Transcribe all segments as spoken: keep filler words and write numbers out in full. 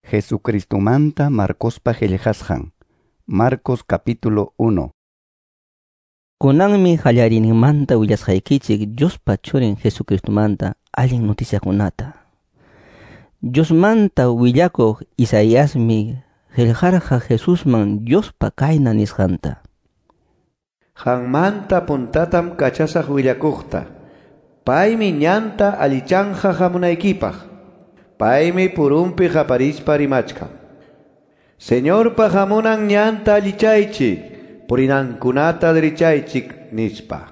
Jesucristomanta Marcospa qillqasqan. Marcos capítulo uno. Kunanmi qallariyninmanta willasqaykichik Diospa churin Jesucristomanta allin noticiakunata. Diosmanta willakuq Isaiasmi qillqarqa Jesusman Diospa kayna nisqanta. Qanmanta puntatam kachasaq willakuqta. Paymi ñanta allichanja hamunaykipaq. Paymi purunpi qaparispa rimachkan. Señorpa hamunan ñanta allichaychik, purinankunata dirichaychik nispa.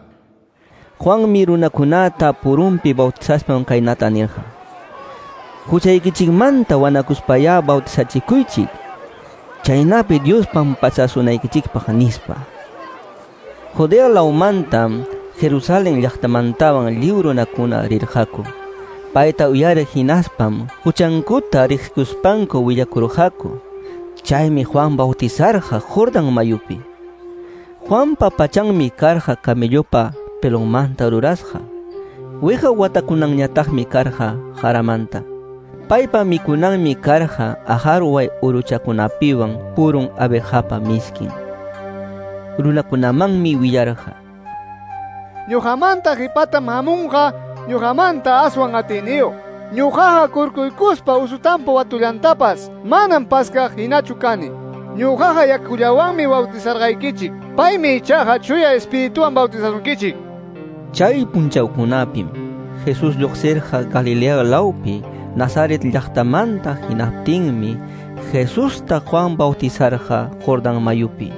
Juanmi runakunata purunpi bautizaspan kaynata nirqa. Huchaykichikmanta wanakuspayá bautizachikuychik, chaynapi Dios pampachasunaykichikpaq nispa. Judea lawmantam Jerusalén llaqtamantawan lliw runakuna rirqaku. Payta uyariq hinaspam huchankuta riqsikuspanku willakurqaku. Chaymi Juan bautizarqa Jordán mayupi. Juanpa pachanmi karqa camellopa pelonmanta rurasqa. Wiqa watakunanñataqmi karqa jaramanta. Paypa mikunanmi karqa ajarway uruchakunapiwan purun abejapa miskin. Runakunamanmi willarqa. Ñuqamanta qipatam hamunqa, ñuqamanta aswan atiniyuq. Ñuqaqa kurkuykuspa usutampa watullantapas manam paskaq hinachu kani. Ñuqaqa yakullawanmi bautizarqaykichik. Paymi ichaqa Chuya Espirituwan bautizasunkichik. Chay punchawkunapim Jesús lluqsirqa Galilea lawpi Nazaret llaqtamanta hinaptinmi Jesusta Juan bautizarqa Jordán mayupi.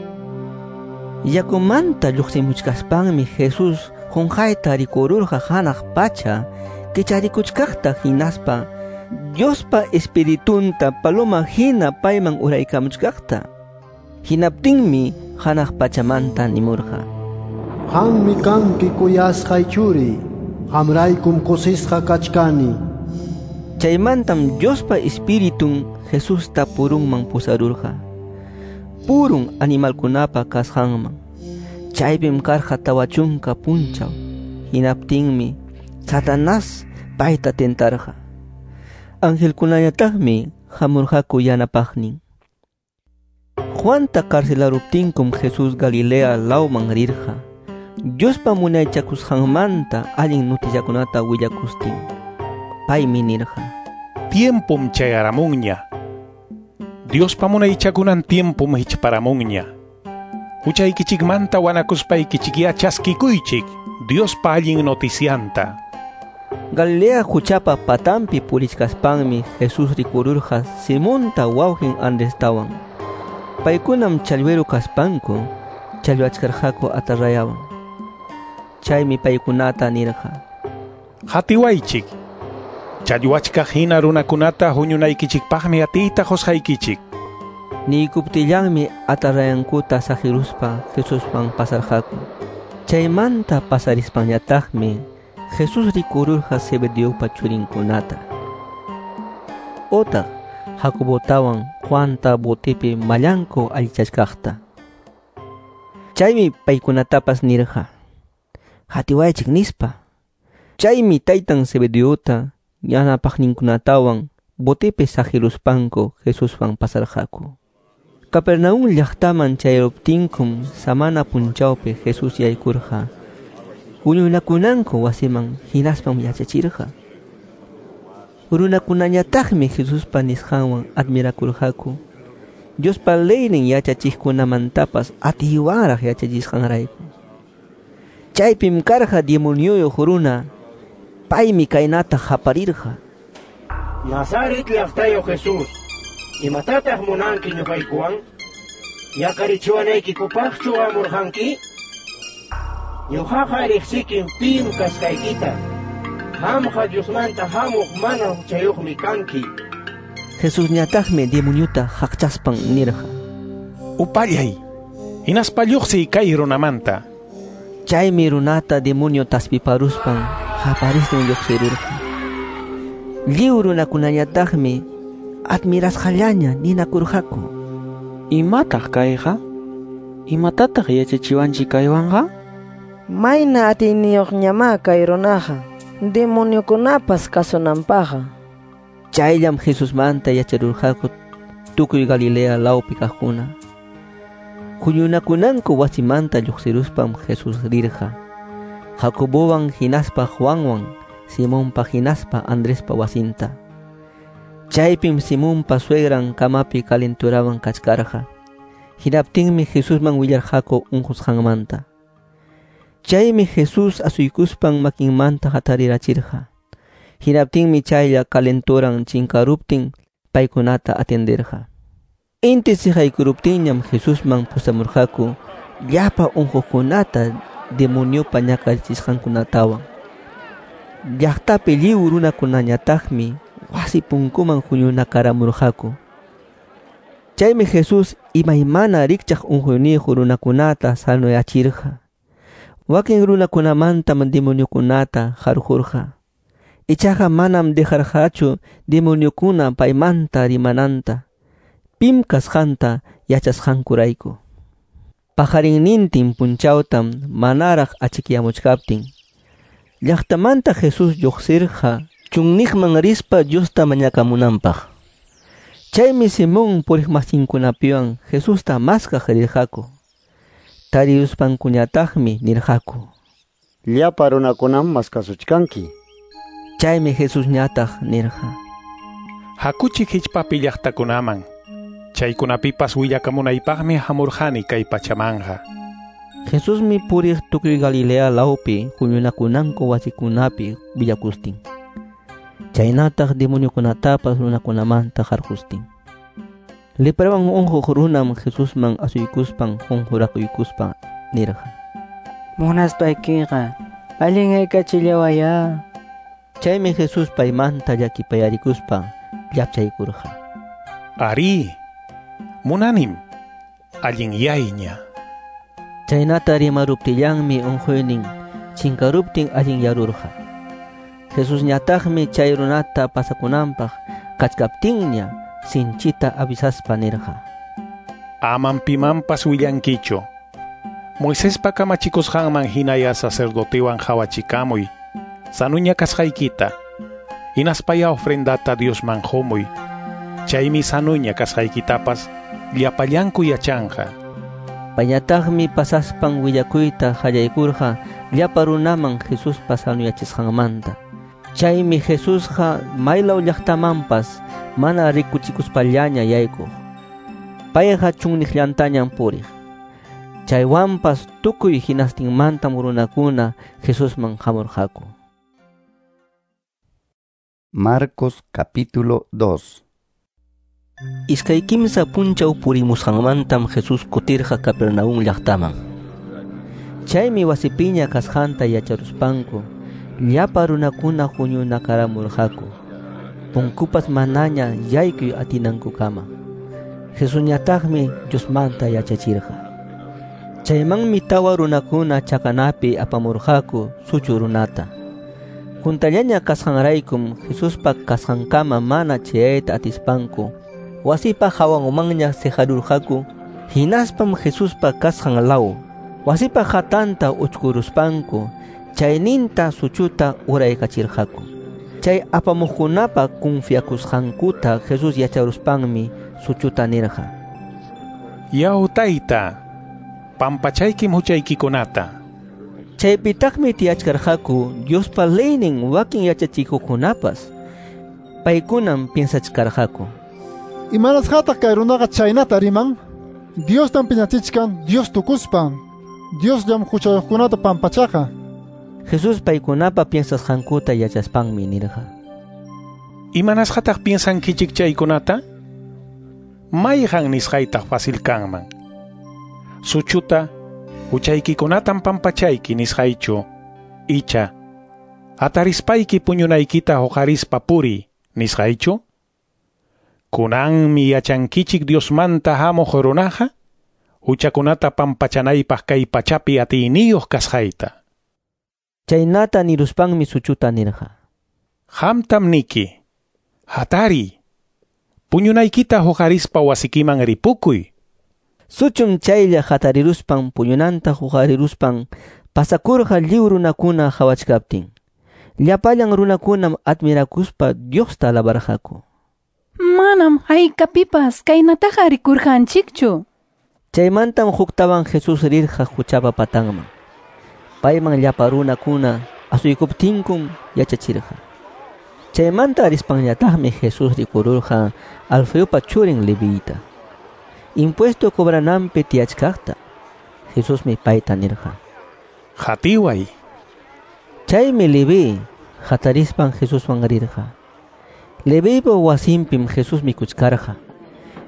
Yakumanta lluqsimuchkaspanmi Jesús qunqayta rikururqa hanaq pacha kicharikuchkaqta hinaspa Diospa Espiritunta paloma hina payman uraykamuchkaqta. Hinaptinmi hanaq pachamanta nimurqa. Qammi kanki kuyasqay churi, qamraykum kusisqa kachkani. Chaymantam Diospa Espiritun Jesusta purunman pusarurqa. Purun animalkunapa kasqanman. Chaypim karqa tawa chunka punchaw. Hinaptinmi Satanás payta tentarqa. Angelkunañataqmi hamurqaku yanapaqnin. Juanta carcelaruptinkum Jesús Galilea lawman rirqa. Diospa munaychakusqanmanta allin noticiakunata willakustin. Paymi nirqa. Tiempom chayaramunña. Diospa munaychakunan tiempom hichparamunña. Huchaykichikmanta wanakuspaykichikya chaskikuychik Diospa allin noticianta. Galilea huchapa patampi purichkaspanmi Jesús rikururqa Simonta wawqin Andrestawan. Paykunam challwiru kaspanku challwachkarqaku atarrayawan. Chaymi paykunata nirqa. Hatiwaychik. Challwachkaq hina runakunata huñunaykichikpaqmi atiyta qusqaykichik. Niykuptillanmi atarrayankuta saqiruspa Jesuswan pasarqaku. Chaymanta pasarispañataqmi Jesús rikururqa Zebedeopa churinkunata. Otaq Jacobotawan Juanta botipi mallanku allichachkaqta. Chaymi paykunatapas nirqa. Hatiwaychik nispa. Chaymi taytan Zebedeota yanapaqninkunatawan botipi saqiruspanku Jesuswan pasarqaku. Capernaum llaqtaman chayaruptinkum samana punchawpi Jesús yaykurqa huñunakunanku wasiman hinaspam yachachirqa. Runakunañataqmi Jesuspa nisqanwan admirakurqaku. Diospa leynin yachachiqkunamantapas atiywanraq yachachisqanrayku. Chaypim karqa demonioyuq runa. Paymi kaynata qaparirqa. Nazaret llaqtayuq Jesús, imatataq munanki ñuqaykuwan? Ñakarichiwanaykikupaqchu hamurqanki? Ñuqaqa riqsikim pim kasqaykita. Qamqa Diosmanta hamuq mana huchayuqmi kanki. Jesusñataqmi demoniota haqchaspan nirqa. Upallay, hinaspa lluqsiy kay runamanta. Chaymi runata demonio taspiparuspan qaparistin lluqsirurqa. Lliw runakunañataqmi admirasqallaña ninakurqaku. Imataq kayqa? Imatataq yachachiwanchik kaywanqa? Mayna atiyniyuqñamá kay runaqa, demoniokunapas kasunanpaqqa. Chayllam Jesusmanta yacharurqaku tukuy Galilea lawpi kaqkuna. Huñunakunanku wasimanta lluqsiruspam Jesús rirqa Jacobowan hinaspa Juanwan, Simonpa hinaspa Andrespa wasinta. Chaypim Simonpa suegran kamapi calenturawan kachkarqa. Hinaptinmi Jesusman willarqaku unqusqanmanta. Chaymi Jesús asuykuspan makinmanta hatarirachirqa. Hinaptinmi chaylla calenturan chinkaruptin paykunata atenderqa. Inti siqaykuruptinñam Jesusman pusamurqaku llapa unquqkunata demoniopa ñakarichisqankunatawan. Llaqtapi lliw runakunañataqmi wasi punkuman huñunakaramurqaku. Chaymi Jesús imaymana rikchaq unquyniyuq runakunata sanoyachirqa. Wakin runakunamantam demoniokunata qarqurqa. Ichaqa manam dejarqachu demoniokuna paymanta rimananta, pim kasqanta yachasqankurayku. Paqarinnintin punchawtam manaraq achikyamuchkaptin llaqtamanta Jesús lluqsirqa chunniqman rispa Diosta mañakamunanpaq. Chaymi Simón puriqmasinkunapiwan Jesusta maskaq rirqaku. Tariruspankuñataqmi nirqaku: Llapa runakunam maskasuchkanki. Chaymi Jesusñataq nirqa: Hakuchik hichpapi llaqtakunaman. Chaykunapipas willakamunaypaqmi hamurqani kay pachamanqa. Jesusmi puriq tukuy Galilea lawpi huñunakunanku wasikunapi willakustin. Chaynataq demoniokunatapas runakunamanta qarqustin. Leprawan unquq runam Jesusman asuykuspan qunqurakuykuspa nirqa: Munaspaykiqa allinyakachillawayá. Chaymi Jesús paymanta llakipayarikuspa llapchaykurqa: Ari, munanim, allinyayña. Chaynata rimaruptillanmi unquynin chinkaruptin allinyarurqa. Jesusñataqmi chay runata pasakunanpaq kachkaptinña sinchita avisaspa nirqa: Amam pimanpas willankichu. Moisespa kamachikusqanman hinaya sacerdotewan qhawachikamuy sanuña kasqaykita, hinaspaya ofrendata Diosman qumuy. Chaymi sanuña kasqaykitapas llapallanku yachanqa. Payñataqmi pasaspan willakuyta qallaykurqa llapa runaman Jesuspa sanuyachisqanmanta. Chaymi Jesusqa maylaw llaqtamanpas mana rikuchikuspallaña yaykuq. Payqa chunniqllantañam puriq. Chaywanpas tukuy hinastinmantam runakuna Jesusman hamurqaku. Marcos capítulo dos. Iskay kimsa punchaw purimusqanmantam Jesús kutirqa Capernaum llaqtaman. Chaymi wasipiña kasqanta yacharuspanku llapa runakuna huñunakaramurqaku, punkupas manaña yaykuy atinankukama. Jesusñataqmi Diosmanta yachachirqa. Chaymanmi tawa runakuna chakanapi apamurqaku suchu runata. Juntallaña kasqanraykum Jesuspa kasqankama mana chayayta atispanku wasipa hawanmanña siqarurqaku. Hinaspam Jesuspa kasqan law wasipa hatanta uchkuruspanku chayninta suchuta uraykachirqaku. Chay apamuqkunapa confiakusqankuta Jesús yacharuspanmi suchuta nirqa: Yaw tayta, pampachaykim huchaykikunata. Chaypitaqmi tiyachkarqaku Diospa leynin wakin yachachikuqkunapas. Paykunam piensachkarqaku: Imanasqataq kay runaqa chaynata riman? Diostam piñachichkan Dios tukuspan. Diosllam huchayuqkunata pampachaqa. Jesús paykunapa piensasqankuta yachaspanmi nirqa: Imanasqataq piensankichik chaykunata? Mayqan nisqaytaq fácil kanman? Suchuta huchaykikunatam pampachayki nisqaychu, icha atarispayki puñunaykita huqarispa puriy nisqaychu? Kunanmi yachankichik Diosmanta hamuq runaqa huchakunata pampachanaypaq kay pachapi atiyniyuq kasqayta. Chaynata niruspanmi suchuta nirqa: Qamtam niki, hatariy, puñunaykita huqarispa wasikiman ripukuy. Suchum chaylla hatariruspan puñunanta huqariruspan pasakurqa lliw runakuna qhawachkaptin. Llapallan runakunam admirakuspa Diosta alabarqaku. Manam haykapipas kaynataqa rikurqanchikchu. Chaymantam huktawan Jesús rirqa quchapa patanman. Payman llapa runakuna asuykuptinkum yachachirqa. Chaymanta rispanñataqmi Jesús rikururqa Alfeopa churin Levita. Impuesto cobrananpi tiyachkaqta. Jesusmi payta nirqa: Qatiway. Chaymi Leví hatarispan Jesuswan rirqa. Levipa wasinpim Jesús mikuchkarqa.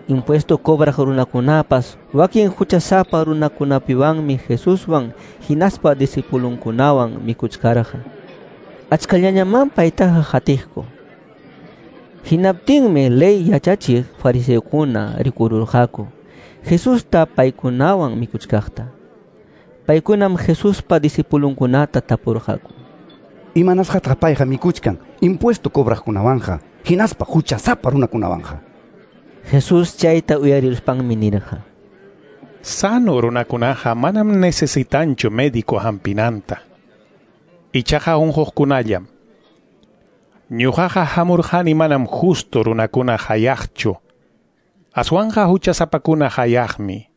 Impuesto cobraq runakunapas wakin huchasapa runakunapiwanmi Jesuswan hinaspa discipulunkunawan mikuchkarqa. Achkallañaman paytaqa qatiqku. Hinaptinmi ley yachachiq fariseokuna rikururqaku Jesusta paykunawan mikuchkaqta. Paykunam Jesuspa discipulunkunata tapurqaku: Imanasqataq payqa mikuchkan impuesto cobraqkunawanqa hinaspa huchasapa runakunawanqa? Jesús chayta uyariruspanmi nirqa: Sano runakunaqa manam necesitanchu médico hampinanta. Ichaqa unquqkunallam. Ñuqaqa hamurqani manam justo runakuna hayaqchu. Aswanqa huchasapakuna hayaqmi.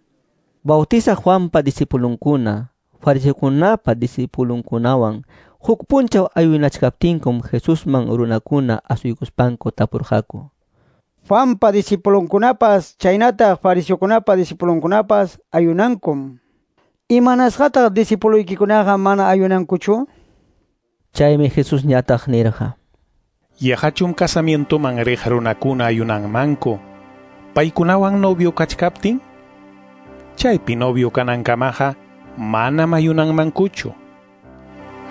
Bautizaq Juanpa discipulunkuna, fariseokunapa discipulunkunawan huk punchaw ayunachkaptinkum Jesusman runakuna asuykuspanku tapurqaku: Juanpa discipulunkunapas chaynataq fariseokunapa discipulunkunapas ayunankum. Imanasqataq discipuloykikunaqa mana ayunankuchu? Chaymi Jesusñataq nirqa: Yaqachum casamientoman riq runakuna ayunanmanku paykunawan novio kachkaptin? Chaypi novio kanankamaqa manam ayunanmankuchu.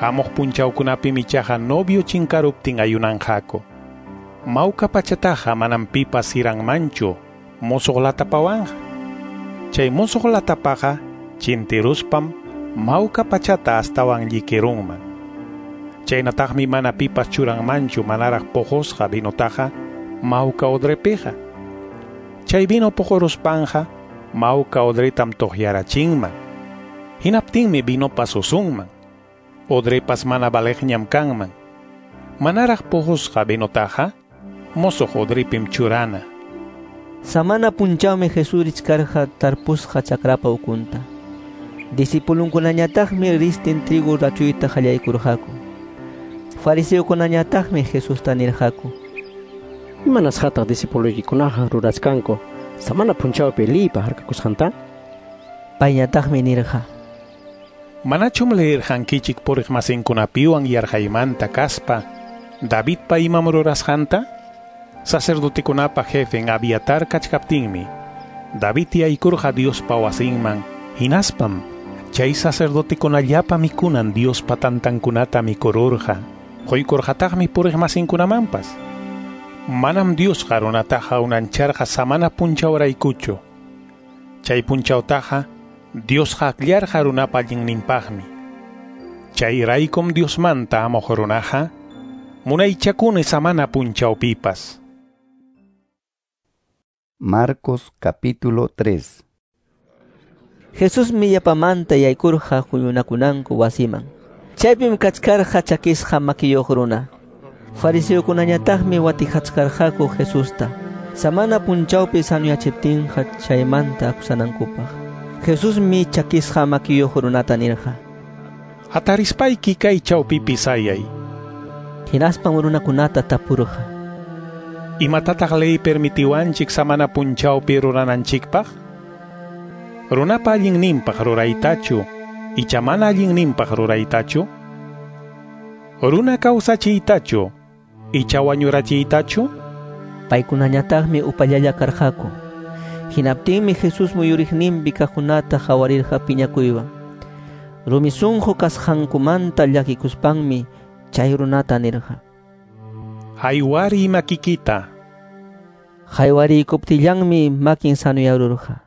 Hamuq punchawkunapim ichaqa novio chinkaruptin ayunanqaku. Mawka pachataqa manam pipas siranmanchu musuq latapawanqa. Chay musuq latapaqa chintiruspam mawka pachata astawan llikirunman. Chaynataqmi mana pipas churanmanchu manaraq puqusqa vinotaqa mawka odrepiqa. Chay vino puquruspanqa mawka odretam tuqyarachinman. Hinaptinmi vinopas usunman. Odrepas mana valeqñam kanman. Manaraq puqusqa vinotaqa musuq odrepim churana. Samana punchawmi Jesús richkarqa tarpusqa chakrapa ukunta. Discipulunkunañataqmi ristin trigo rachuyta qallaykurqaku. Fariseokunañataqmi Jesusta nirqaku: Imanasqataq discipuloykikunaqa rurachkanku samana punchawpi liypa harkakusqanta? Payñataqmi nirqa: Manachum leerqankichik puriqmasinkunapiwan yarqaymanta kaspa Davidpa imam rurasqanta? Sacerdotekunapa jefen Abiatar kachkaptinmi David yaykurqa Diospa wasinman, hinaspam chay sacerdotekunallapa mikunan Diospa tantankunata mikururqa, quykurqataqmi puriqmasinkunamanpas. Manam Diosqa runataqa unancharqa samana punchawraykuchu. Chay punchawtaqa Diosqa akllarqa runapa allinninpaqmi. Chayraykum Diosmanta hamuq runaqa munaychakuni samana punchawpipas. Marcos capítulo tres. Jesusmi yapamanta yaykurqa huñunakunanku wasiman. Chaypim kachkarqa chakisqa makiyuq runa. Fariseokunañataqmi watijachkarqaku Jesusta samana punchawpi sanuyachiptinqa chaymanta akusanankupaq. Jesusmi chakisqa makiyuq runata nirqa: Hatarispayki kay chawpipi sayay. Hinaspam runakunata tapurqa: Imatataq ley permitiwanchik samana punchawpi rurananchikpaq? Runapa allinninpaq ruraytachu icha mana allinninpaq ruraytachu? Runa kawsachiytachu icha wañurachiytachu? Paykunañataqmi upallalla karqaku. Hinaptinmi Jesús muyuriqninpi kaqkunata qawarirqa piñakuywan. Rumi sunqu kasqankumanta llakikuspanmi chay runata nirqa: Haywari makikita. Haywarikuptillanmi makin sanuyarurqa.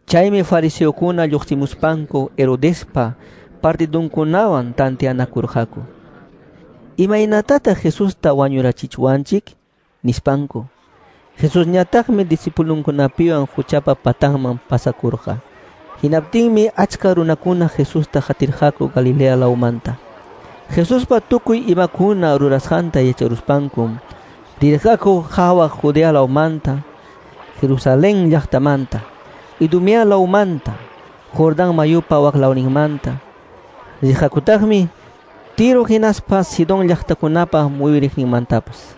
Chaymi fariseokuna lluqsimuspanku Herodespa partidunkunawan tanteanakurqaku. Imaynatataq Jesusta wañurachichwanchik? Nispanku. Jesusñataqmi discipulunkunapiwan quchapa patanman pasakurqa. Hinaptinmi achka runakuna Jesusta qatirqaku Galilea lawmanta. Jesuspa tukuy imakuna rurasqanta yacharuspankum Rirqaku hawa Judea lawmanta, Jerusalén llaqtamanta, Idumea lawmanta, Jordán mayupa waklawninmanta. Rirqakutaqmi Tiro hinaspa Sidón llaqtakunapa muyuriqninmantapas.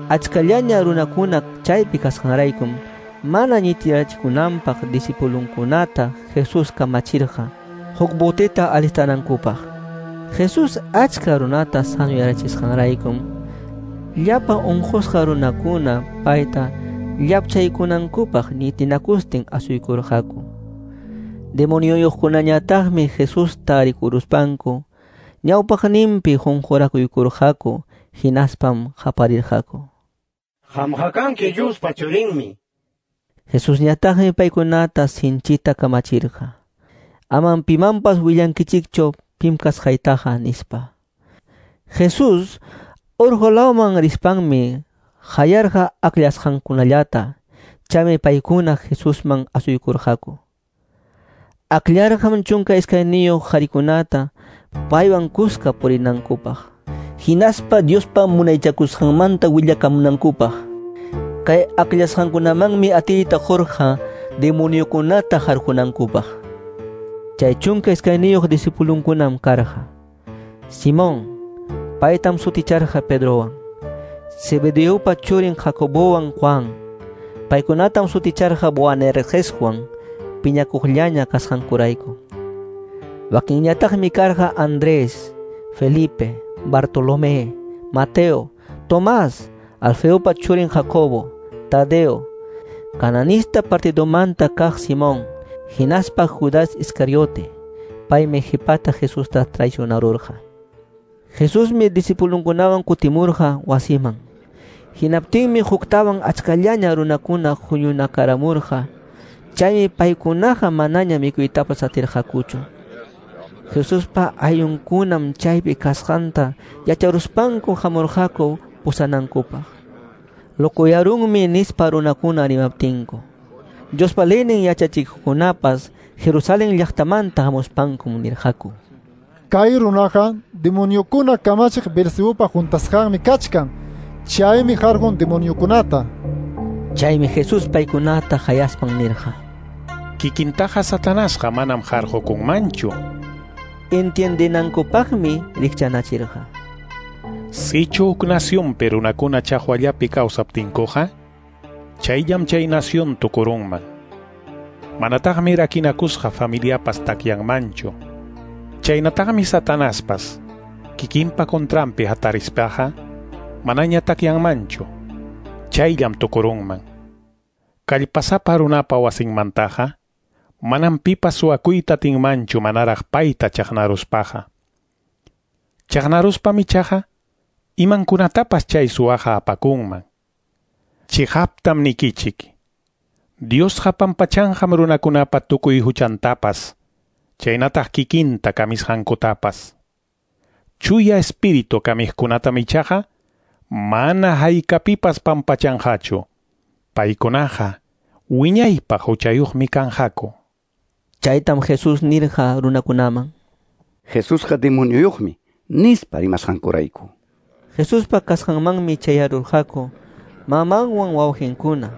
Achkallaña runakuna chaypi kasqanraykum mana ñitirachikunanpaq discipulunkunata Jesús kamachirqa huk boteta alistanankupaq. Jesús achka runata sanuyarachisqanraykum llapa unqusqa runakuna payta llapchaykunankupaq ñitinakustin asuykurqaku. Demonioyuqkunañataqmi Jesusta rikuruspanku ñawpaqninpi qunqurakuykurqaku hinaspam qaparirqaku. Qamqa kanki Diospa churinmi. Jesusñataqmi paykunata sinchita kamachirqa. Amam pimanpas willankichikchu pim kasqaytaqa nispa. Jesús urqu lawman rispanmi qayarqa akllashqankunallata, chaymi paykuna Jesusman asuykurqaku. Akllarqam chunka iskayniyuq qharikunata paywan kuska purinankupaq, hinaspa Diospa munaychakusqanmanta willakamunankupaq. Kay akllashqankunamanmi atiyta qurqa demoniokunata harqunankupaq. Chay chunka iskayniyuq discipulunkunam karqa: Simón, paytam suticharqa Pedrowan, Zebedeopa churin Jacobowan Juan, paykunatam suticharqa Boanergeswan, piñakuqllaña kasqankurayku. Wakinñataqmi karqa Andrés, Felipe, Bartolomé, Mateo, Tomás, Alfeopa churin Jacobo, Tadeo, cananista partidomanta kaq Simón, hinaspa Judas Iscariote, paymi qhipata Jesusta traicionarurqa. Jesusmi discipulunkunawan kutimurqa wasiman. Hinaptinmi huktawan achkallaña runakuna huñunakaramurqa. Chaymi paykunaqa manaña mikuytapas atirqakuchu. Jesuspa ayllunkunam chaypi kasqanta yacharuspanku hamurqaku pusanankupaq. Lokuyarunmi nispa runakuna rimaptinku. Diospa leynin yachachikuqkunapas Jerusalén llaqtamanta hamuspankum nirqaku: Kay runaqa demoniokuna kamachiq Beelzebupa juntasqanmi kachkan. Chaymi harqun demoniokunata. Chaymi Jesús paykunata qayaspan nirqa: Kikintaqa Satanasqa manam harqukunmanchu. Entiendenankupaqmi rikchanachirqa: Sichu huk nacionpi runakuna chaqwallapi kawsaptinkuqa, chayllam chay nación tukurunman. Manataqmi rakinakusqa familiapas takyanmanchu. Chaynataqmi Satanaspas kikinpa contranpi hatarispaqa manaña takyanmanchu. Chayllam tukurunman. Kallpasapa runapa wasinmantaqa manam pipas suwakuyta atinmanchu manaraq payta chaqnaruspaqa. Chaqnaruspam ichaqa imankunatapas chay suwaqa apakunman. Chiqaptam nikichik, Diosqa pampachanqam runakunapa tukuy huchantapas, chaynataq kikinta kamisqankutapas. Chuya espíritu kamiqkunatam ichaqa mana haykapipas pampachanqachu. Paykunaqa wiñaypaq huchayuqmi kanqaku. Chaytam Jesús nirqa runakunaman: Jesusqa demonioyuqmi nispa rimasqankurayku. Jesuspa kasqanmanmi chayarurqaku mamanwan wawqinkuna.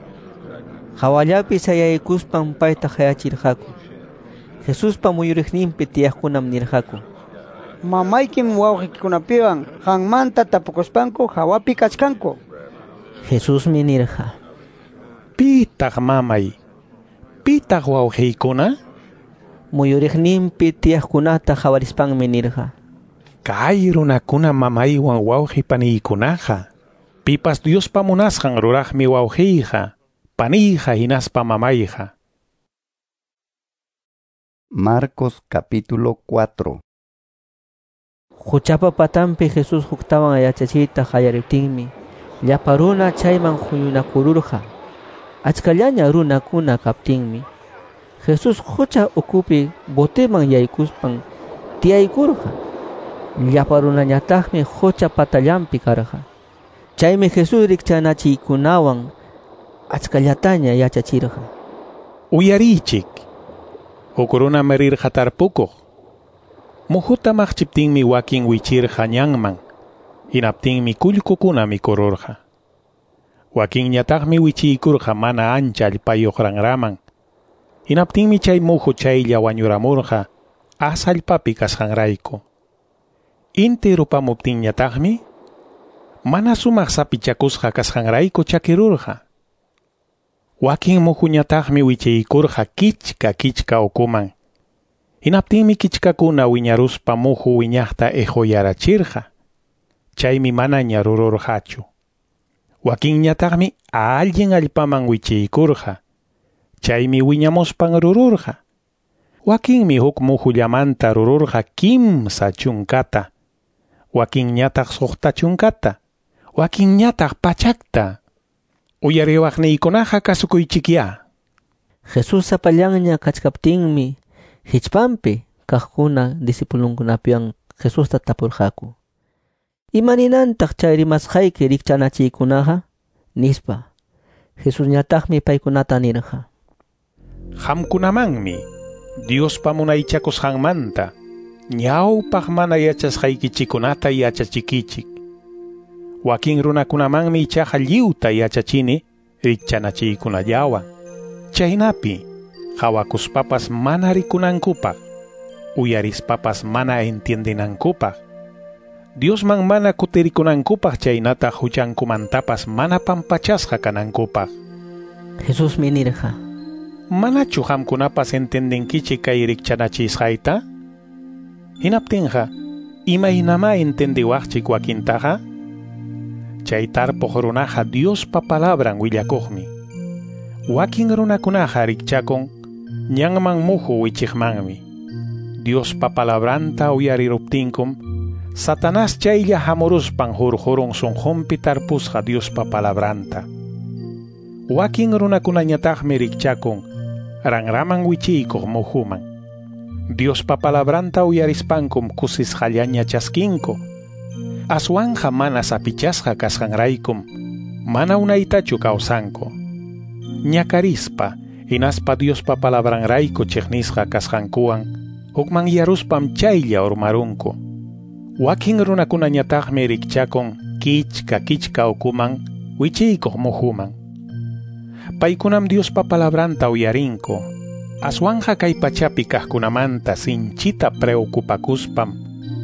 Hawallapi sayaykuspan payta qayachirqaku. Jesuspa muyuriqninpi tiyaqkunam nirqaku: Mamaykim wawqikikunapiwan qanmanta tapukuspanku hawapi kachkanku. Jesusmi nirqa: Pitaq mamay? Pitaq wawqiykuna? Muyuriqninpi tiyaqkunata qawarispanmi nirqa: Kay runakuna mamaywan wawqi paniykunaqa, pipas Diospa munasqan ruraqmi wawqiyqa, paniyqa hinaspa mamayqa. Marcos capítulo cuatro. Huchapa patanpi Jesús huktawan yachachiyta qallariptinmi llapa runa chayman huñunakururqa. Achkallaña runakuna kaptinmi Jesús hucha ukupi boteman yaykuspan tiyaykurqa. Llapa runañataqmi hucha patallanpi karqa. Chaymi Jesús rikchanachiykunawan achkallataña yachachirqa. Uyariychik, huk runam rirqa tarpukuq. Muhuta maqchiptinmi wakin wichirqa ñanman, hinaptinmi kullkukuna mikururqa. Wakinñataqmi wichiykurqa mana ancha allpayuq ranraman. Hinaptinmi chay muhu chaylla wañuramurqa as allpapi kasqanrayku. Inti rupamuptinñataqmi mana sumaq sapichakusqa kasqanrayku chakirurqa. Wakin muhuñataqmi wichiykurqa kichka kichka ukuman. Hinaptinmi kichkakuna wiñaruspa muhu wiñaqta ejoyarachirqa. Chaymi manaña rururqachu. Wakinñataqmi allin allpaman wichiykurqa. Chaymi wiñamuspan rururqa. Wakinmi huk muhullamanta rururqa kimsa chunkata. Wakinñataq suqta chunkata. Wakinñataq pachakta. Uyariwaqniykunaqa kasukuychikyá. Jesús sapallanña kachkaptinmi hichpanpi kaqkuna discipulunkunapiwan Jesusta tapurqaku. Imaninantaq chay rimasqayki rikchanachiykunaqa? Nispa. Jesusñataqmi paykunata nirqa. Qamkunamanmi Diospa munaychakusqanmanta ñawpaq mana yachasqaykichikunata yachachikichik. Wakin runakunamanmi ichaqa lliwta yachachini rikchanachiykunallawan. Chaynapi qawakuspapas mana rikunankupaq, uyarispapas mana entiendenankupaq, Diosman mana kutirikunankupaq chaynataq huchankumantapas mana pampachasqa kanankupaq. Jesusmi nirqa. Manachu qamkunapas entendenkichik kay rikchanachisqayta? Hinaptinqa, imaynamá entendiwaqchik wakintaqa? Chay tarpuq runaqa Diospa palabran willakuqmi. Wakin runakunaqa rikchakun ñanman muhu wichiqmanmi. Diospa palabranta uyariruptinkum, Satanás chaylla hamuruspan hurqurun sunqunpi tarpusqa Diospa palabranta. Wakin runakunañataqmi rikchakun ranraman wichiykuq muhuman. Diospa palabranta uyarispankum kusisqallaña chaskinku. Aswanja mana sapichasqa kasqanraykum, mana unaytachu kawsanku. Ñakarispa, hinaspa Diospa palabranrayku chiqnisqa kasqankuwan, hukmanyaruspam chaylla urmarunku. Wakin runakunañataqmi rikchakun kichka kichka ukuman, wichiykuq muhuman. Paykunam Diospa palabranta uyarinku. Aswanja kay pachapi kaqkunamanta sinchita preocupakuspam,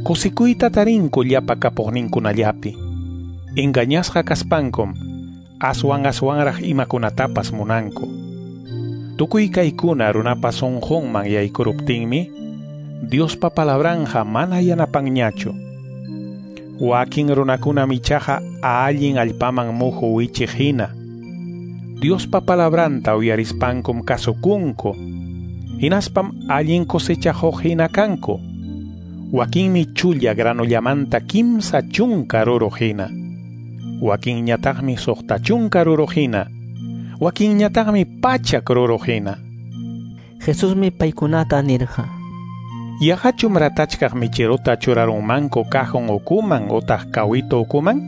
kusikuyta tarinku llapa kapuqninkunallapi. Engañasqa kaspankum, aswan aswanraq imakunatapas munanku. Tukuy kaykuna runapa sunqunman yaykuruptinmi, Diospa palabranja mana yanapanñachu. Wakin runakunam ichaqa allin allpaman muhu wichiq hina. Diospa palabranta uyarispankum kasukunku. Hinaspam allin cosechajuq hina kanku. Wakinmi chulla granullamanta kimsa chunka ruruq hina. Wakinñataqmi suqta chunka ruruq hina. Wakinñataqmi pachak ruruq hina. Jesusmi paykunata nirqa. Yaqachum ratachkaq michiruta churarunmanku cajon ukuman utaq kawito ukuman?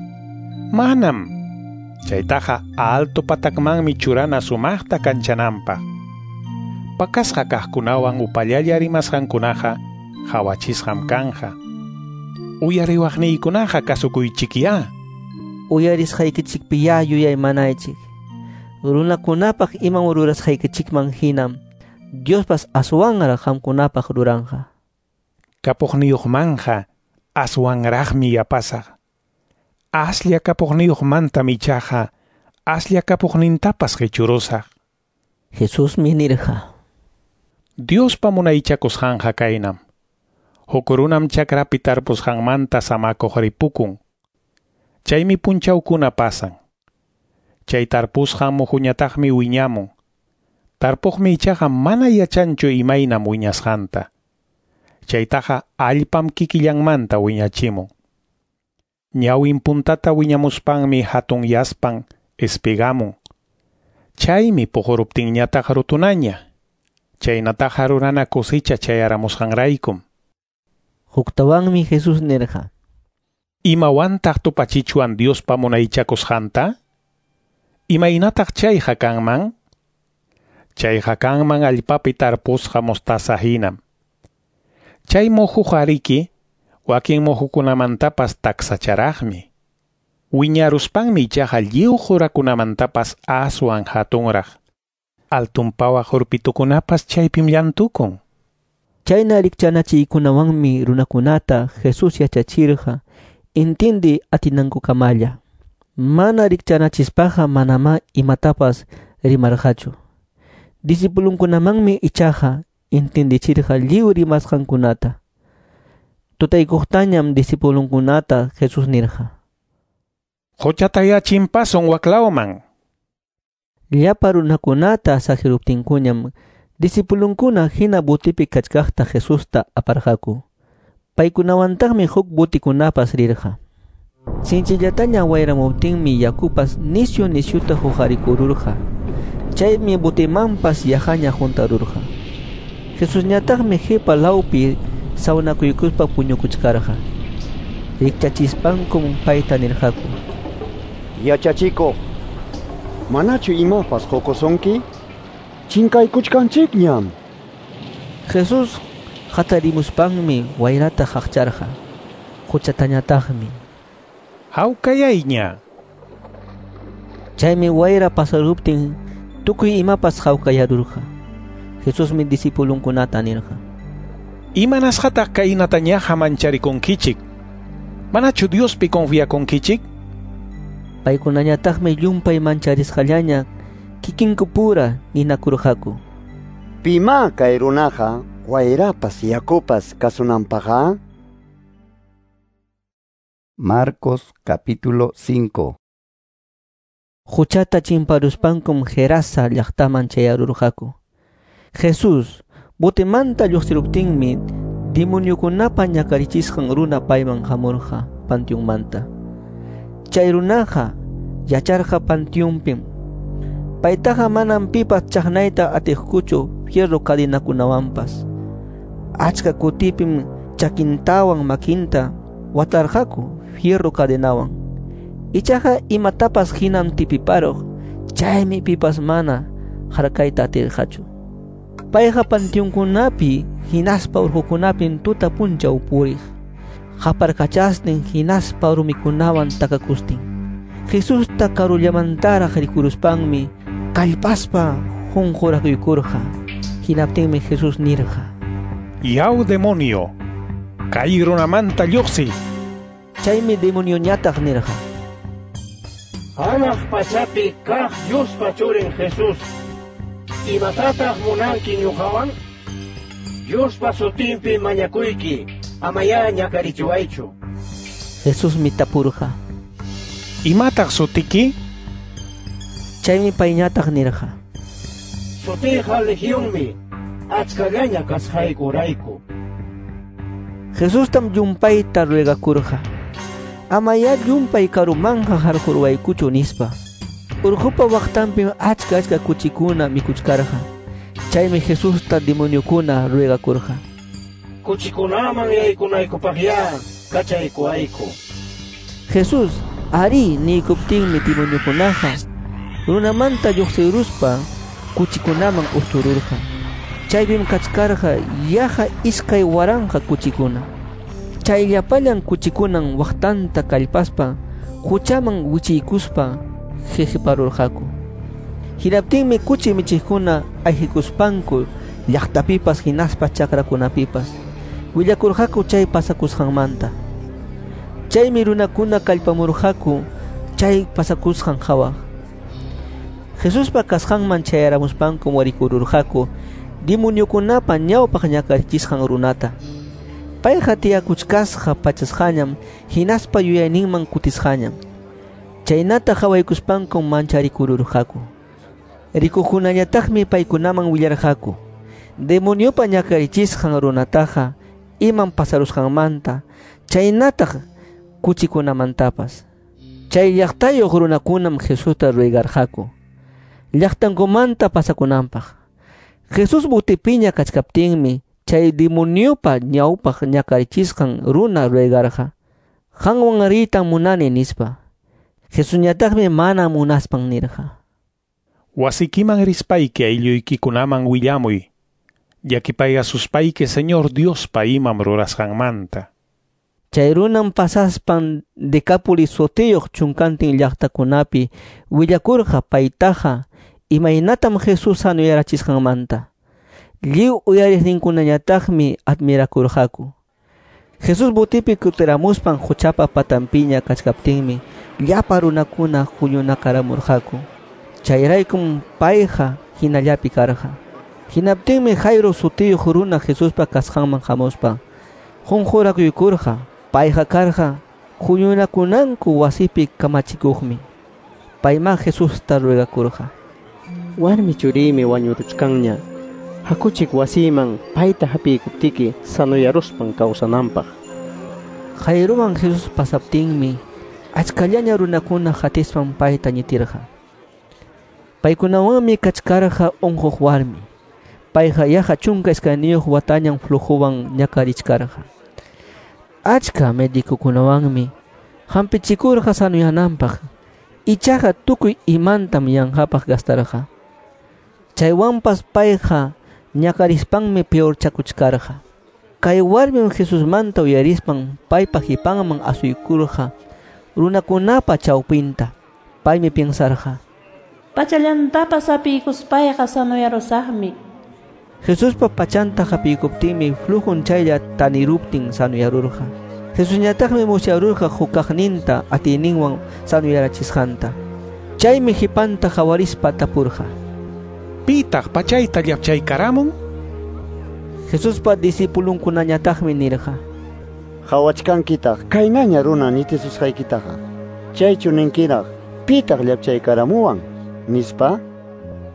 Manam. Chaytaqa alto patakmanmi churana sumaqta kanchananpaq. Pakasqa kaqkunawan upallalla rimasqankunaqa qhawachisqam kanja. Uyariwaqniykunaqa kasukuychikyá. Uyarisqaykichikpiyá yuyaymanaychik. Runakunapaq imam rurasqaykichikman hinam Diospas aswanraq qamkunapaq ruranqa. Kapuqniyuqmanja aswanraqmi yapasaq. Aslla kapuqniyuqmantam ichaqa aslla kapuqnintapas qichurusaq. Jesusmi nirqa. Diospa munaychakusqanqa kaynam. Huk runam chakrapi tarpusqanmanta samakuq ripukun. Chaymi punchawkuna pasan. Chay tarpusqan muhuñataqmi wiñamun. Tarpuqmi ichaqa mana yachanchu imaynam wiñasqanta. Chaytaqa allpam kikillanmanta wiñachimun. Ñawin puntata wiñamuspanmi hatunyaspan espigamun. Chaymi puquruptinñataq rutunaña. Chaynataqa rurana cosecha chayaramusqanraykum. Huktawanmi Jesús nirqa. Imawantaq tupachichwan Diospa munaychakusqanta? Imaynataq chayqa kanman? Chayqa kanman allpapi tarpusqa mostaza hinam. Chay muhuqa riki wakin muhukunamantapas taksacharaqmi. Wiñaruspanmi ichaqa lliw qurakunamantapas aswan hatunraq. Altun pawaq urpitukunapas chaypim llantukun. Chayna rikchanachiykunawanmi runakunata Jesús yachachirqa intindi atinankukamalla. Mana rikchanachispaqa manamá imatapas rimarqachu. Discipulunkunamanmi ichaqa intindichirqa lliw rimasqankunata. Tutaykuqtañam discipulunkunata Jesús nirqa: Quchatayá chimpasun waklawman. Llapa runakunata saqiruptinkuñam discipulunkuna hina botipi kachkaqta Jesusta aparqaku. Paykunawantaqmi huk botikunapas rirqa. Sinchillataña wayramuptinmi yakupas nisyu nisyuta huqarikururqa. Chaymi botimanpas yaqaña huntarurqa. Jesusñataqmi qipa lawpi sawnakuykuspa puñukuchkarqa. Rikchachispankum payta nirqaku: Yachachikuq, manachu imapas qukusunki? Chinkaykuchkanchikñam. Jesús hatarimuspanmi wayrata qaqcharqa. Quchatañataqmi: Hawkayayña. Chaymi wayra pasaruptin tukuy imapas hawkayarurqa. Jesusmi discipulunkunata nirqa: Imanasqataq kaynatañaqa mancharikunkichik? Manachu Diospi confiakunkichik? Paykunañataqmi llumpay mancharisqallaña kikinkupura ninakurqaku: Pimá kay runaqa wayrapas yakupas kasunanpaqqa? Marcos capítulo cinco. Quchata chimparuspankum Gerasa llaqtaman chayarurqaku. Jesús botemanta lluqsiruptinmi demoniokunapa ñakarichisqan runa payman hamurqa panteonmanta. Chay runaqa yacharqa panteonpim. Paytaqa manam pipas chaqnayta atiqkuchu fierro cadinakunawanpas. Achka kutipim chakintawan makinta watarqaku fierro cadenawan. Ichaqa imatapas hinam tipiparuq, chaymi pipas mana harkayta atirqachu. Payqa panteonkunapi hinaspa urqukunapim tuta punchaw puriq, qaparkachastin hinaspa rumikunawan takakustin. Jesusta karullamantaraq rikuruspanmi kallpaspa qunqurakuykurqa. Hinaptinmi Jesús nirqa: Yaw demonio, kay runamanta lluqsiy. Chaymi demonioñataq nirqa: Hanaq pachapi kaq Diospa churin Jesús, imatataq munanki ñuqawan? Diospa sutinpi mañakuyki, amayá ñakarichiwaychu. Jesusmi tapurqa: Imataq sutiki? Chaymi payñataq nirqa: Sutiyqa Legionmi, achkallaña kasqaykurayku. Jesustam llumpayta ruegakurqa: amayá llumpay karumanqa harqurwaykuchu nispa. Urqupa waqtanpim achka achka kuchikuna mikuchkarqa. Chaymi Jesusta demoniokuna ruegakurqa: Kuchikunaman yaykunaykupaqyá kachaykuwayku. Jesús arí niykuptinmi demoniokunaqa runamanta lluqsiruspa kuchikunaman ustururqa. Chaypim kachkarqa yaqa iskay waranqa kuchikuna. Chay llapallan kuchikunan waqtanta kallpaspa quchaman wichiykuspa qiqiparurqaku. Hinaptinmi kuchi michiqkuna ayqikuspanku llaqtapipas hinaspa chakrakunapipas willakurqaku chay pasakusqanmanta. Chaymi runakuna kallpamurqaku chay pasakusqan qhawaq. Jesuspa kasqanman chayaramuspanku warikururqaku demoniokunapa ñawpaq ñakarichisqan runata. Payqa tiyakuchkasqa pachasqañam hinaspa yuyayninman kutisqañam. Chaynata qhawaykuspankum mancharikururqaku. Rikuqkunañataqmi paykunaman willarqaku demoniopa ñakarichisqan runataqa imam pasarusqanmanta, chaynataq kuchikunamantapas. Chay llaqtayuq runakunam Jesusta ruegarqaku llaqtankumanta pasakunanpaq. Jesús botipiña kachkaptinmi chay demoniopa ñawpaq ñakarichisqan runa ruegarqa: qanwan riytan munani nispa. Jesusñataqmi mana munaspan nirqa: Wasikiman rispayki aylluykikunaman willamuy, llakipayasuspayki Señor Diospa imam rurasqanmanta. Chay runam pasaspan Decápolis sutiyuq chunkantin llaqtakunapi willakurqa paytaqa imaynatam Jesús sanoyarachisqanmanta. Lliw uyariqninkunañataqmi admirakurqaku. Jesús botipi kutiramuspan quchapa patanpiña kachkaptinmi llapa runakuna huñunakaramurqaku. Chayraykum payqa hinallapi karqa. Hinaptinmi Jairo sutiyuq runa Jesuspa kasqanman hamuspa qunqurakuykurqa. Payqa karqa huñunakunanku wasipi kamachikuqmi. Payman Jesusta ruegakurqa: Warmi churiymi wañuruchkanña. Hakuchik wasiman payta hapiykuptiki sanoyaruspan kawsananpaq. Jairowan Jesús pasaptinmi achkallaña runakuna hatispan payta ñitirqa. Paykunawanmi kachkarqa unquq warmi. Payqa yaqa chunka iskayniyuq watañam flujowan ñakarichkarqa. Achka médicokunawanmi hampichikurqa sanoyananpaq. Ichaqa tukuy imantam yanqapaq gastarqa. Chaywanpas payqa ñakarispanmi peorchakuchkarqa. Kay warmim Jesusmanta uyarispan paypa qipanman asuykurqa runakunapa chawpinta. Paymi piensarqa: Pachallantapas hapiykuspayqa sanoyarusaqmi. Jesuspa pachanta hapiykuptinmi flujun chaylla taniruptin sanoyarurqa. Jesusñataqmi musyarurqa hukaqninta atiyninwan sanoyarachisqanta. Chaymi qipanta qawarispa tapurqa: Pitaq pachayta llapchaykaramun? Jesuspa discipulunkunañataqmi nirqa: Qawachkankitaq kaynaña runa ñitisusqaykitaqa. Chaychu ninkiraq pitaq llapchaykaramuwan nispa?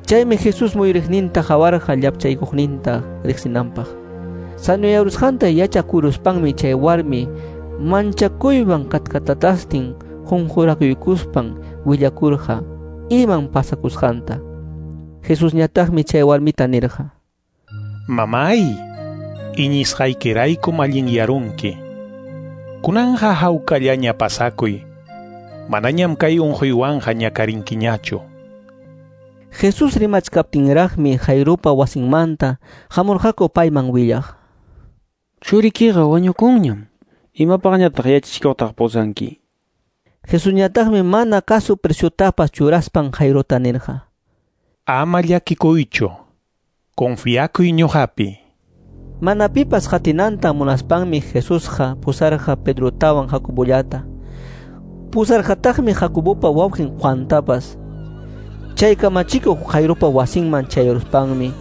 Chaymi Jesús muyuriqninta qawarqa llapchaykuqninta riqsinanpaq. Sanoyarusqanta yachakuruspanmi chay warmi manchakuywan katkatatastin qunqurakuykuspan willakurqa iman pasakusqanta. Jesusñataqmi chay warmita nirqa: Mamay, iñisqaykiraykum allinyarunki. Kunanqa hawkallaña pasakuy. Manañam kay unquywanqa ñakarinkiñachu. Jesús rimachkaptinraqmi Jairopa wasinmanta hamurqaku payman willaq: Churikiqa wañukunñam. Imapaqñataq yachachikuqtaq pusanki? Jesusñataqmi mana kasu preciotapas churaspan Jairota nirqa: Ama llakikuychu. Confiakuy ñuqapi. Mana pipas qatinanta munaspanmi Jesusqa pusarqa Pedrotawan Jacobollata. Pusarqataqmi Jacobopa wawqin Juantapas. Chay kamachikuq Jairopa wasinman chayaruspanmi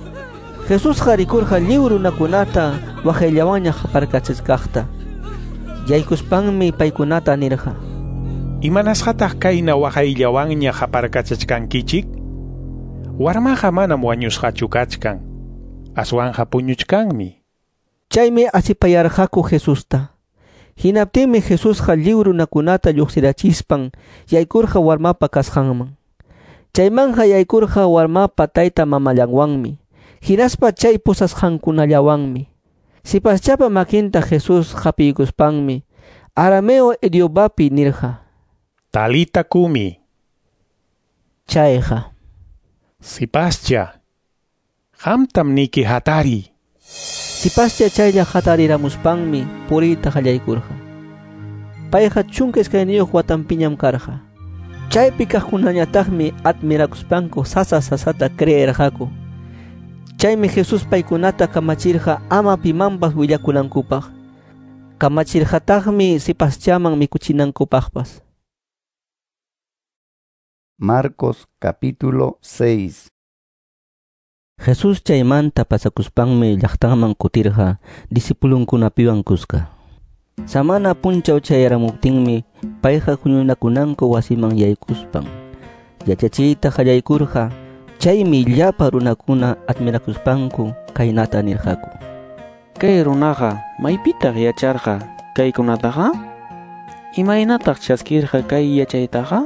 Jesusqa rikurqa lliw runakunata waqayllawanña qaparkachachkaqta. Yaykuspanmi paykunata nirqa: Imanasqataq kayna waqayllawanña qaparkachachkankichik? Warmaqa manam wañusqachu kachkan, aswanqa puñuchkanmi. Chaymi asipayarqaku Jesusta. Hinaptinmi Jesusqa lliw runakunata lluqsirachispan yaykurqa warmapa kasqanman. Chaymanja yaykurqa warmapa tayta mamallanwanmi, hinaspa chay pusasqankunallawanmi. Sipaschapa makinta Jesús hapiykuspanmi arameo idiomapi nirqa: Talita kumi. Chayqa: Sipascha, qamtam niki hatari. Sipascha chaylla hatariramuspanmi puriyta qallaykurqa. Payqa chunka iskayniyuq watanpiñam karqa. Chaypi kaqkunañataqmi admirakuspanku sasa sasata creerqaku. Chaymi Jesús paykunata kamachirqa ama pimanpas willakunankupaq. Kamachirqataqmi sipaschaman mikuchinankupaqpas. Marcos capítulo seis. Jesús chaymanta pasakuspanmi llaqtanman kutirqa discipulunkunapiwan kuska. Samana punchaw chayaramuptinmi payqa huñunakunanku wasiman yaykuspan yachachiyta qallaykurqa. Chaymi llapa runakuna admirakuspanku kaynata nirqaku: Kay runaqa maypitaq yacharqa kaykunataqa? Imaynataq chaskirqa kay yachaytaqa?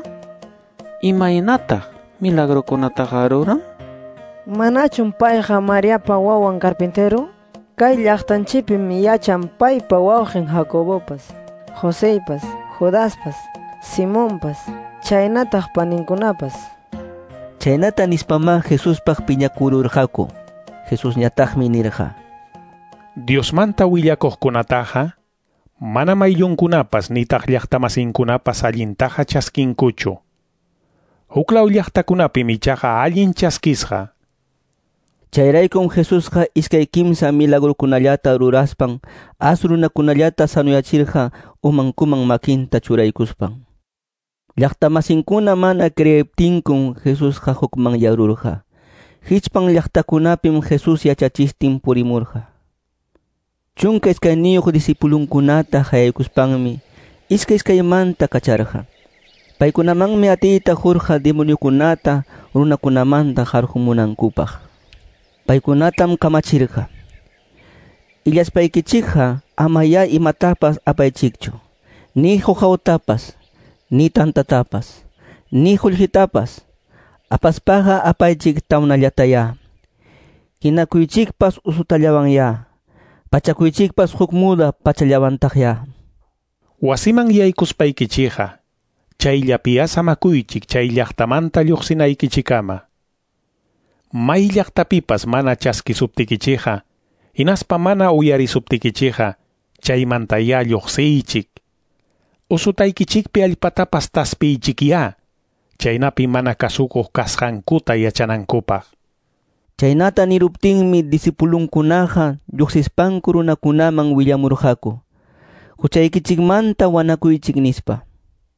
Imaynataq milagrokunataqa ruran? Manachum payqa Mariapa wawan carpintero? Kay llaqtanchikpim yachan paypa wawqin Jacobopas, Joseypas, Judaspas, Simonpas, chaynataq paninkunapas. Chaynata nispamá Jesuspaq piñakururqaku. Jesusñataqmi nirqa: Diosmanta willakuqkunataqa Manam ayllunkunapas nitaq llaqtamasinkunapas allintaqa chaskinkuchu. Huklaw llaqtakunapim ichaqa allin chaskisqa. Chayraykum Jesusqa iskay kimsa milagrukunallata ruraspan as runakunallata sanuyachirqa umankuman makinta churaykuspan. Llaqtamasinkuna mana creeptinkum Jesusqa hukmanyarurqa. Hichpan llaqtakunapim Jesús yachachistin purimurqa. Chunka iskayniyuq discipulunkunata hayaykuspanmi iskay iskaymanta kacharqa. Paykunamanmi atiyta qurqa demoniokunata runakunamanta qarqumunankupaq. Paykunatam kamachirqa. Illaspaykichikqa amayá imatapas apaychikchu, ni huqawtapas, ni tantatapas, ni qullqitapas. Apaspaqa apaychik tawnallatayá. Hinakuychikpas usutallawanyá. Pachakuychikpas huk muda pachallawantaqyá. Wasiman yaykuspaykichikqa, chayllapiya samakuychik chay llaqtamanta lluqsinaykichikama. May llaqtapipas mana chaskisuptikichikqa, hinaspa mana uyarisuptikichikqa, chaymantayá lluqsiychik. Usutaykichikpi allpatapas taspiychikyá, chaynapi mana kasukuq kasqankuta yachanankupaq. Chaynata niruptinmi discipulunkunaqa lluqsispanku runakunaman willamurqaku. Huchaykichikmanta wanakuychik nispa.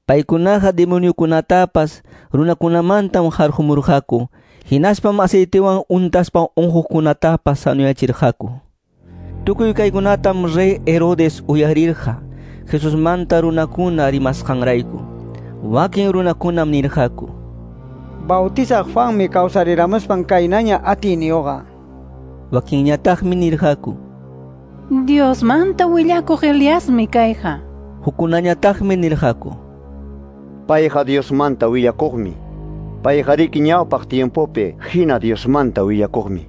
Paykunaqa demoniokunatapas runakunamantam qarqumurqaku. Hinaspam aceitewan untaspa unquqkunatapas sanuyachirqaku. Tukuy kaykunatam rey Herodes uyarirqa Jesusmanta runakuna rimasqanrayku. Wakin runakunam nirqaku: Bautizaq Juanmi kawsariramuspan kaynaña atiyniyuqa. Wakinñataqmi nirqaku: Diosmanta willakuq Eliasmi kayqa. Hukkunañataqmi nirqaku: Payqa Diosmanta willakuqmi. Payqariki ñawpaq tiempopi hina Diosmanta willakuqmi.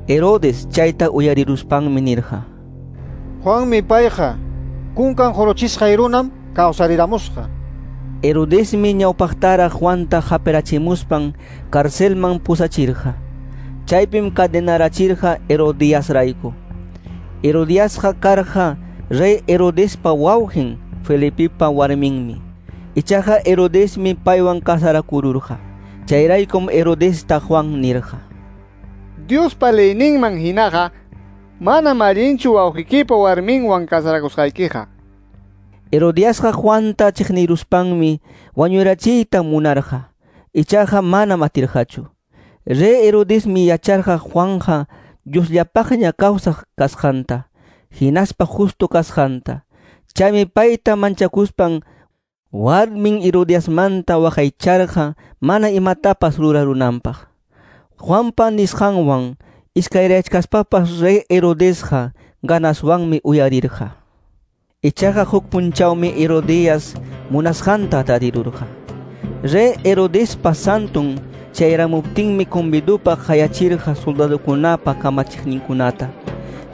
Herodes chayta uyariruspanmi nirqa: Juanmi payqa, kunkan qurochisqay runam kawsariramusqa. Herodesmi ñawpaqtaraq Juanta hapirachimuspan carcelman pusachirqa. Chaypim cadenarachirqa Herodiasrayku. Herodiasqa karqa rey Herodespa wawqin Felipepa warminmi. Ichaqa Herodesmi paywan casarakururqa. Chayraykum Herodesta Juan nirqa: Diospa leyninman hinaqa manam allinchu wawqikipa warminwan casarakusqaykiqa. Herodiasqa Juanta chiqniruspanmi wañurachiyta munarqa. Ichaqa manam atirqachu. Rey Herodesmi yacharqa Juanja Diosllapaqña kawsaq kasqanta, hinaspa justo kasqanta. Chaymi payta manchakuspan warmin Herodiasmanta waqaycharqa mana imatapas rurarunanpaq. Juanpa nisqanwan iskayrayachkaspapas rey Herodesqa ganaswanmi uyarirqa. Ichaqa huk punchawmi Herodias munasqanta tarirurqa. Rey Herodespa santun chayramuptinmi convidupaq hayachirqa soldadokunapa kamachiqninkunata,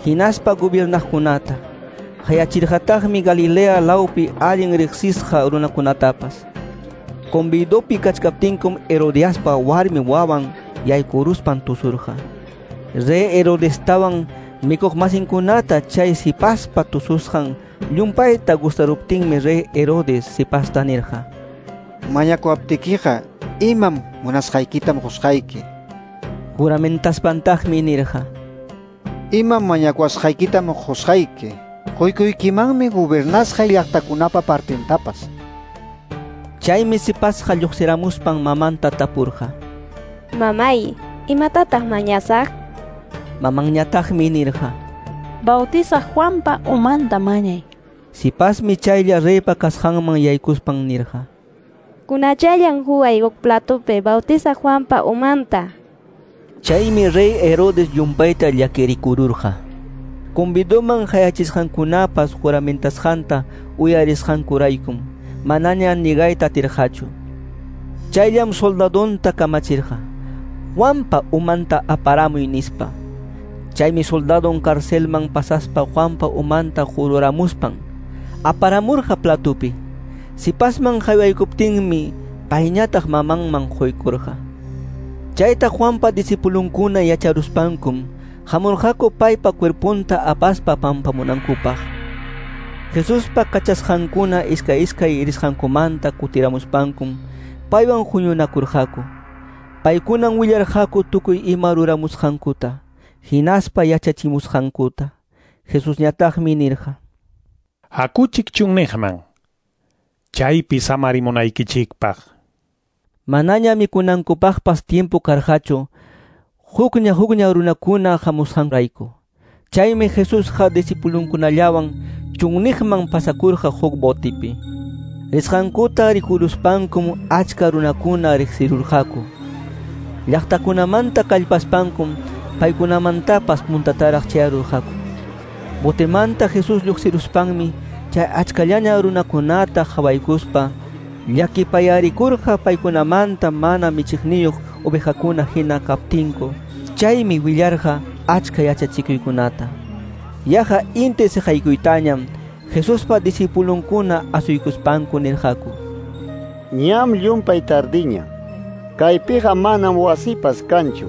hinaspa gobernaqkunata. Hayachirqataqmi Galilea lawpi allin riqsisqa runakunatapas. Convidopi kachkaptinkum Herodiaspa warmi wawan yaykuruspan tusurqa. Rey Herodestawan mikuqmasinkunata chay sipaspa tususqan llumpayta gustaruptinmi rey Herodes sipasta nirqa: Mañakuwaptikiqa imam munasqaykitam qusqayki. Juramentaspantajmi nirqa: Imam mañakuwasqaykitam qusqayki. Quykuykimanmi gobernasqay llaqtakunapa partintapas. Chaymi sipasqa lluqsiramuspan mamanta tapurqa: Mamay, imatataq mañasaq? Mamanñataqmi nirqa: Bautizaq Juanpa umanta mañay. Sipasmi chaylla reypa kasqanman yaykuspan nirqa: Kunachallan huway huk platopi Bautizaq Juanpa umanta. Chaymi rey Herodes llumpayta llakirikururqa. Convidoman hayachisqankunapas juramentasqanta uyarisqankuraykum manaña nigayta atirqachu. Chayllam soldadonta kamachirqa: Juanpa umanta aparamuy nispa. Chaymi soldadon carcelman pasaspa Juanpa umanta jururamuspan aparamurqa platopi. Sipasman haywaykuptinmi payñataq mamanman quykurqa. Chayta Juanpa discipulunkuna yacharuspankum hamurqaku paypa cuerpunta apaspa pampamunankupaq. Jesuspa kachasqankuna iskay iskay risqankumanta kutiramuspankum paywan huñunakurqaku. Paykunan willarqaku tukuy ima ruramusqankuta, hinaspa yachachimusqankuta. Jesusñataqmi nirqa: Hakuchik chunniqman, chaypi samarimunaykichikpaq. Manaña mikunankupaqpas tiempo karqachu, hukña hukña runakuna hamusqanrayku. Chaymi Jesusqa discipulunkunallawan chunniqman pasakurqa huk botipi. Risqankuta rikuruspankum achka runakuna riqsirurqaku. Llaqtakunamanta kallpaspankum paykunamantapas puntataraq chayarurqaku. Botemanta Jesús lluqsiruspanmi chay achkallaña runakunata qhawaykuspa llakipayarikurqa paykunamanta mana michiqniyuq ovejakuna hina kaptinku. Chaymi willarqa achka yachachikuykunata. Yaqa inti siqaykuytañam Jesuspa discipulunkuna asuykuspanku nirqaku: Ñam llumpay tardiña. Kaypiqa manam wasipas kanchu.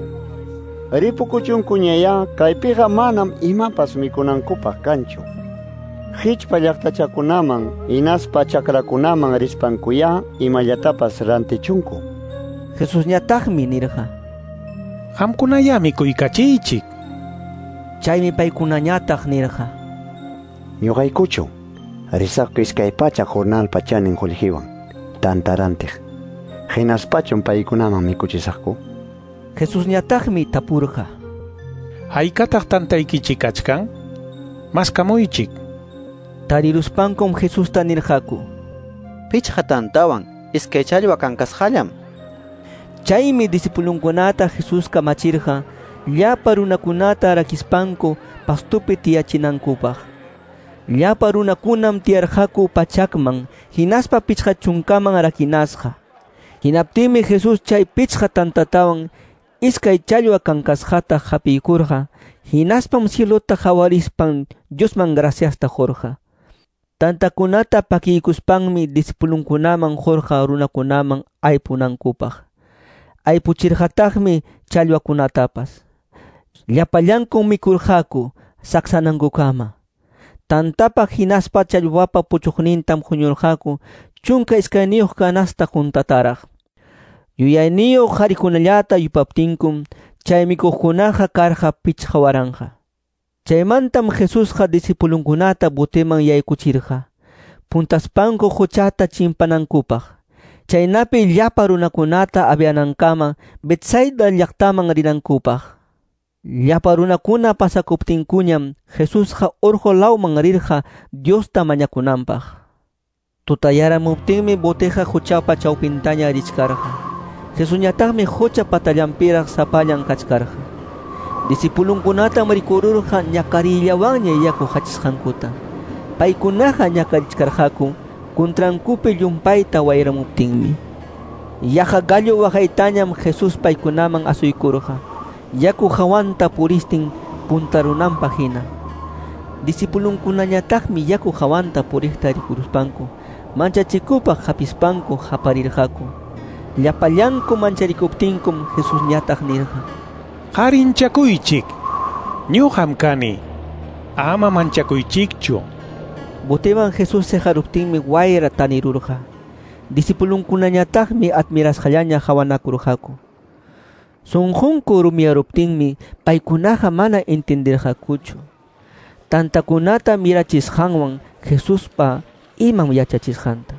Ripukuchunkuñayá kaypiqa manam imapas mikunankupaq kanchu. Hichpa llaqtachakunaman hinaspa chakrakunaman rispankuyá imallatapas rantichunku. Jesusñataqmi nirqa: Qamkunayá mikuykachiychik. Chaymi paykunañataq nirqa: Ñuqaykuchu risaqku iskay pachak jornalpa chanin qullqiwan tantarantiq. Hinaspachum paykunaman mikuchisaqku. Jesusñataqmi tapurqa: Haykataq tantaykichik kachkan? Maskamuychik. Tariruspankum Jesusta nirqaku: Pichqa tantawan iskay challwa kankasqallam. Chaymi discipulunkunata Jesús kamachirqa llapa runakunata rakispanku pastupi tiyachinankupaq. Llapa runakunam tiyarqaku pachakman hinaspa pichqa chunkaman rakinasqa. Hinaptinmi Jesús chay pichqa tantatawan iskay challwa kankasqata hapiykurqa, hinaspam cielota qawarispan Diosman graciasta qurqa. Tantakunata pakiykuspanmi discipulunkunaman qurqa runakunaman aypunankupaq. Aypuchirqataqmi challwakunatapas. Llapallankum mikurqaku saksanankukama. Tantapa hinaspa challwapa puchuqnintam huñurqaku chunka iskayniyuq canasta juntataraq. Yuyayniyuq qharikunallata yupaptinkum chay mikuqkunaqa karqa pichqa waranqa. Chaymantam Jesusqa discipulunkunata boteman yaykuchirqa, puntaspanku quchata chimpanankupaq. Chaynapi llapa runakunata avianankama Betsaida llaqtaman rinankupaq. Llapa runakuna pasakuptinkuñam Jesusqa urqu lawman rirqa Diosta mañakunanpaq. Tutayaramuptinmi boteqa quchapa chawpintaña richkarqa. Jesusñataqmi qucha patallanpiraq sapallan kachkarqa. Discipulunkunatam rikururqa ñakarillawanña yaku hachisqankuta. Paykunaqa ñakarichkarqaku kuntrankupi llumpayta wayramuptinmi. Yaqa gallo waqaytañam Jesús paykunaman asuykurqa, yaku hawanta puristin puntarunanpaq hina. Discipulunkunañataqmi yaku hawanta puriqta rikuruspanku manchachikupaq hapispanku haparirqaku. Llapallanku mancharikuptinkum Jesusñataq nirqa: Qarinchakuychik, ñuqam kani, ama manchakuychikchu. Boteman Jesús seqaruptinmi wayra tanirurqa. Discipulunkunañataqmi admirasqallaña qawanakurqaku. Sunqunku rumiyaruptinmi paykunaqa mana entendirqakuchu. Tantakunata mirachisqanwan Jesuspa imam yachachisqanta.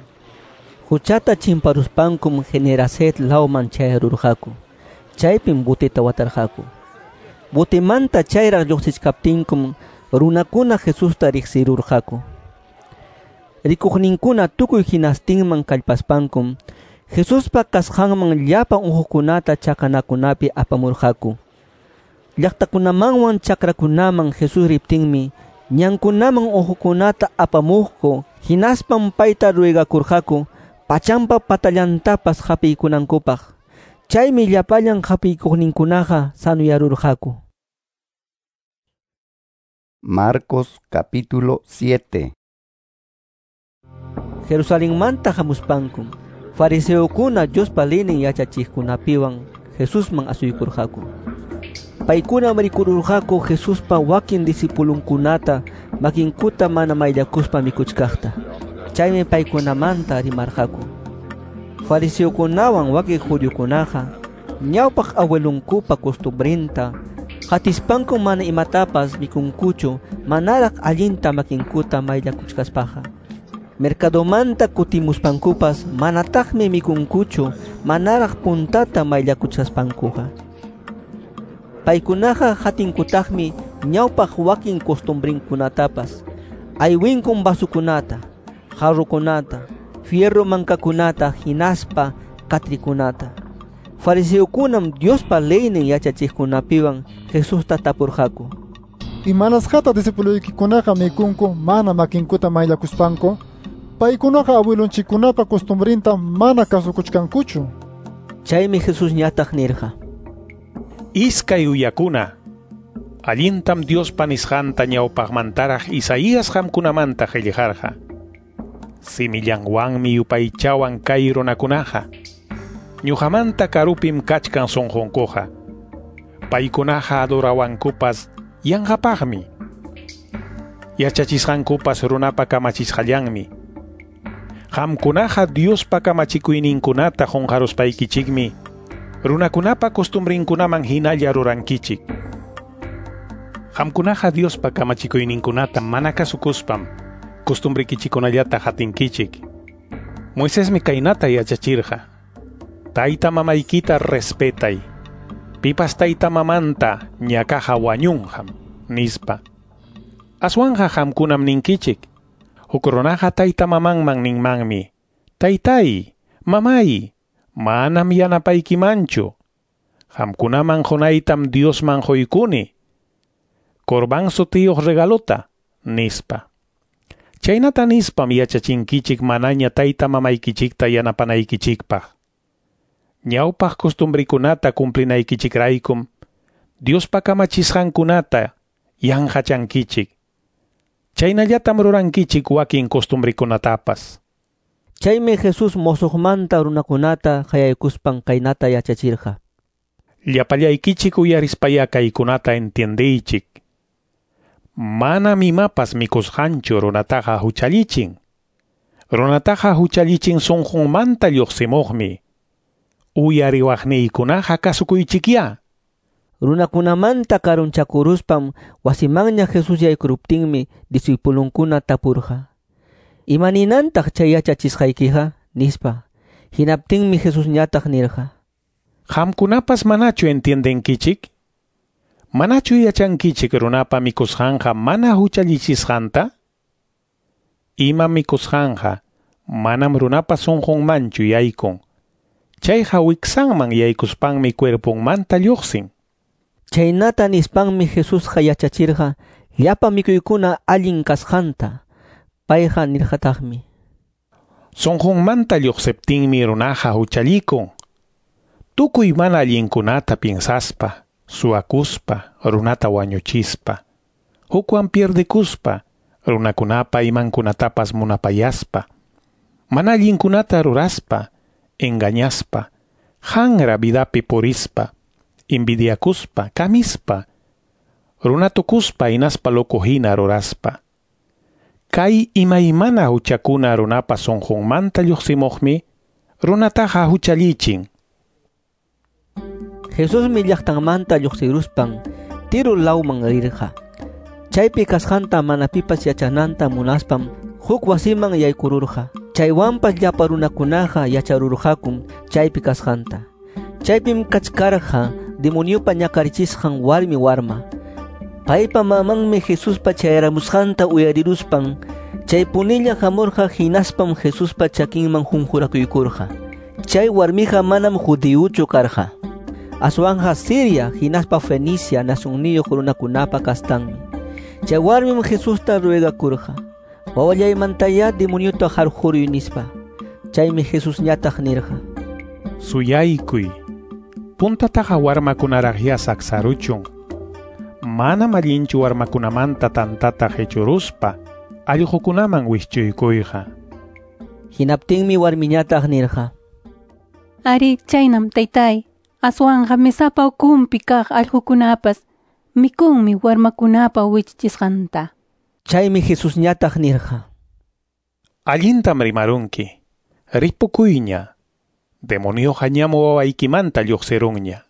Quchata chimparuspankum Genesaret lawman chayarurqaku. Chaypim boteta watarqaku. Botemanta chayraq lluqsichkaptinkum runakuna Jesusta riqsirurqaku. Rikuqninkuna tukuy hinastinman kallpaspankum Jesuspa kasqanman llapa unquqkunata chakanakunapi apamurqaku. Llaqtakunamanwan chakrakunaman Jesús riptinmi ñankunaman unquqkunata apamuqku, hinaspam payta ruegakurqaku pachampa patallantapas hapiykunankupaq. Chaymi llapallan hapiykuqninkunaqa sanuyarurqaku. Marcos capítulo siete. Jerusalenmanta hamuspankum fariseokuna Diospa leynin yachachiqkunapiwan Jesusman asuykurqaku. Paykunam rikururqaku Jesuspa wakin discipulunkunata makinkuta mana mayllakuspa mikuchkaqta. Chaymi paykunamanta rimarqaku. Fariseokunawan wakin judiokunaqa ñawpaq abuelunkupa costumbrinta qatispanku mana imatapas mikunkuchu manaraq allinta makinkuta mayllakuchkaspaqa. Mercadomanta kutimuspankupas manataqmi mikunkuchu manaraq puntata mayllakuchkaspankuqa. Paykunaqa hatinkutaqmi ñawpaq wakin costumbrinkunatapas, aywinkun vasukunata, jarrokunata, fierro mankakunata hinaspa katrikunata. Fariseokunam Diospa leynin yachachiqkunapiwan Jesusta tapurqaku. Imanasqata discipuloykikunaqa mikunku mana makinkuta mayllakuspanku? Paykunaqa abuelonchikkunapa costumbrinta mana kasukuchkankuchu. Chaymi Jesusñataq nirqa: Iskay uyakuna, allintam Diospa nisqanta ñawpaqmantaraq Isaías qamkunamanta qillqarqa. Simillanwanmi yupaychawan kay runakunaqa. Ñuqamanta karupim kachkan sunqunkuqa. Paykunaqa adorawankupas yanqapaqmi. Yachachisqankupas runapa kamachisqallanmi. Qamkunaqa Diospa kamachikuyninkunata qunqaruspaykichikmi runakunapa costumbrinkunaman hinalla rurankichik. Qamkunaqa Diospa kamachikuyninkunata mana kasukuspam costumbrikichikunallata hatinkichik. Moisesmi kaynata yachachirqa: Tayta mamaykita respetay. Pipas tayta mamanta ñakaqa wañunqam, nispa. Aswanqa qamkunam ninkichik. Huk runaqa tayta mamanman ninmanmi: Taytay, mamay, manam yanapaykimanchu. Qamkunaman qunaytam Diosman quykuni. Corbán sutiyuq regalota, nispa. Chaynata nispam yachachinkichik manaña tayta mamaykichikta yanapanaykichikpaq. Ñawpaq costumbrikunata cumplinaykichikraykum Diospa kamachisqankunata yanqachankichik. Chaynallatam rurankichik wakin costumbrikunatapas. Chaymi Jesús mosoqmanta runakunata qayaykuspan kaynata yachachirqa. Llapallaykichik uyarispaya kaykunata entiendeychik. Manam imapas mikusqanchu runataqa huchallichin. Runataqa huchallichin sunqunmanta lluqsimuqmi. Uyariwaqniykunaqa kasukuychikya. Runakunamanta karunchakuruspam wasimanña Jesús yaykuruptinmi discipulunkuna tapurqa: Imaninantaq chay yachachisqaykiqa? Nispa. Hinaptinmi Jesusñataq nirqa: Qamkunapas manachu entiendenkichik? Manachu yachankichik runapa mikusqanqa mana huchallichisqanta? Ima mikusqanqa manam runapa sunqunmanchu yaykun. Chayqa wiksanman yaykuspanmi cuerponmanta lluqsin. Chaynata nispanmi Jesusqa yachachirqa llapa mikuykuna allin kasqanta. Payqa nirqataqmi: Sunqunmanta lluqsiptinmi runaqa huchallikun. Tukuy mana allinkunata piensaspa, suwakuspa, runata wañuchispa, hukwan pierdekuspa, runakunapa imankunatapas munapayaspa, mana allinkunata ruraspa, engañaspa, hanra vidapi purispa, envidiakuspa, kamispa, runatukuspa hinaspa loco hina ruraspa. Kay imaymana huchakuna runapa sunqunmanta lluqsimuqmi runataqa huchallichin. Jesusmi llaqtanmanta lluqsiruspan Tiro lawman rirqa. Chaypi kasqanta mana pipas yachananta munaspam huk wasiman yaykururqa. Chaywanpas llapa runakunaqa yacharurqakum chaypi kasqanta. Chaypim kachkarqa demoniopa ñakarichisqan warmi warma. Paypa mamanmi Jesuspa chayaramusqanta uyariruspan chaypunilla hamurqa hinaspam Jesuspa chakinman hunqurakuykurqa. Chay warmiqa manam judiyuchu karqa. Aswanja Siria hinaspa Fenicia nacionniyuq runakunapa kastanmi. Chay warmim Jesusta ruegakurqa: Wawallaymantayá demoniota harquruy nispa. Chaymi Jesusñataq nirqa: Suyaykuy. Puntataqa warmakunaraqya saksaruchun. Manam allinchu warmakunamanta tantata qichuruspa allqukunaman wischuykuyqa. Hinaptinmi warmiñataq nirqa: Ari, chaynam taytay. Aswanja mesapa ukunpi kaq allqukunapas mikunmi warmakunapa wichichisqanta. Chaymi Jesusñataq nirqa: Allintam rimarunki. Ripukuyña. Demonioqa ñam wawaykimanta lluqsirunña.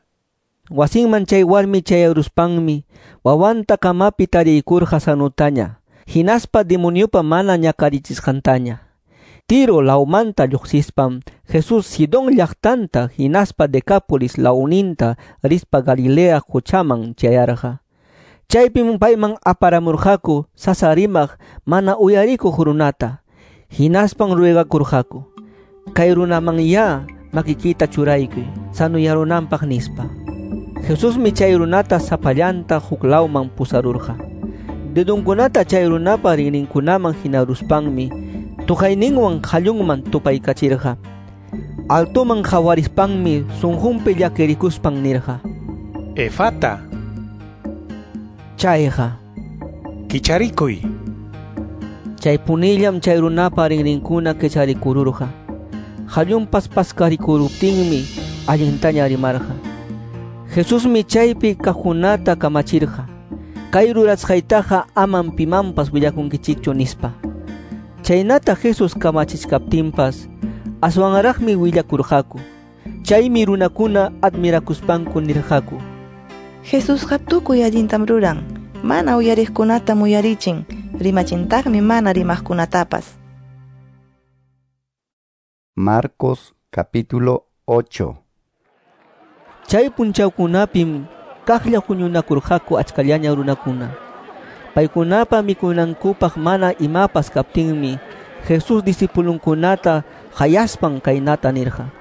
Wasinman chay warmi chayaruspanmi wawanta kamapi tariykurqa sanutaña, hinaspa demoniopa mana ñakarichisqantaña. Tiro lawmanta lluqsispam Jesús Sidón llaqtanta hinaspa Decápolis lawninta rispa Galilea quchaman chayarqa. Chaypim payman aparamurqaku sasa rimaq mana uyarikuq runata, hinaspan ruegakurqaku: Kay runamanyá makikita churaykuy sanuyarunanpaq nispa. Jesusmi chay runata sapallanta huk lawman pusarurqa. Dedunkunata chay runapa rinrinkunaman hinaruspanmi tuqayninwan qallunman tupaykachirqa. Altoman qawarispanmi sunqunpi llakirikuspan nirqa: Efata. Chayqa kicharikuy. Chay punillam chay runapa rinrinkuna kicharikururqa. Qallunpas paskarikuruptinmi allintaña rimarqa. Jesusmi chaypi kaqkunata kamachirqa: Kay rurasqaytaqa amam pimanpas willakunkichikchu nispa. Chaynata Jesús kamachichkaptinpas aswanraqmi willakurqaku. Chaymi runakuna admirakuspanku nirqaku: Jesusqa tukuy allintam ruran, mana uyariqkunatam uyarichin, rimachintaqmi mana rimaqkunatapas. Marcos capítulo ocho. Chay punchawkunapim kaqlla huñunakurqaku achkallaña runakuna. Paykunapa mikunankupaq mana imapas kaptinmi Jesús discipulunkunata qayaspan kaynata nirqa: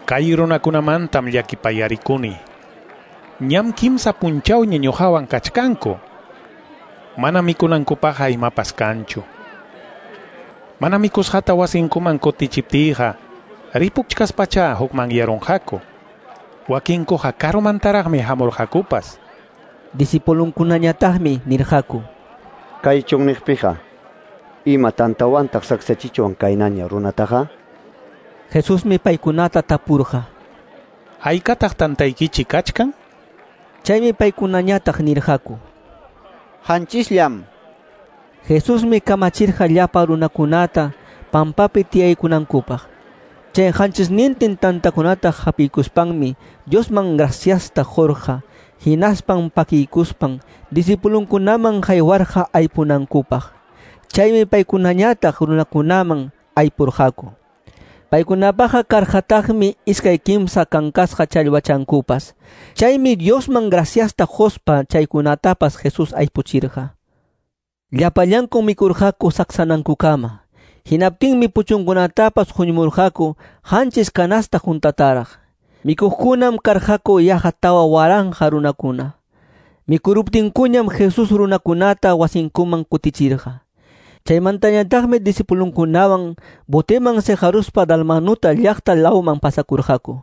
Kay runakunamantam llakipayarikuni. Ñam kimsa punchawña ñuqawan kachkanku. Mana mikunankupaqqa imapas kanchu. Mana mikusqata wasinkuman kutichiptiyqa ripuchkaspacha hukmanyarunqaku. Wakinkuqa karumantaraqmi hamurqakupas. Discipulunkunañataqmi nirqaku: Kay chunniqpiqa ima tantawantaq saksachichwan kaynaña runataqa? Jesusmi paykunata tapurqa: Haykataq tantaykichik kachkan? Chaymi paykunañataq nirqaku: Hanchisllam. Jesusmi kamachirqa llapa runakunata pampapi tiyaykunankupaq. Chay hanchisnintin tantakunata hapiykuspanmi Diosman graciasta qurqa, hinaspan pakiykuspan discipulunkunaman haywarqa aypunankupaq. Chaymi paykunañataq runakunaman aypurqaku. Paykunapaqa karqataqmi iskay kimsa kankasqa challwachankupas. Chaymi Diosman graciasta quspa chaykunatapas Jesús aypuchirqa. Llapallankum mikurqaku saksanankukama. Hinaptinmi puchunkunatapas huñumurqaku qanchis canasta juntataraq. Mikuqkunam karqaku yaqa tawa waranqa runakuna. Mikuruptinkuñam Jesús runakunata wasinkuman kutichirqa. Chaymantañataqmi discipulunkunawan boteman seqaruspa Dalmanuta llaqta lawman pasakurqaku.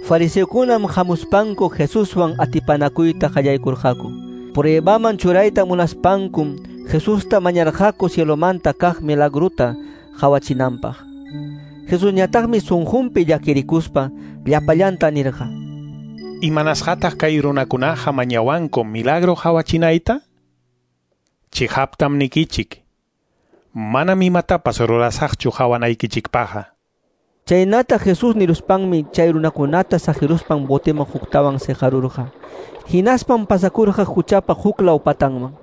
Fariseokunam hamuspanku Jesuswan atipanakuyta qallaykurqaku. Pruebaman churayta munaspankum Jesusta mañarqaku cielomanta kaq milagruta qawachinanpaq. Jesusñataqmi sunqunpi llakirikuspa llapallanta nirqa: Imanasqataq kay runakunaqa mañawanku milagro qawachinayta? Chihaptam nikichik. Manam imatapas rurasaqchu qawanaykichikpaqqa. Chaynata Jesús niruspanmi chay runakunata saqiruspan boteman huktawan seqarurqa. Hinaspan pasakurqa huchapa huklaw patanman.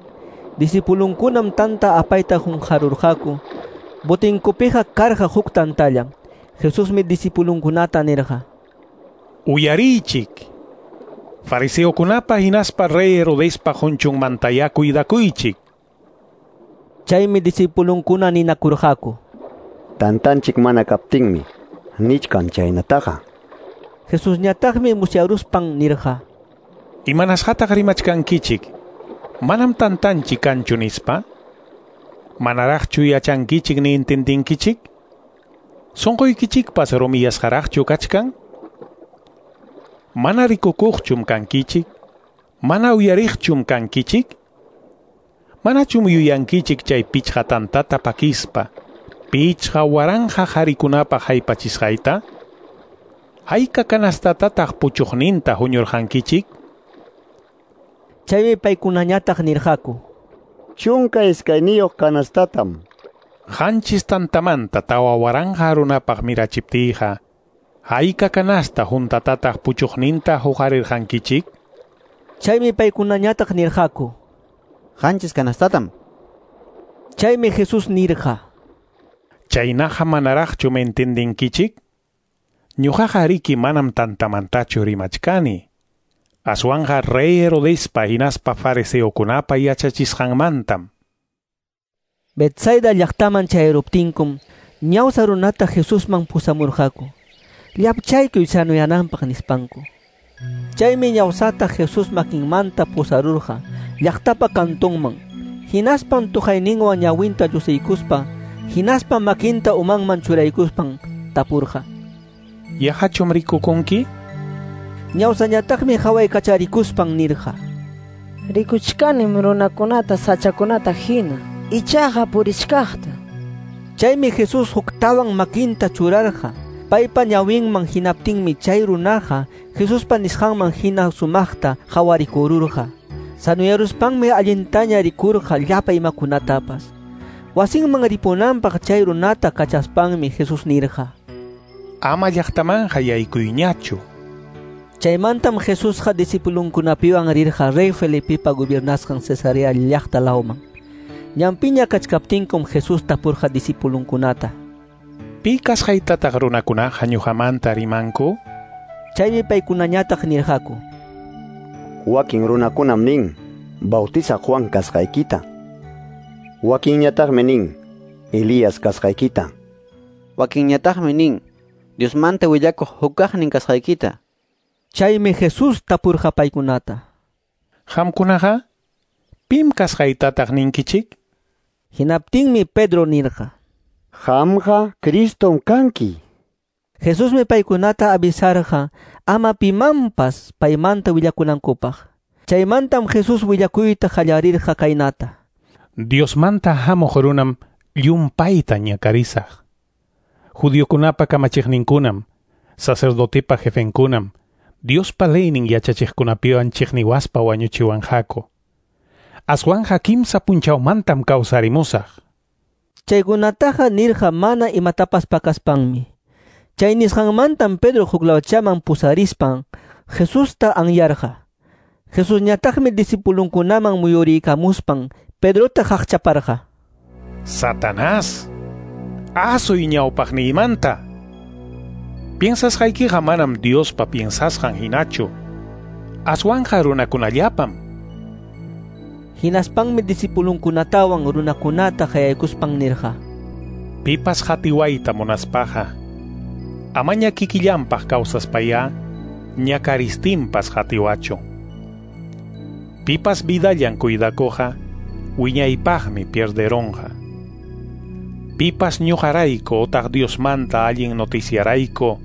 Discipulunkunam tanta apayta qunqarurqaku. Botinkupiqa karqa huk tantallam. Jesusmi discipulunkunata nirqa: Uyariychik. Fariseokunapa hinaspa rey Herodespa qunchunmantayá cuidakuychik. Chaymi discipulunkuna ninakurqaku: Tantanchik mana kaptinmi nichkan chaynataqa. Jesusñataqmi musyaruspan nirqa: Imanasqataq rimachkankichik? Manam tantanchik kanchu nispa? Manaraqchu yachankichik ni entendinkichik? Sunquykichikpas rumiyasqaraqchu kachkan? Mana rikukuqchum kankichik? Mana uyariqchum kankichik? Manachum yuyankichik chay pichqa tantata pakispa pichqa waranqa qharikunapaq haypachisqayta? Hayka kanastatataq puchuqninta huñurqankichik? Chaymi paykunañataq nirqaku: Chunka iskayniyuq kanastatam. Qanchis tantamanta tawa waranqa runapaq mirachiptiyqa, hayka kanasta juntatataq puchuqninta huqarirqankichik? Chaymi paykunañataq nirqaku. Qanchis kanastatam. Chaymi Jesús nirqa. Chaynaqa manaraqchu entendinkichik? Ñuqaqa riki manam tantamantachu rimachkani. Aswanqa rey Herodespa hinaspa fariseokunapa yachachisqanmantam. Betsaida llaqtaman chayruptinkum ñawsa runata Jesusman pusamurqaku. Llapchaykuy sanuyananpaq nispanku. Chaymi ñawsata Jesús makinmanta pusarurqa llaqtapa kantunman. Hinaspan tuqayninwan ñawinta llusiykuspa, hinaspa makinta umanman churaykuspan tapurqa. Yaqachum rikukunki? Ñawsañataqmi hawaykacharikuspan nirqa. Rikuchkanim runakunata sachakunata hina, ichaqa purichkaqta. Chaymi Jesús huktawan makinta churarqa paypa ñawinman hinaptinmi chay runaqa Jesuspa nisqanman hina sumaqta hawarikururqa. Sanuyaruspanmi allintaña rikurqa llapa imakunatapas. Wasinman ripunanpaq chay runata kachaspanmi Jesús nirqa. Ama llaqtamanqa yaykuyñachu. Chaymantam Jesusqa discipulunkunapiwan rirqa rey Felipepa gobernasqan Cesarea llaqta lawman. Ñanpiña kachkaptinkum Jesús tapurqa discipulunkunata. Pi kasqaytataq runakunaqa ñuqamanta rimanku? Chaymi paykunañataq nirqaku. Wakin runakunam nin, Bautizaq Juan kasqaykita. Wakinñataqmi nin, Elías kasqaykita. Wakinñataqmi nin, Diosmanta willakuq hukaqnin kasqaykita. Chaymi Jesús tapurqa paykunata. Qamkunaqa pim kasqaytataq ninkichik? Hinaptinmi Pedro nirqa. Qamqa Cristom kanki. Jesusmi paykunata avisarqa ama pimanpas paymanta willakunankupaq. Chaymantam Jesús willakuyta qallarirqa kaynata. Diosmanta hamuq runam llumpayta ñakarisaq. Judiokunapa kamachiqninkunam, sacerdotepa jefenkunam, Diospa leynin yachachiqkunapiwan chiqniwaspa wañuchiwanqaku. Aswanqa kimsa punchawmantam kawsarimusaq. Chaykunataqa nirqa mana imatapas pakaspanmi. Chay nisqanmantam Pedro huklawchaman pusarispan Jesusta anyarqa. Jesusñataqmi discipulunkunaman muyuriykamuspan Pedrota qaqchaparqa. Satanás, asuy ñawpaqniymanta. Piensasqaykiqa manam Diospa piensasqan hinachu. Aswanqa runakunallapam. Hinaspanmi discipulunkunatawan runakunata qayaykuspan nirqa. Pipas qatiwayta munaspaqa, amaña kikillanpaq kawsaspayá, ñakaristinpas qatiwachu. Pipas vidallan cuidakuqa, wiñaypaqmi pierderonqa. Pipas ñuqarayku otaq Diosmanta allin noticiarayku,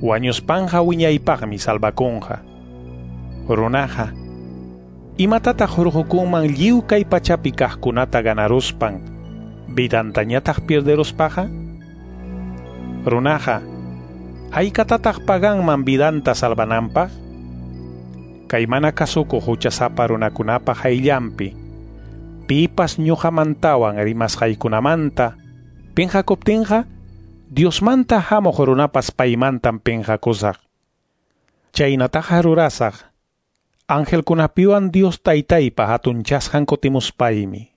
wañuspanqa wiñaypaqmi salvakunqa. Runaqa, imatataq hurqukunman lliw kay pachapi kaqkunata ganaruspan, vidantañataq pierderuspaqa? Runaqa, haykatataq paganman vidanta salvananpaq? Kay mana kasukuq huchasapa runakunapa hayllanpi, pipas ñuqamantawan rimasqaykunamanta pinqakuptinqa, Diosmanta hamuq runapas paymantam pinqakusaq. Chaynataqa rurasaq, angelkunapiwan Dios taytaypa hatunchasqan kutimuspaymi.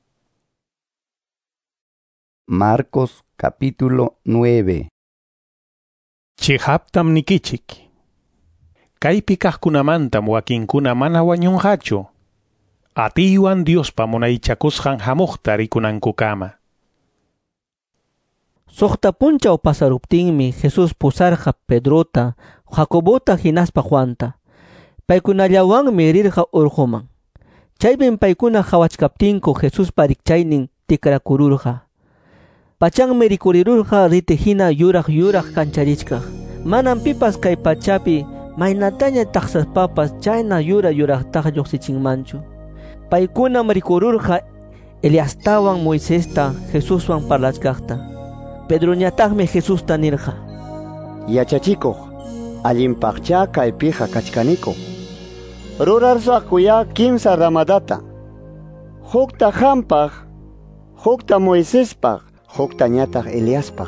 Marcos capítulo nueve. Chihaptam nikichik. Kaypi kaqkunamantam wakinkuna mana wañunqachu. Atiywan Diospa munaychakusqan hamuqta rikunankukama. Suqta punchaw pasaruptinmi Jesús pusarqa Pedrota, Jacobota hinaspa Juanta. Paykunallawanmi rirqa urquman. Chaypim paykuna qhawachkaptinku Jesuspa rikchaynin tikrakururqa. Pachanmi rikurirurqa riti hina yuraq yuraq kancharichkaq. Manam pipas kay pachapi maynataña taqsaspapas chayna yura yuraqtaqa lluqsichinmanchu. Paykunam rikururqa Eliastawan Moisesta Jesuswan parlachkaqta. Pedroñataqmi Jesusta nirqa. Yachachikuq, allinpaqcha kaypiqa kachkaniku. Rurarsakuya kimsa ramadata. Hukta qampaq, hukta Moisespaq, huktañataq Eliaspaq.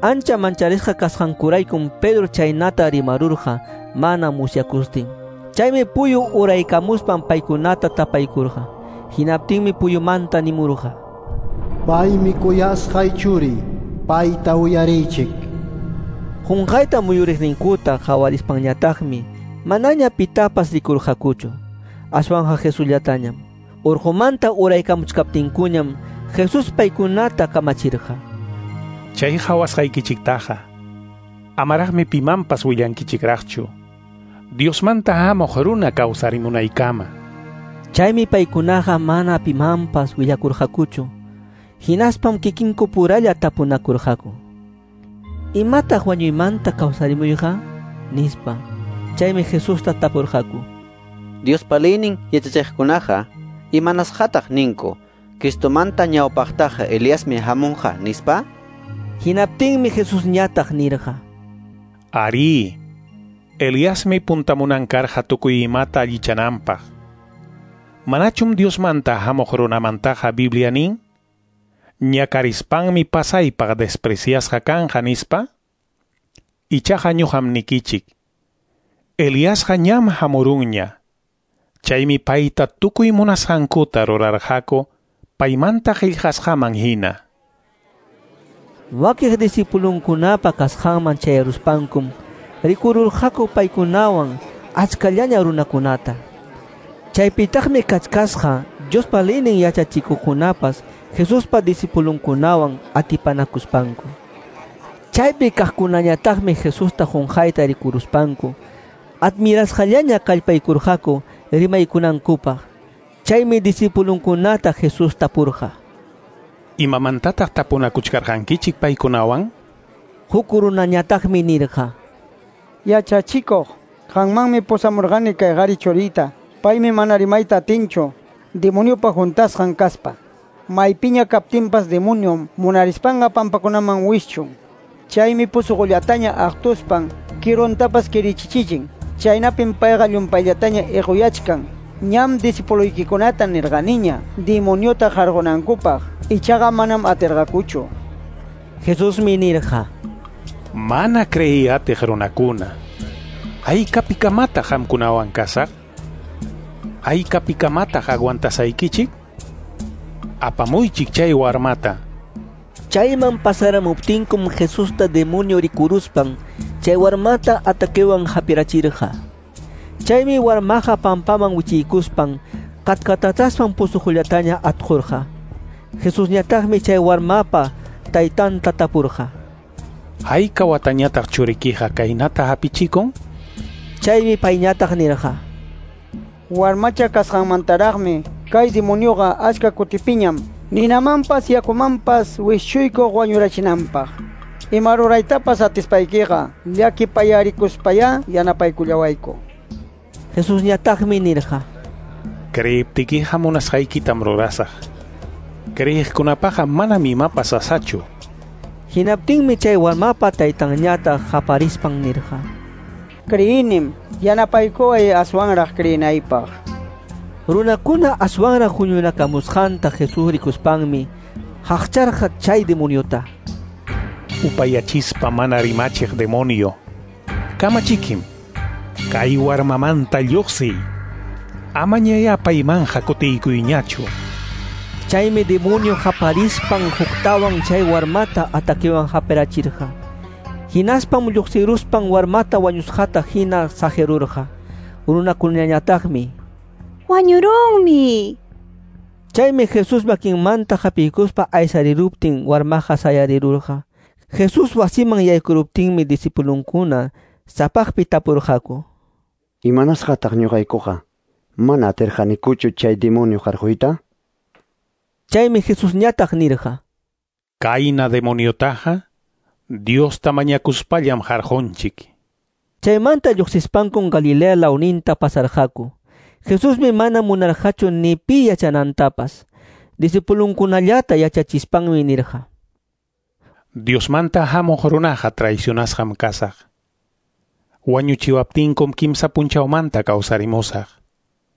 Ancha mancharisqa kasqankuraykum Pedro chaynata rimarurqa mana musyakustin. Chaymi puyu uraykamuspan paykunata tapaykurqa. Hinaptinmi puyumanta nimurqa: Paymi kuyasqay churi, payta uyariychik. Qunqayta muyuriqninkuta qawarispanñataqmi manaña pitapas rikurqakuchu, aswanqa Jesusllatañam. Urqumanta uraykamuchkaptinkuñam Jesús paykunata kamachirqa: Chay qawasqaykichiktaqa amaraqmi pimanpas willankichikraqchu, Diosmanta hamuq runa kawsarimunaykama. Chaymi paykunaqa mana pimanpas willakurqakuchu. Hinaspam kikinku puralla tapunakurqaku: ¿Imataq wañuymanta kawsarimuyqa? Nispa. Chaymi Jesusta tapurqaku: Diospa leynin yachachiqkunaqa imanasqataq ninku Cristomanta ñawpaqtaqa Eliasmi hamunqa nispa? Hinaptinmi Jesusñataq nirqa: Arí, Eliasmi puntamunan karqa tukuy imata allichananpaq. Manachum Diosmanta hamuq runamantaqa Biblia nin? Ñakarispanmi pasaypaq despreciasqa kanqa nispa? Ichaqa ñuqam nikichik, Eliasqa ñam hamurunña. Chaymi payta tukuy munasqankuta rurarqaku paymanta qillqasqaman hina. Wakiq discipulunkunapa kasqanman chayaruspankum rikururqaku paykunawan achkallaña runakunata. Chaypitaqmi kachkasqa Diospa leynin yachachikuqkunapas Jesuspa discipulunkunawan atipanakuspanku. Chaypi kaqkunañataqmi Jesusta qunqayta rikuruspanku admirasqallaña kallpaykurqaku rimaykunankupaq. Chaymi discipulunkunata Jesús tapurqa: ¿Imamantataq tapunakuchkarqankichik paykunawan? Huk runañataqmi nirqa: Yachachikuq, qanmanmi pusamurqani kay qari churiyta. Paymi mana rimayta atinchu, demoniopa juntasqan kaspa. Maypiña kaptinpas demoniom munarispanqa pampakunaman wischun. Chaymi pusuqullataña aqtuspan kiruntapas kirichichichin. Chaynapim payqa llumpayllataña iquyachkan. Ñam discipuluykikunata nirqaniña demoniota qarqunankupaq, ichaqa manam atirqakuchu. Jesusmi nirqa: Mana creey atiq runakuna, ¿haykapikamataq qamkunawan kasaq? ¿Haykapikamataq aguantasaykichik? Apamuychik chay warmata. Chayman pasaramuptinkum Jesusta demonio rikuruspan chay warmata ataquewan hapirachirqa. Chaymi warmaqa pampaman wichiykuspan katkatataspan pusuqullataña atqurqa. Jesusñataqmi chay warmapa taytanta tapurqa: ¿Hayka watañataq churikiqa kaynata hapichikun? Chaymi payñataq nirqa: Warmacha kasqanmantaraqmi kay demonioqa achka kutipiñam ninamanpas yakumanpas wischuykuq wañurachinanpaq. Ima ruraytapas atispaykiqa llakipayarikuspayá yanapaykullawayku. Jesusñataqmi nirqa: Creiptikiqa munasqaykitam rurasaq. Creyiqkunapaqa manam imapas sasachu. Hinaptinmi chay warmapa taytanñataq qaparispan nirqa: Creyinim, yanapaykuway aswanraq creyinaypaq. Runakuna aswanraq huñunakamusqanta Jesús rikuspanmi haqcharqa chay demoniota: Upayachispa mana rimachiq demonio, kamachikim, kay warmamanta lluqsiy, amañayá paymanqa kutiykuyñachu. Chaymi demonio qaparispan huktawan chay warmata ataquewan hapirachirqa. Hinaspam lluqsiruspan warmata wañusqata hina saqirurqa. Runakunañataqmi: Wañurunmi. Chaymi Jesús makinmanta hapiykuspa aysariruptin warmaqa sayarirurqa. Jesús wasiman yaykuruptinmi discipulunkuna sapaqpi tapurqaku: Imanasqataq ñuqaykuqa mana atirqanikuchu chay demonio qarquyta? Chaymi Jesusñataq nirqa: Kayna demoniotaqa Diosta mañakuspallam qarqunchik. Chaymanta lluqsispankum Galilea lawninta pasarqaku. Jesusmi mana munarqachu ni pi yachanantapas. Discipulunkunallata yachachispanmi nirqa: Diosmanta hamuq runaqa traicionasqam kasaq. Wañuchiwaptinkum kimsa punchawmanta kawsarimusaq.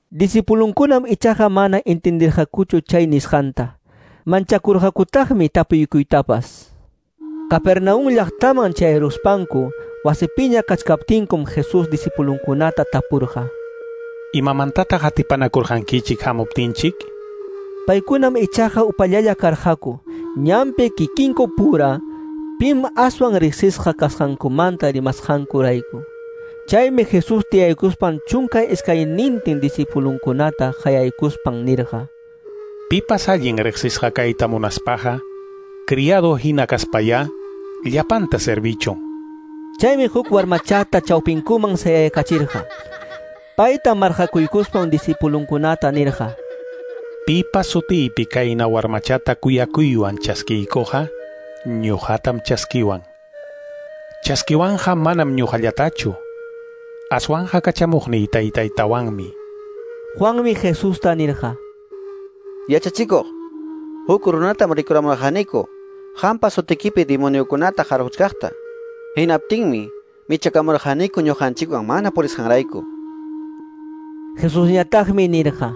Disipulunkunam ichaqa mana entendirqakuchu chay nisqanta. Manchakurqakutaqmi tapuykuytapas. Capernaum llaqtaman chayruspanku wasipiña kachkaptinkum Jesús disipulunkunata tapurqa. Imamantataq atipanakurqankichik hamuptinchik? Paykunam ichaqa upallalla karqaku, ñanpi kikinku pura, pim aswan riqsisqa kasqankumanta rimasqankurayku. Chaymi Jesús tiyaykuspan chunka iskaynintin disipulunkunata qayaykuspan nirqa: Pipas allin riqsisqa kayta munaspaqa, criado hina kaspayá, llapanta servichun. Chaymi huk warmachata chawpinkuman sayaykachirqa. Payta marqakuykuspan disipulunkunata nirqa: Pipas sutiypi kayna warmachata kuyakuywan chaskiykuqa, ñuqatam chaskiwan. Chaskiwanja manam ñuqallatachu, aswanja kachamuqniy taytaytawanmi. Juanmi Jesusta nirqa: Yachachikuq, huk runatam rikuramurqaniku, qampa sutikipi demoniokunata qarquchkaqta. Hinaptinmi michakamurqaniku ñuqanchikwan mana purisqanrayku. Jesusñataqmi nirqa: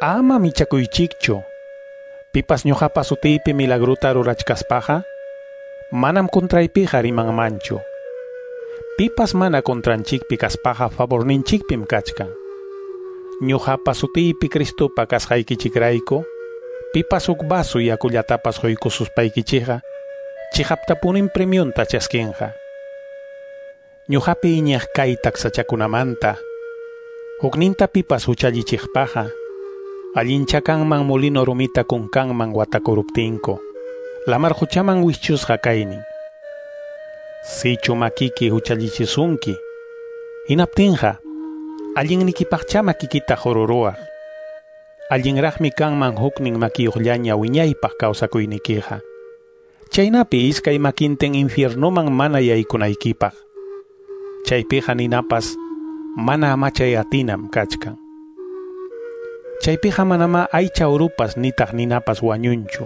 Ama michakuychikchu. Pipas ñuqapa sutiypi milagruta rurachkaspaqa, manam contraypiqa rimanmanchu. Pipas mana contranchikpi kaspaqa favorninchikpim kachkan. Ñuqapa sutiypi Cristopa kasqaykichikrayku, pipas huk vaso yakullatapas quykususpaykichikqa, chiqaptapunim premionta chaskinqa. Ñuqapi iñiq kay taksachakunamanta, hukninta pipas huchallichiqpaqa, allincha kanman molino rumita kunkanman watakuruptinku, lamar huchaman wischusqa kaynin. Sichu makiki huchallichisunki, hinaptinqa, allinnikipaqcha makikita qururuwaq. Allinraqmi kanman huknin makiyuqllaña wiñaypaq kawsakuynikiqa. Chaynapi iskay makintin infiernoman mana yaykunaykipaq. Chaypiqa ninapas mana amachay atinam kachkan. Chaypiqa manama aycha urupas nitaq ninapas wañunchu.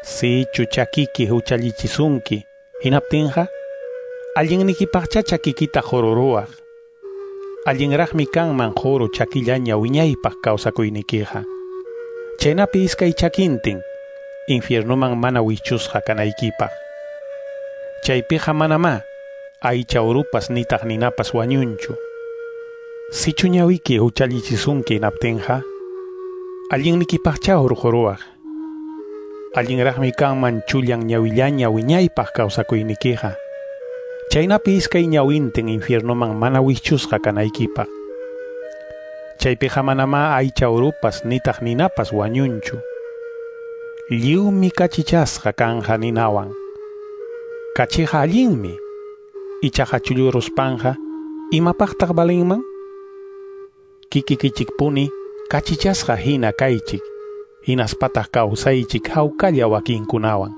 Sichu chakiki huchallichisunki, hinaptinqa, allinnikipaqcha chakikita qururuwaq. Allinraqmi kanman quru chakillaña wiñaypaq kawsakuynikiqa. Chaynapi iskay chakintin infiernoman mana wichusqa kanaykipaq. Chaypiqa manamá aycha urupas nitaq ninapas wañunchu. Sichu ñawiki huchallichisunki hinaptinqa, allinnikipaqcha hurquruwaq. Allinraqmi kanman chullan ñawillaña wiñaypaq kawsakuynikiqa. Chaynapi iskay ñawintin infiernoman mana wichusqa kanaykipaq. Chaypiqa manamá aycha urupas nitaq ninapas wañunchu. Lliwmi kachichasqa kanja ninawan. Kachiqa allinmi, ichaqa chulluruspanqa, imapaqtaq valinman? Kikikichikpuni kachichasqa hina kaychik, hinaspataq kawsaychik hawkalla wakinkunawan.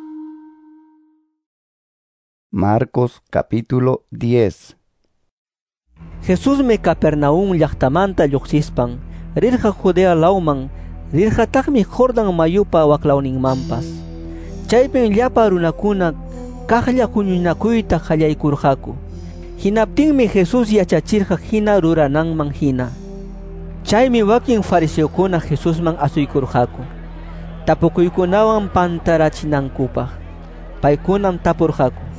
Marcos capítulo diez. Jesusmi Capernaum llaqtamanta lluqsispan rirqa Judea lawman, rirqataqmi Jordan mayupa waklawninmanpas. Chaypim llapa runakuna kaqlla huñunakuyta qallaykurqaku. Hinaptinmi Jesús yachachirqa hina rurananman hina. Chaymi wakin fariseokuna Jesusman asuykurqaku, tapukuykunawan pantarachinankupaq. Paykunam tapurqaku: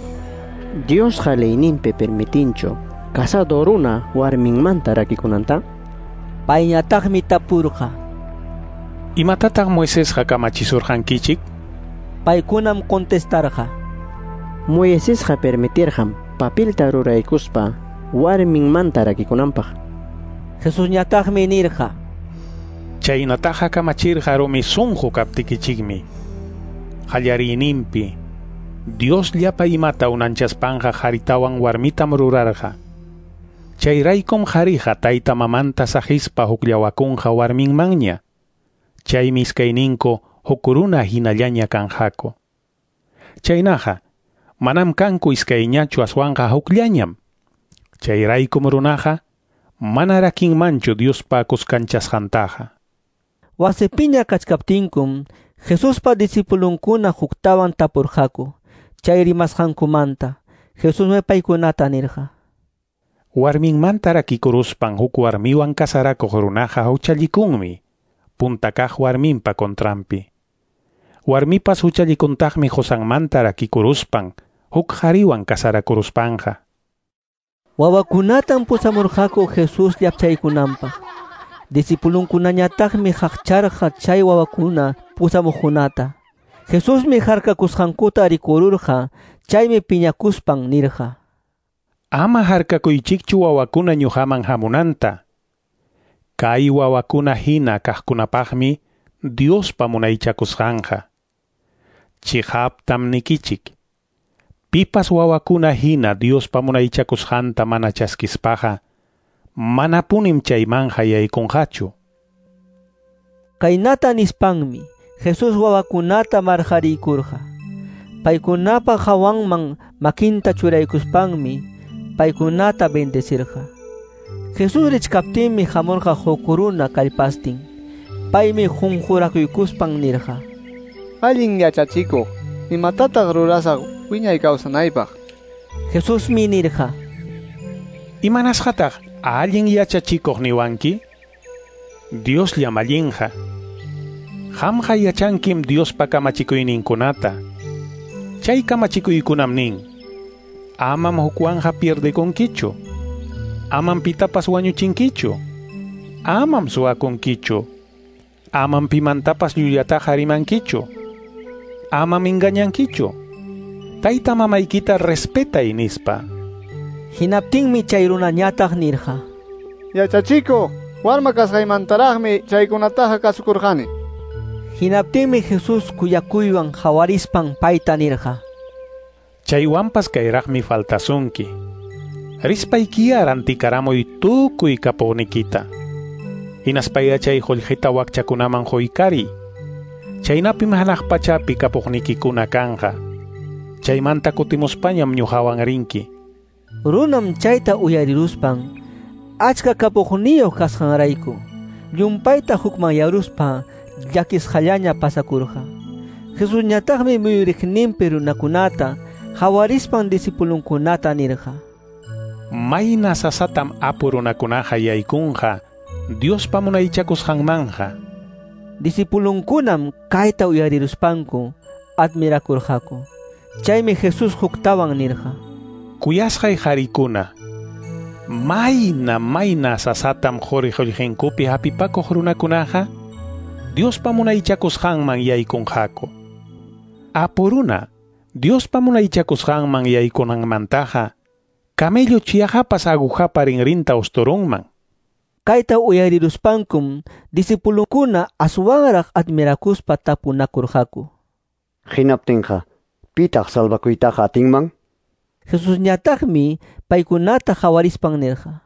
Diosqa leyninpi permitinchu casado runa warminmanta rakikunanta? Payñataqmi tapurqa: Imatataq Moisesqa kamachisurqankichik? Paykunam contestarqa: Moisesqa permitirqam papilta ruraykuspa warminmanta rakikunanpaq. Jesusñataqmi nirqa: Chaynataqa kamachirqa rumi sunqu kaptikichikmi. Qallariyninpi Dios llapa imata unanchaspanqa qharitawan warmitam rurarqa. Chayraykum qhariqa tayta mamanta saqispa hukllawakunqa warminmanña. Chaymi iskayninku huk runa hinallaña kanqaku. Chaynaqa manam kanku iskayñachu aswanqa hukllañam. Chayraykum runaqa mana rakinmanchu Diospa kuskanchasqantaqa. Wasipiña kachkaptinkum Jesuspa disipulunkuna huktawan tapurqaku chay rimasqankumanta. Jesusmi paykunata nirqa: Warminmanta rakikuruspan huk warmiwan kasarakuq runaqa huchallikunmi, punta kaq warminpa contranpi. Warmipas huchallikuntaqmi qosanmanta rakikuruspan huk qhariwan kasarakuruspanqa. Wawakunatam pusamurqaku Jesús llapchaykunanpaq. Discipulunkunañataqmi qaqcharqa chay wawakuna pusamuqkunata. Jesusmi harkakusqankuta rikururqa, chaymi piñakuspan nirqa: Ama harkakuychikchu wawakuna ñuqaman hamunanta. Kay wawakuna hina kaqkunapaqmi Diospa munaychakusqanqa. Chiqaptam nikichik. Pipas wawakuna hina Diospa munaychakusqanta mana chaskispaqa, manapunim chaymanja yaykunqachu. Kaynata nispanmi Jesús wawakunata marqariykurqa. Paykunapa hawanman makinta churaykuspanmi paykunata bendecirqa. Jesús richkaptinmi hamurqa huk runa kallpastin. Paymi qunqurakuykuspan nirqa: Allin yachachikuq, imatataq rurasaq wiñay kawsanaypaq? Jesusmi nirqa: Imanasqataq allin yachachikuq niwanki? Diosllam allinqa. Qamqa yachankim Diospa kamachikuyninkunata. Chay kamachikuykunam nin: Amam hukwanja pierdekunkichu, amam pitapas wañuchinkichu, amam suwakunkichu, amam pimantapas llullataqa rimankichu, amam engañankichu, tayta mamaykita respetay nispa. Hinaptinmi chay runañataq nirqa: Yachachikuq, warma kasqaymantaraqmi chaykunataqa kasukurqani. Hinaptinmi Jesús kuyakuywan hawarispan payta nirqa: Chaywanpas kayraqmi faltasunki. Rispaykiya rantikaramuy tukuy kapuqnikita. Hinaspaya chay qullqita wakchakunaman quykariy. Chaynapim hanaq pachapi kapuqnikikuna kanqa. Chaymanta kutimuspañam ñuqawan rinki. Runam chayta uyariruspan achka kapuqniyuq kasqanrayku llumpayta hukmanyaruspa llakisqallaña pasakurqa. Jesusñataqmi muyuriqninpi runakunata hawarispan discipulunkunata nirqa: Mayna sasatam apu runakunaqa yaykunqa Diospa munaychakusqanmanja. Discipulunkunam kayta uyariruspanku admirakurqaku. Chaymi Jesús huktawan nirqa: Kuyasqay qarikuna, mayna mayna sasatam quri qullqinkupi hapipakuq runakunaqa Diospa munaychakusqanman yaykunqaku. Apu runa Diospa munaychakusqanman yaykunanmantaqa camello chiyajapas agujapa rinrinta usturunman. Kayta uyariruspankum discipulunkuna aswanraq admirakuspa tapunakurqaku: Hinaptinqa, pitaq salvakuytaqa atinman? Jesusñataqmi paykunata hawarispan nirqa: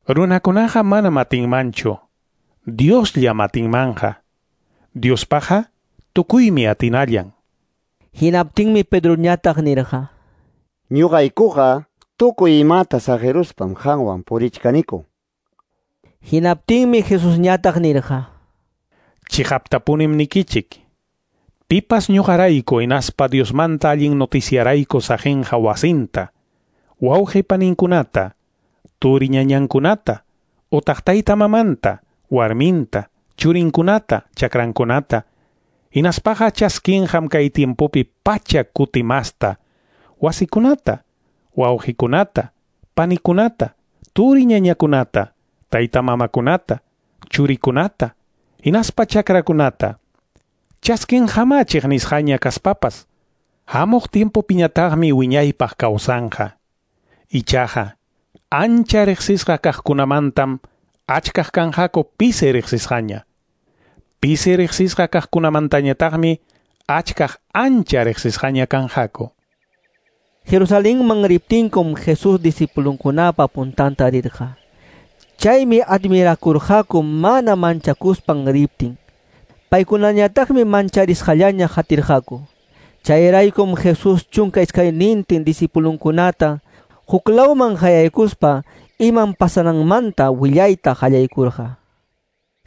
Runakunaqa manam atinmanchu, Diosllam atinmanja. Diospaqqa tukuymi atinallan. Hinaptinmi Pedroñataq nirqa: Ñuqaykuqa tukuy imata saqiruspam qanwan purichkaniku. Hinaptinmi Jesusñataq nirqa: Chiqaptapunim nikichik. Pipas ñuqarayku hinaspa Diosmanta allin noticiarayku saqinqa wasinta, wawqi paninkunata, turi ñañankunata, utaq tayta mamanta, warminta, churinkunata, chakrankunata, hinaspaqa chaskinqam kay tiempopi pacha kutimasta, wasikunata, wawqikunata, panikunata, turi ñañakunata, tayta mamakunata, churikunata, hinaspa chakrakunata. Chaskinqama chiqnisqaña kaspapas, hamuq tiempopiñataqmi wiñaypaq kawsanqa. Ichaqa, ancha riqsisqa kaqkunamantam achkaq kanqaku pisi riqsisqaña. Pisi riqsisqa kaqkunamantañataqmi achkaq ancha riqsisqaña kanqaku. Jerusalenman riptinkum Jesús discipulunkunapa puntanta rirqa. Chaymi admirakurqaku mana manchakuspan riptin. Paykunañataqmi mancharisqallaña hatirqaku. Chayraykum Jesús chunka iskaynintin discipulunkunata huklawman hayaykuspa imam pasananmanta willayta qallaykurqa.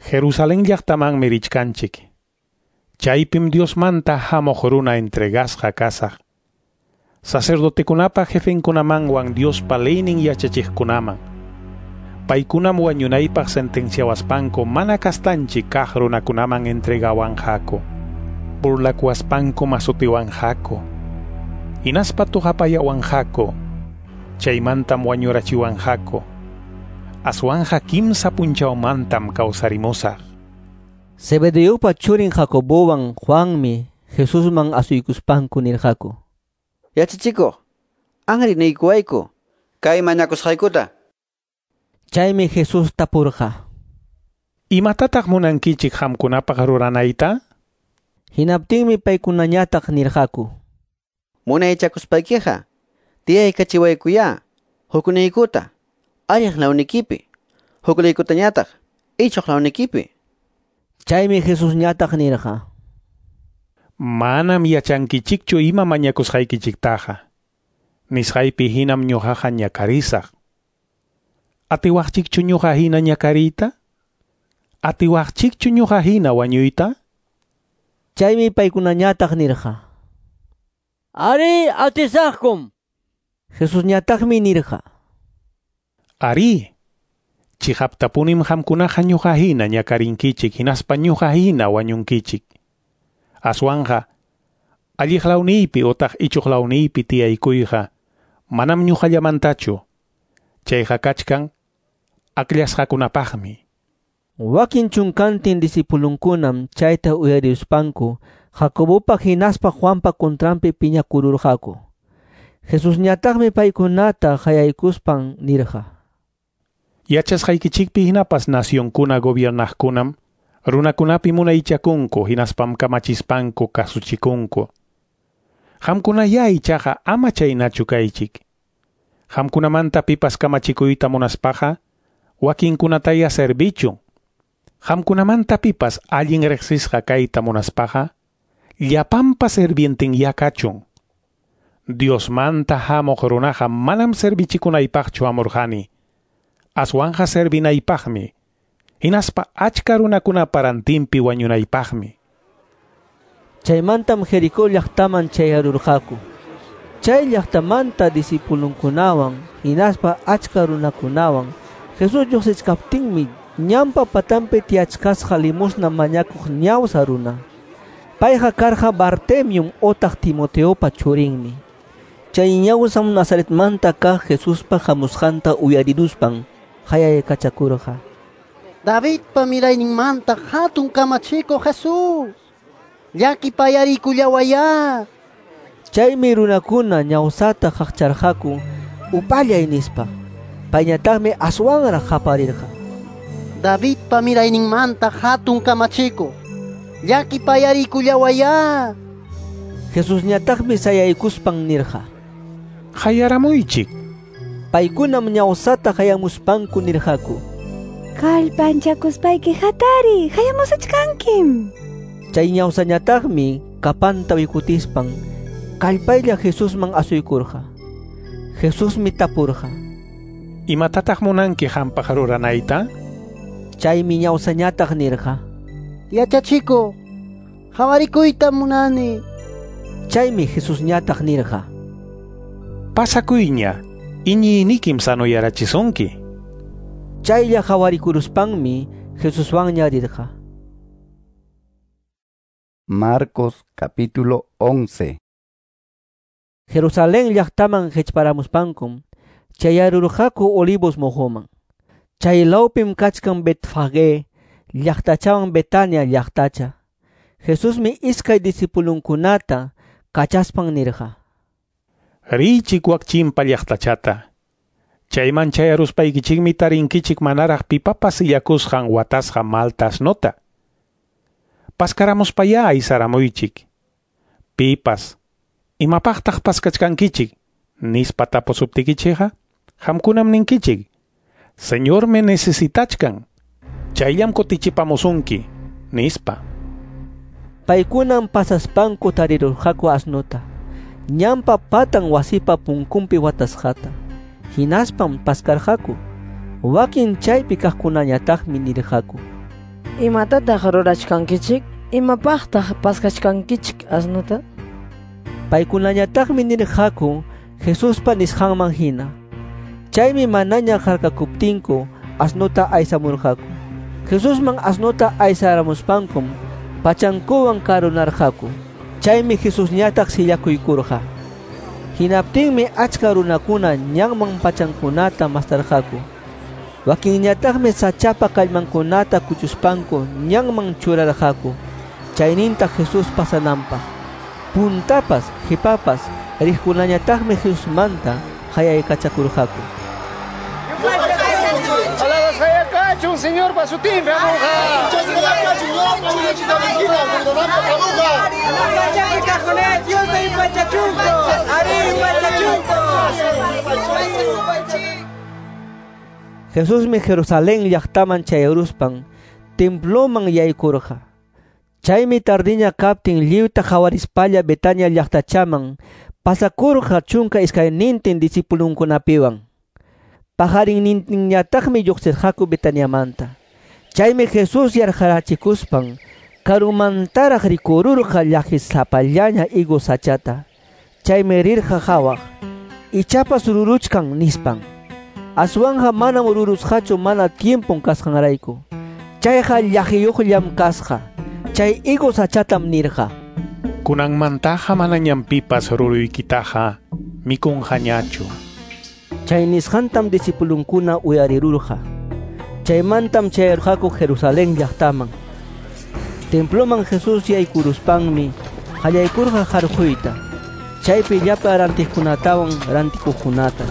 Jerusalén llaqtamanmi richkanchik. Chaypim Diosmanta hamuq runa entregasqa kasaq. Sacerdotekunapa jefenkunamanwan Diospa leynin yachachiqkunaman. Paykunam wañunaypaq sentenciawaspanku mana kastanchik kaq runakunaman entregawanqaku. Burlakuwaspanku masutiwanqaku. Hinaspa tuqapayawanqaku. Chaymantam wañurachiwanqaku. Aswanja kimsa punchawmantam kawsarimusaq. Zebedeopa churin Jacobowan Juanmi Jesusman asuykuspanku nirqaku: Yachachikuq, anri niykuwayku kay mañakusqaykuta. Chaymi Jesús tapurqa: Imatataq munankichik qamkunapaq ruranayta? Hinaptinmi paykunañataq nirqaku: Munaychakuspaykiqa tiyaykachiwaykuyá hukniykuta alliq lawnikipi, hukniykutañataq ichuq lawnikipi. Chaymi Jesusñataq nirqa: Manam yachankichikchu ima mañakusqaykichiktaqa. Nisqaypi hinam ñuqaqa ñakarisaq. Atiwaqchikchu ñuqa hina ñakariyta? Atiwaqchikchu ñuqa hina wañuyta? Chaymi paykunañataq nirqa: Ari, atisaqkum. Jesusñataqmi nirqa: Ari, chiqaptapunim qamkunaqa ñuqa hina ñakarinkichik hinaspa ñuqa hina wañunkichik. Aswanja, alliq lawniypi utaq ichuq lawniypi tiyaykuyqa manam ñuqallamantachu. Chayqa kachkan akllasqakunapaqmi. Wakin chunkantin disipulunkunam chayta uyarispanku Jacobopa hinaspa Juanpa contranpi piñakururqaku. Jesusñataqmi paykunata qayaykuspan nirqa: Yachasqaykichikpi hinapas nacionkuna gobiernaqkunam runakunapi munaychakunku hinaspam kamachispanku kasuchikunku. Qamkunayá ichaqa ama chaynachu kaychik. Qamkunamanta pipas kamachikuyta munaspaqa wakinkunataya servichun. Qamkunamanta pipas allin riqsisqa kayta munaspaqa llapanpa servientenyá kachun. Diosmanta hamuq runaqa manam servichikunaypaqchu hamurqani. Aswanja servinaypaqmi. Hinaspa achka runakunapa rantinpi wañunaypaqmi. Chaymantam Jericó llaqtaman chayarurqaku. Chay llaqtamanta disipulunkunawan hinaspa achka runakunawan Jesús lluqsichkaptinmi ñanpa patanpi tiyachkasqa limosna mañakuq ñawsa runa. Payqa karqa Bartemium otaq Timoteopa churinmi. Chay ñawsam Nazaretmanta kaq Jesuspa hamusqanta uyariruspan qayaykachakurqa: Davidpa mirayninmanta hatun kamachikuq Jesús, llakipayarikullawayá. Chaymi runakuna ñawsata qaqcharqaku upallay nispa. Payñataqmi aswanraq qaparirqa: Davidpa mirayninmanta hatun kamachikuq, llakipayarikullawayá. Jesusñataqmi sayaykuspan nirqa: Qayaramuychik. Paykunam ñawsata qayamuspanku nirqaku: Kallpanchakuspayki hatari, qayamusachkankim. Chay ñawsañataqmi kapanta wikutispan kallpaylla Jesusman asuykurqa. Jesusmi tapurqa: Imatataq munanki qampaq ruranayta? Chaymi ñawsañataq nirqa: Yachachikuq, qawarikuytam munani. Chaymi Jesusñataq nirqa: Pasakuyña, iñiynikim sanoyarachisunki. Chaylla qawarikuruspanmi Jesuswanña rirqa. Marcos capítulo once. Jerusalén llaqtaman hichparamuspankum chayarurqaku Olivos mojoman. Chay lawpim kachkan Betfagé llaqtachawan Betania llaqtacha. Jesusmi iskay disipulunkunata kachaspan nirqa: Richik wak chimpa llaqtachata. Chayman chayaruspaykichikmi tarinkichik manaraq pipapas sillakusqan watasqa malta asnota. Paskaramuspayá aysaramuychik. Pipas, imapaqtaq paskachkankichik? Nispa tapusuptikichikqa, qamkunam ninkichik: Señormi necesitachkan. Chayllam kutichipamusunki, nispa. Paykunam pasaspanku tarirurqaku asnota, ñanpa patan wasipa punkunpi watasqata. Hinaspam paskarqaku. Wakin chaypi kaqkunañataqmi nirqaku: Imatataq rurachkankichik? Imapaqtaq paskachkankichik asnota? Paykunañataqmi nirqaku Jesuspa nisqanman hina. Chaymi manaña harkakuptinku asnuta aysamurqaku. Jesusman asnuta aysaramuspankum pachankuwan karunarqaku. Chaymi Jesusñataq sillakuykurqa. Hinaptinmi achka runakuna ñanman pachankunata mastarqaku. Wakinñataqmi sachapa kallmankunata kuchuspanku ñanman churarqaku. Chayninta Jesús pasananpaq. Puntapas, qipapas riqkunañataqmi Jesusmanta qayaykachakurqaku. Alabasqaya kachun Señorpa sutinpi hamuqa. Jesusmi Jerusalén llaqtaman chayaruspan temploman yaykurqa. Chaymi tardiña kaptin lliwta qhawarispalla Betania llaqtachaman pasakurqa chunka iskaynintin discipulunkunapiwan. Pajarinnintinñataqmi lluqsirqaku Betaniamanta. Chaymi Jesús yarqarachikuspan karumantaraq rikururqa llaqisapallaña higo sachata. Chaymi rirqa qhawaq, ichapas ruruchkan nispan. Aswanja manam rurusqachu mana tiempon kasqanrayku. Chayqa llaqiyuqllam kasqa. Chay higo sachatam nirqa: Kunanmantaqa manañam pipas ruruykitaqa mikunqañachu. Chay nisqantam discipulunkuna uyarirurqa. Chaymantam chayarqaku Jerusalén llaqtaman. Temploman Jesús yaykuruspanmi qallaykurqa harquyta. Chaypi llapa rantiqkunatawan rantikuqkunata.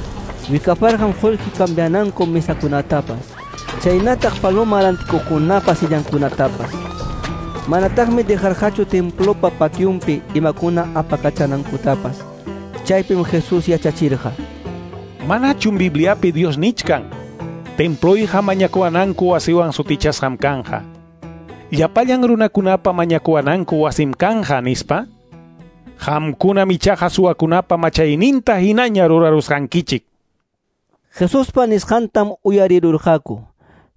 Wikaparqam qullqi cambiananku mesakunatapas. Chaynataq paloma rantikuqkunapa sillankunatapas. Manataqmi dejarqachu templopa patiunpi imakuna apakachanankutapas. Chaypim Jesús yachachirqa: Manachum Bibliapi Dios nichkan, temployqa mañakuwananku wasiwan sutichasqam kanja. Llapallan runakunapa mañakuwananku wasim kanja nispa. Qamkunam ichaqa suwakunapa machayninta hinaña rurarusqankichik. Jesuspa nisqantam uyarirurqaku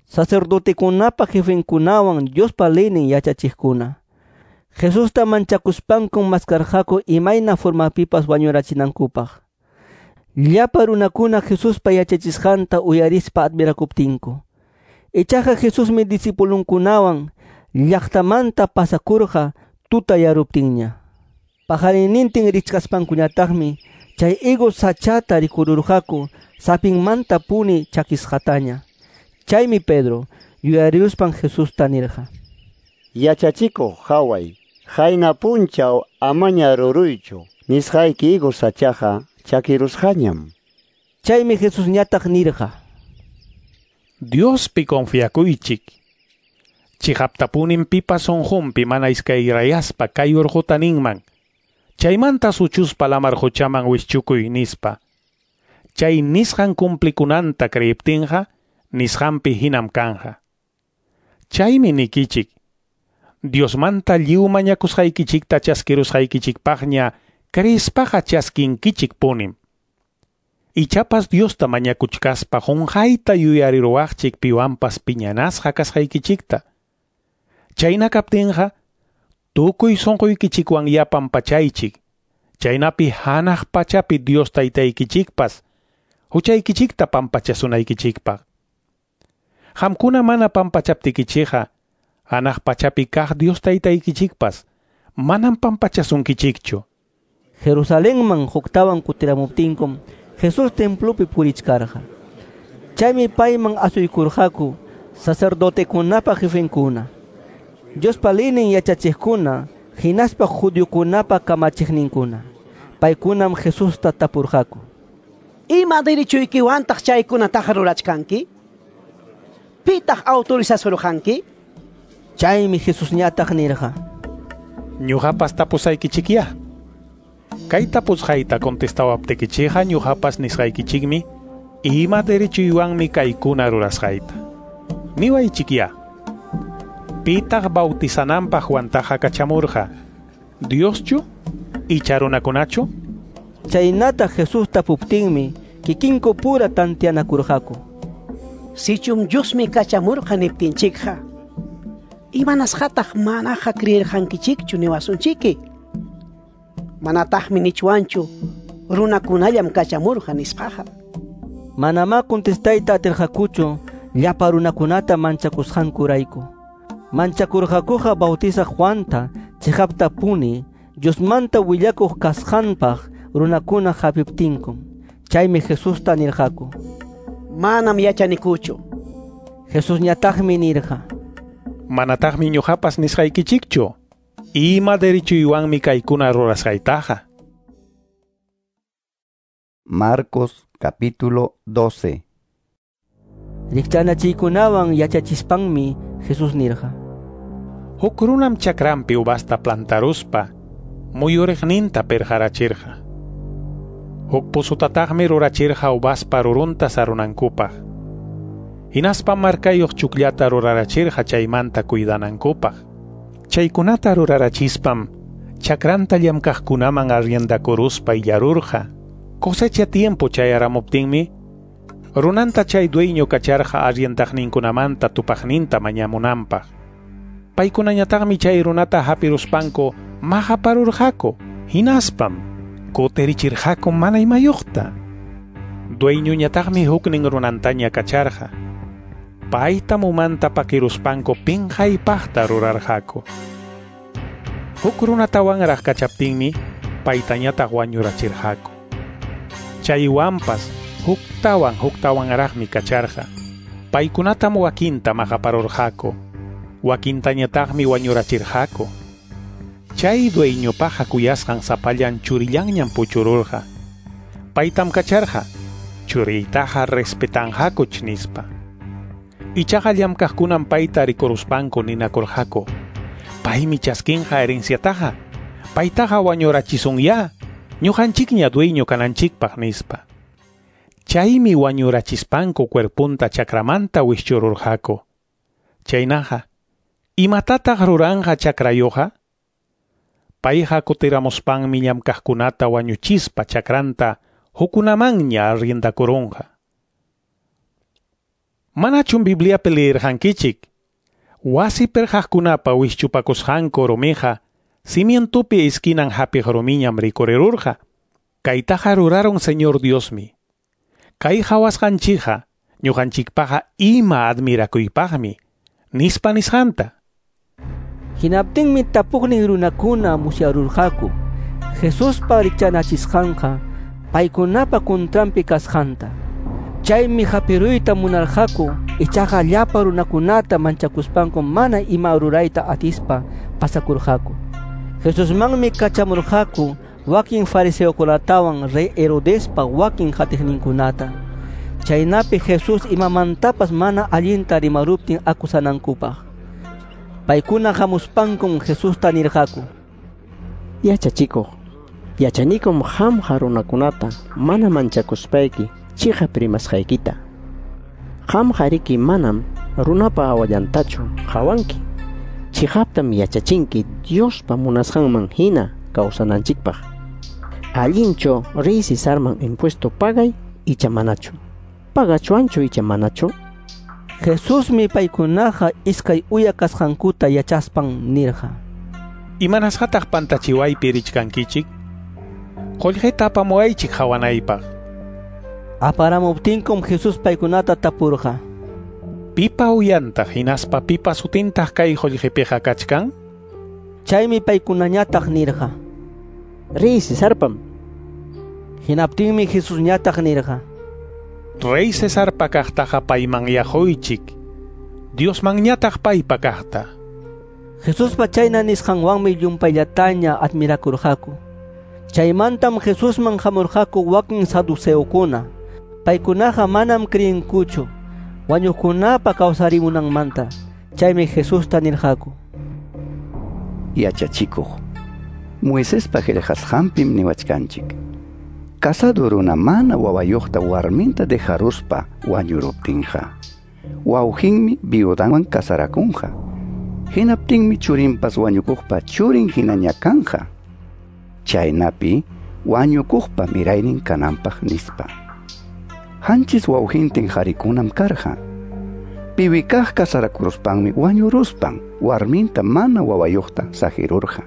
sacerdotekunapa jefenkunawan Diospa leynin yachachiqkuna. Jesusta manchakuspankum maskarqaku imayna formapipas wañurachinankupaq. Llapa runakuna Jesuspa yachachisqanta uyarispa admirakuptinku. Ichaqa Jesusmi discipulunkunawan llaqtamanta pasakurqa tutayaruptinña. Pajarinnintin richkaspankuñataqmi chay higo sachata rikururqaku sapinmanta puni chakisqataña. Chaymi Pedro yuyariruspan Jesusta nirqa: Yachachikuq haway, qayna punchaw amaña ruruychu, nisqayki higo sachaqa chakirusqañam. Chaymi Jesusñataq nirqa: Diospi confiakuychik. Chiqaptapunim pipas sunqunpi mana iskayrayaspa kay urquta ninman. Chaymanta suchuspa lamar quchaman wischukuy nispa. Chay nisqan cumplikunanta creiptinqa nisqanpi hinam kanja. Chaymi nikichik, Diosmanta lliw mañakusqaykichikta chaskirusqaykichikpaqña creispaqa chaskinkichik punim. Ichapas Diosta mañakuchkaspa qunqayta yuyariruwaqchik piwanpas piñanasqa kasqaykichikta. Chayna kaptinqa tukuy sunquykichikwan yapan pachaychik. Chaynapi hanaq pachapi Dios taytaykichikpas huchaykichikta pampachasunaykichikpaq. Qamkuna mana pampachaptikichikqa hanaq pachapi kaq Dios taytaykichikpas manam pampachasunkichikchu. Jerusalenman huktawan kutiramuptinkum Jesús templopi purichkarqa. Chaymi payman asuykurqaku sacerdotekunapa jefenkuna, Diospa leynin yachachiqkuna, hinaspa judiokunapa kamachiqninkuna. Paykunam Jesusta tapurqaku: Ima derechoykiwantaq chaykunataqa rurachkanki? Pitaq autorizasurqanki? Chaymi Jesusñataq nirqa: Ñuqapas tapusaykichikya. Kay tapusqayta contestawaptikichikqa ñuqapas nisqaykichikmi ima derechuywanmi kaykuna rurasqayta. Niwaychikya. Pitaq bautizananpaq Juantaqa kachamurqa, Dioschu icha runakunachu? Chaynata Jesús tapuptinmi kikinku pura tantianakurqaku. Sichum Diosmi kachamurqa niptinchikqa, imanasqataq manaqa creerqankichikchu niwasunchiki? Manataqmi nichwanchu runakunallam kachamurqa nispaqa. Manamá contestayta atirqakuchu llapa runakunata manchakusqankurayku. Manchakurqakuqa Bautizaq Juanta chiqaptapuni Diosmanta willakuq kasqanpaq runakuna hapiptinkum. Chaymi Jesusta nirqaku: Manam yachanikuchu. Jesusñataqmi nirqa: Manataqmi ñuqapas nisqaykichikchu. Ima derechuywanmi kaykuna rurasqaytaqa. Marcos capítulo doce. Rikchanachiykunawan yachachispanmi Jesús nirqa: Huk runam chakranpi uvasta plantaruspa muyuriqninta pirqarachirqa. Huk pusutataqmi rurachirqa uvaspa rurunta sarunankupaq. Hinaspa markayuq chukllata rurarachirqa chaymanta cuidanankupaq. Chaykunata rurarachispam chakranta llamkaqkunaman arriendakuruspa illarurqa. Cosecha tiempo chayaramuptinmi runanta chay dueño kacharqa arriendaqninkunamanta tupaqninta mañamunanpaq. Paykunañataqmi chay runata hapiruspanku maqaparurqaku, hinaspam kutirichirqaku mana imayuqta. Dueñoñataqmi huknin runantaña kacharqa. Paytam umanta pakiruspanku pinqaypaqta rurarqaku. Huk runatawanraq kachaptinmi paytañataq wañurachirqaku. Chaywanpas huktawan huktawanraqmi kacharqa. Paykunatam wakinta maqaparurqaku, wakintañataqmi wañurachirqaku. Chay dueñopaqa kuyasqan sapallan churillanñam puchururqa. Paytam kacharqa, churiytaqa respetanqakuch nispa. Ichaqa llamkaqkunam payta rikuruspanku ninakurqaku: Paymi chaskinqa herenciataqa, paytaqa wañurachisunyá, ñuqanchikña dueño kananchikpaq nispa. Chaymi wañurachispanku cuerpunta chakramanta wischururqaku. Chaynaqa, imatataq ruranqa chakrayuqa? Payqa kutiramuspanmi llamkaqkunata wañuchispa chakranta hukunamanña arriendakurunqa. Manachum Bibliapi leerqankichik? Wasi pirqaqkunapa wischupakusqanku rumiqa cimientopi esquinan hapiq rumiñam rikurirurqa. Kaytaqa rurarun Señor Diosmi. Kay hawasqanchikqa ñuqanchikpaqa ima admirakuypaqmi, nispa nisqanta. Hinaptinmi tapuqnin runakuna musyarurqaku Jesuspa rikchanachisqanqa paykunapa kuntranpi kasqanta. Chaymi hapiruyta munarqaku, ichaqa llapa runakunata manchakuspanku mana ima rurayta atispa pasakurqaku. Jesusmanmi kachamurqaku wakin fariseokunatawan rey Herodespa wakin qatiqninkunata. Chaynapi Jesús imamantapas mana allinta rimaruptin akusanankupaq. Paykuna hamuspankum Jesusta nirqaku: Yachachikuq, yachanikum qamqa runakunata mana manchakuspayki chiqap rimasqaykita. Qamqa riki manam runapa hawallantachu qawanki. Chiqaptam yachachinki Diospa munasqanman hina kawsananchikpaq. Allinchu rey Cesarman impuesto pagay icha manachu? Pagachuanchu icha manachu? Jesusmi paykunaqa iskay uya kasqankuta yachaspan nirqa: Imanasqataq pantachiwaypi richkankichik? Qullqita apamuwaychik hawanaypaq. Aparamuptinkum Jesús paykunata tapurqa: Pipa uyantaq hinaspa pipa sutintaq kay qullqipiqa kachkan? Chaymi paykunañataq nirqa: Rey Cesarpam. Hinaptinmi Jesusñataq nirqa: Rey Cesarpa kaqtaqa payman yaquychik, Diosmanñataq paypa kaqta. Jesuspa chayna nisqanwanmi llumpayllataña admirakurqaku. Chaymantam Jesusman hamurqaku wakin saduceokuna. Paykunaqa manam creenkuchu wañuqkunapa kawsarimunanmanta. Chaymi Jesusta nirqaku: Yachachikuq, Moisespa qillqasqanpim niwachkanchik: Casado runa mana wawayuqta warminta dejaruspa wañuruptinqa, wawqinmi viudanwan casarakunqa. Hinaptinmi churinpas wañukuqpa churin hinaña kanqa. Chaynapi wañukuqpa miraynin kananpaq nispa. Hanchis wawqintin qarikunam karqa. Piwikaq casarakuruspanmi wañuruspan warminta mana wawayuqta saqirurqa.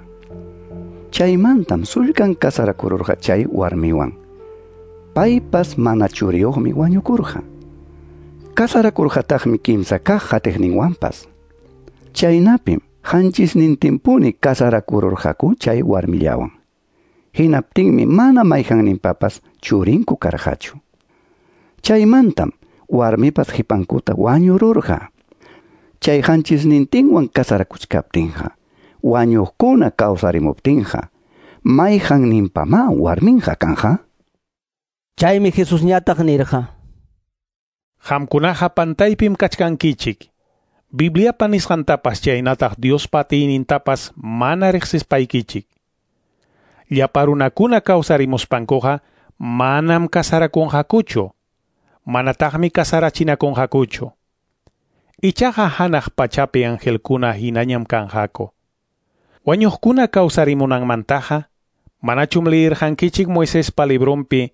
Chaymantam sullkan kasarakururqa chay warmiwan. Paypas mana churiyuqmi wañukurqa. Kasarakurqataqmi kimsa kaq qatiqninwanpas. Chaynapim qanchisnintinpuni kasarakururqaku chay warmillawan. Hinaptinmi mana mayqanninpapas churinku karqachu. Chaymantam warmipas qipankuta wañururqa. Chay qanchisnintinwan kasarakuchkaptinqa, wañuqkuna kawsarimuptinqa, mayqanninpamá warminqa kanqa? Chaymi Jesusñataq nirqa: Qamkunaqa pantaypim kachkankichik. Bibliapa nisqantapas chaynataq Diospa atiynintapas mana riqsispaykichik. Llapa runakuna kawsarimuspankuqa manam kasarakunqakuchu, manataqmi kasarachinakunqakuchu. Ichaqa hanaq pachapi angelkuna hinañam kanqaku. Wañuqkuna kawsarimunanmantaqa, manachum liyirqankichik Moisespa librunpi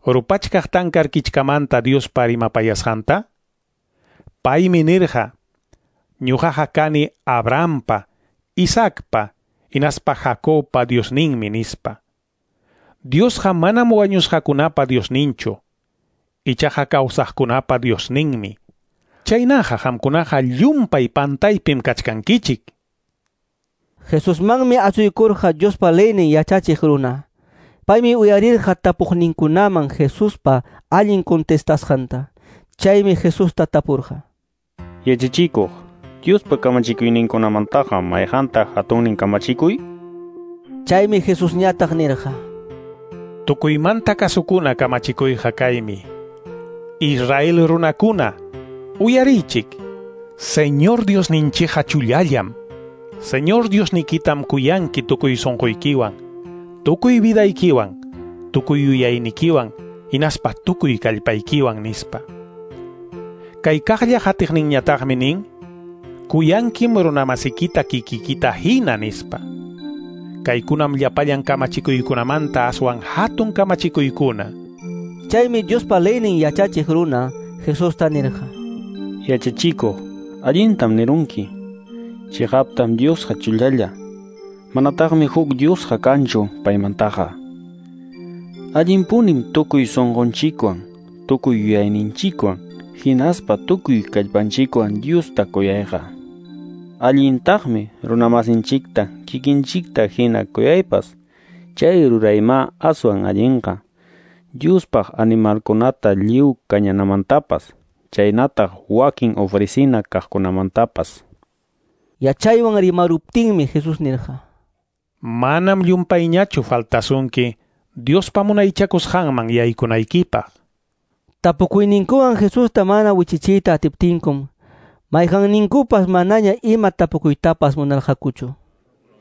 rupachkaq tankar kichkamanta Diospa rimapayasqanta? Paymi nirqa: Ñuqaqa kani Abrahampa, Isaacpa, hinaspa Jacobpa Diosninmi nispa. Diosqa manam wañusqakunapa Diosninchu, ichaqa kawsaqkunapa Diosninmi. Chaynaqa qamkunaqa llumpay pantaypim kachkankichik. Jesusmanmi asuykurqa Diospa leynin yachachiq runa. Paymi uyarirqa tapuqninkunaman Jesuspa allin contestasqanta. Chaymi Jesusta tapurqa: Yachachikuq, Diospa kamachikuyninkunamantaqa mayqantaq hatunnin kamachikuy? Chaymi Jesusñataq nirqa: Tukuymanta kasukuna kamachikuyqa kaymi. Israel runakuna, uyariychik. Señor Diosninchikqa chullallam. Señor Diosnikitam kuyanki tukuy sunquykiwan, tukuy vidaykiwan, tukuy yuyaynikiwan, hinaspa tukuy kallpaykiwan nispa. Kay kaqlla qatiqninñataqmi nin: kuyankim runamasikita kikikita hina nispa. Kaykunam llapallan kamachikuykunamanta aswan hatun kamachikuykuna. Chaymi Diospa leynin yachachiq runa Jesusta nirqa: Yachachikuq, allintam nirunki. Chiqaptam Diosqa chullalla. Manataqmi huk Diosqa kanchu paymantaqa. Allinpunim tukuy sunqunchikwan, tukuy yuyayninchikwan, hinaspa tukuy kallpanchikwan Diosta kuyayqa. Allintaqmi runamasinchikta kikinchikta hina kuyaypas. Chay ruraymá aswan allinqa. Diospaq animalkunata lliw kañanamantapas, chaynataq wakin ofrecina kaqkunamantapas. Yachaywan rimaruptinmi Jesús nirqa: Manam llumpayñachu faltasunki Diospa munaychakusqanman yaykunaykipaq. Tapukuyninkuwan Jesusta mana wichichiyta atiptinkum, mayqanninkupas manaña ima tapukuytapas munarqakuchu.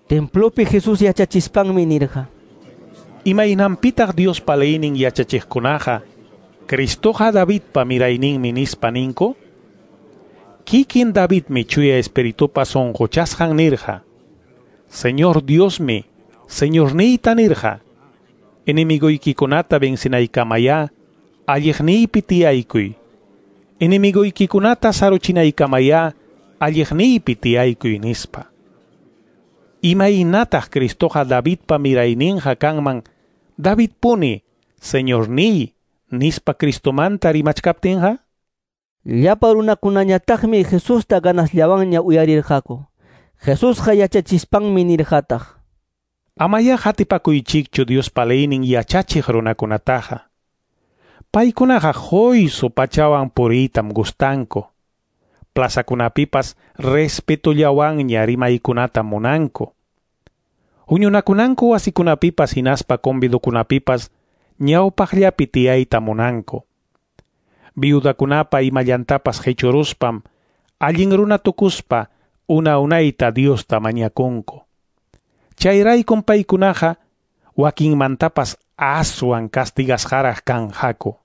Templopi Jesús yachachispanmi nirqa: Imaynanpitaq Diospa leynin yachachiqkunaqa Cristoqa Davidpa mirayninmi nispa ninku? Kikin Davidmi chuya espiritupa sunquchasqan nirqa: Señor Diosmi, Señorniyta nirqa, enemigoykikunata vencinaykamayá alliqniypi tiyaykuy. Enemigoykikunata saruchinaykamayá alliqniypi tiyaykuy nispa. Imaynataq Cristoqa Davidpa mirayninqa kanman, Davidpuni Señorniy nispa Cristomanta rimachkaptinqa? Llapa runakunañataqmi Jesusta ganasllawanña uyarirqaku. Jesusqa yachachispanmi nirqataq: Amaya qatipakuychikchu Diospa leynin yachachiq runakunataqa. Paykunaqa quysu pachawan puriytam gustanku. Plazakunapipas respetullawanña rimaykunatam munanku. Huñunakunanku wasikunapipas hinaspa convidokunapipas ñawpaqllapi tiyayta munanku. Viudakunapa imallantapas qichuruspam allin runa tukuspa una unayta Diosta mañakunku. Chayraykum paykunaqa wakinmantapas aswan castigasqaraq kanqaku.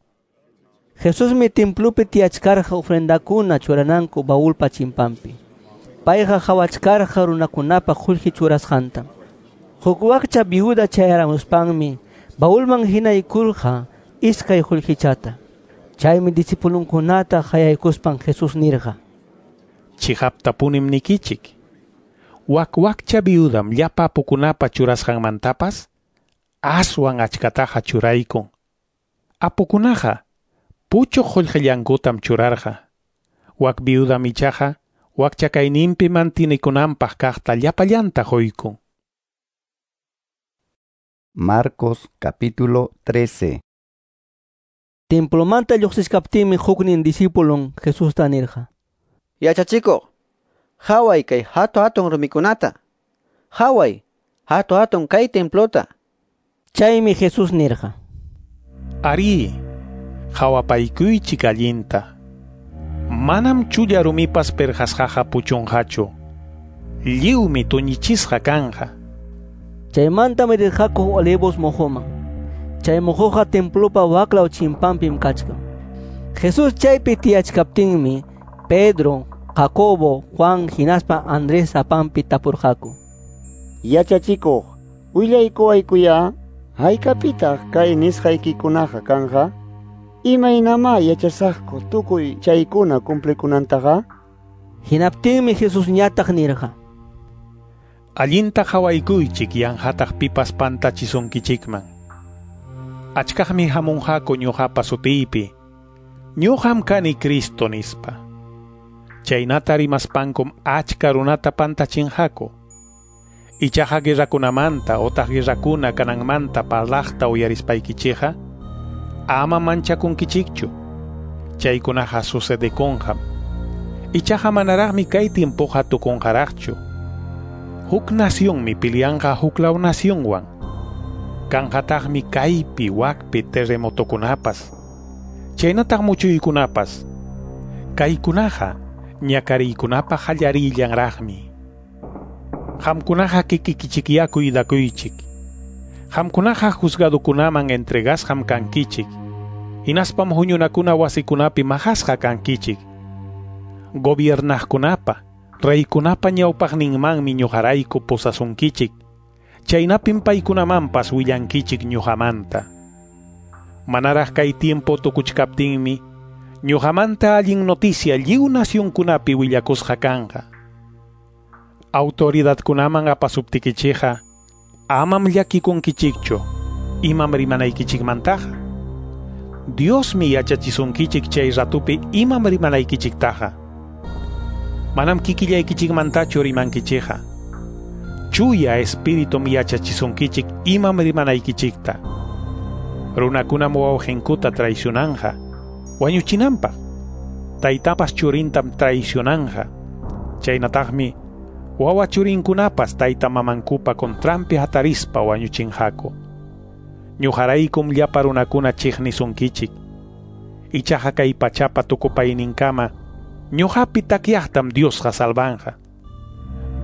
Jesusmi templopi tiyachkarqa ofrendakuna churananku baulpa chimpanpi. Payqa qhawachkarqa runakunapa qullqi churasqanta. Huk wakcha viuda chayaramuspanmi baulman hinaykurqa iskay qullqichata. Chaymi discipulunkunata qayaykuspan Jesús nirqa: Chiqaptapunim nikichik, Wak wakcha viudam llapa apukunapa churasqanmantapas aswan achkataqa churaykun. Apukunaqa puchuq qullqillankutam churarqa. Wak viudam ichaqa wakcha kayninpi mantinikunanpaq kaqta llapallanta quykun. Marcos capítulo trece. Templomanta lluqsichkaptinmi huknin discipulon Jesusta nirqa: Yachachikuq, haway kay hatu hatun rumikunata. Haway, hatu hatun kay templota. Chaymi Jesús nirqa: Ari, hawapaykuychik allinta. Manam chulla rumipas perqasqaqa puchunqachu. Lliwmi tuñichisqa kanqa. Chaymantam rirqaku Olivos mojoman. Chay mojoqa templopa waklaw chimpanpim kachkan. Jesús chaypi tiyachkaptinmi Pedro, Jacobo, Juan hinaspa Andrés apanpi tapurqaku: Yachachikuq, willaykuwaykuya, haykapitaq kay nisqaykikunaqa kanqa? Imaynamá yachasaqku tukuy chaykuna cumplikunantaqa? Hinaptinmi Jesusñataq nirqa: Allinta hawaykuychik yanqataq pipas pantachisunkichikman. Achkaqmi hamunqaku ñuqapa sutiypi. Ñuqam kani Cristo nispa. Chaynata rimaspankum achka runata pantachinqaku. Ichaqa guerrakunamanta otaq guerrakuna kananmanta parlaqta uyarispaykichikqa ama manchakunkichikchu. Chaykunaqa sucedekunqam. Ichaqa manaraqmi kay tiempoqa tukunqaraqchu. Huk nacionmi pilianqa huklaw nacionwan. Kanqataqmi kaypi wakpi terremotokunapas. Chaynataq muchuykunapas. Kaykunaqa ñakariykunapa qallarillanraqmi. Qamkunaqa kikikichikyá cuidakuychik. Qamkunaqa juzgadukunaman entregasqam kankichik. Hinaspam huñunakuna wasikunapi maqasqa kankichik. Gobiernaqkunapa, reykunapa ñawpaqninmanmi ñuqarayku pusasunkichik. Chaynapim paykunamanpas willankichik ñuqamanta. Manaraq kay tiempo tukuchkaptinmi ñuqamanta allin noticia lliw nacionkunapi willakusqa kanqa. Autoridadkunaman apasuptikichikqa amam llakikunkichikchu imam rimanaykichikmantaqa. Diosmi yachachisunkichik chay ratupi imam rimanaykichiktaqa. Manam kikillaykichikmantachu rimankichikqa. Chuya espiritum yachachisunkichik imam rimanaykichikta. Runakunam wawqinkuta traicionanqa wañuchinanpaq. Taytapas churintam traicionanqa. Chaynataqmi wawa churinkunapas tayta mamankupa contranpi hatarispa wañuchinqaku. Ñuqaraykum llapa runakuna chiqnisunkichik. Ichaqa kay pachapa tukupayninkama ñuqapi takyaqtam Diosqa salvanqa.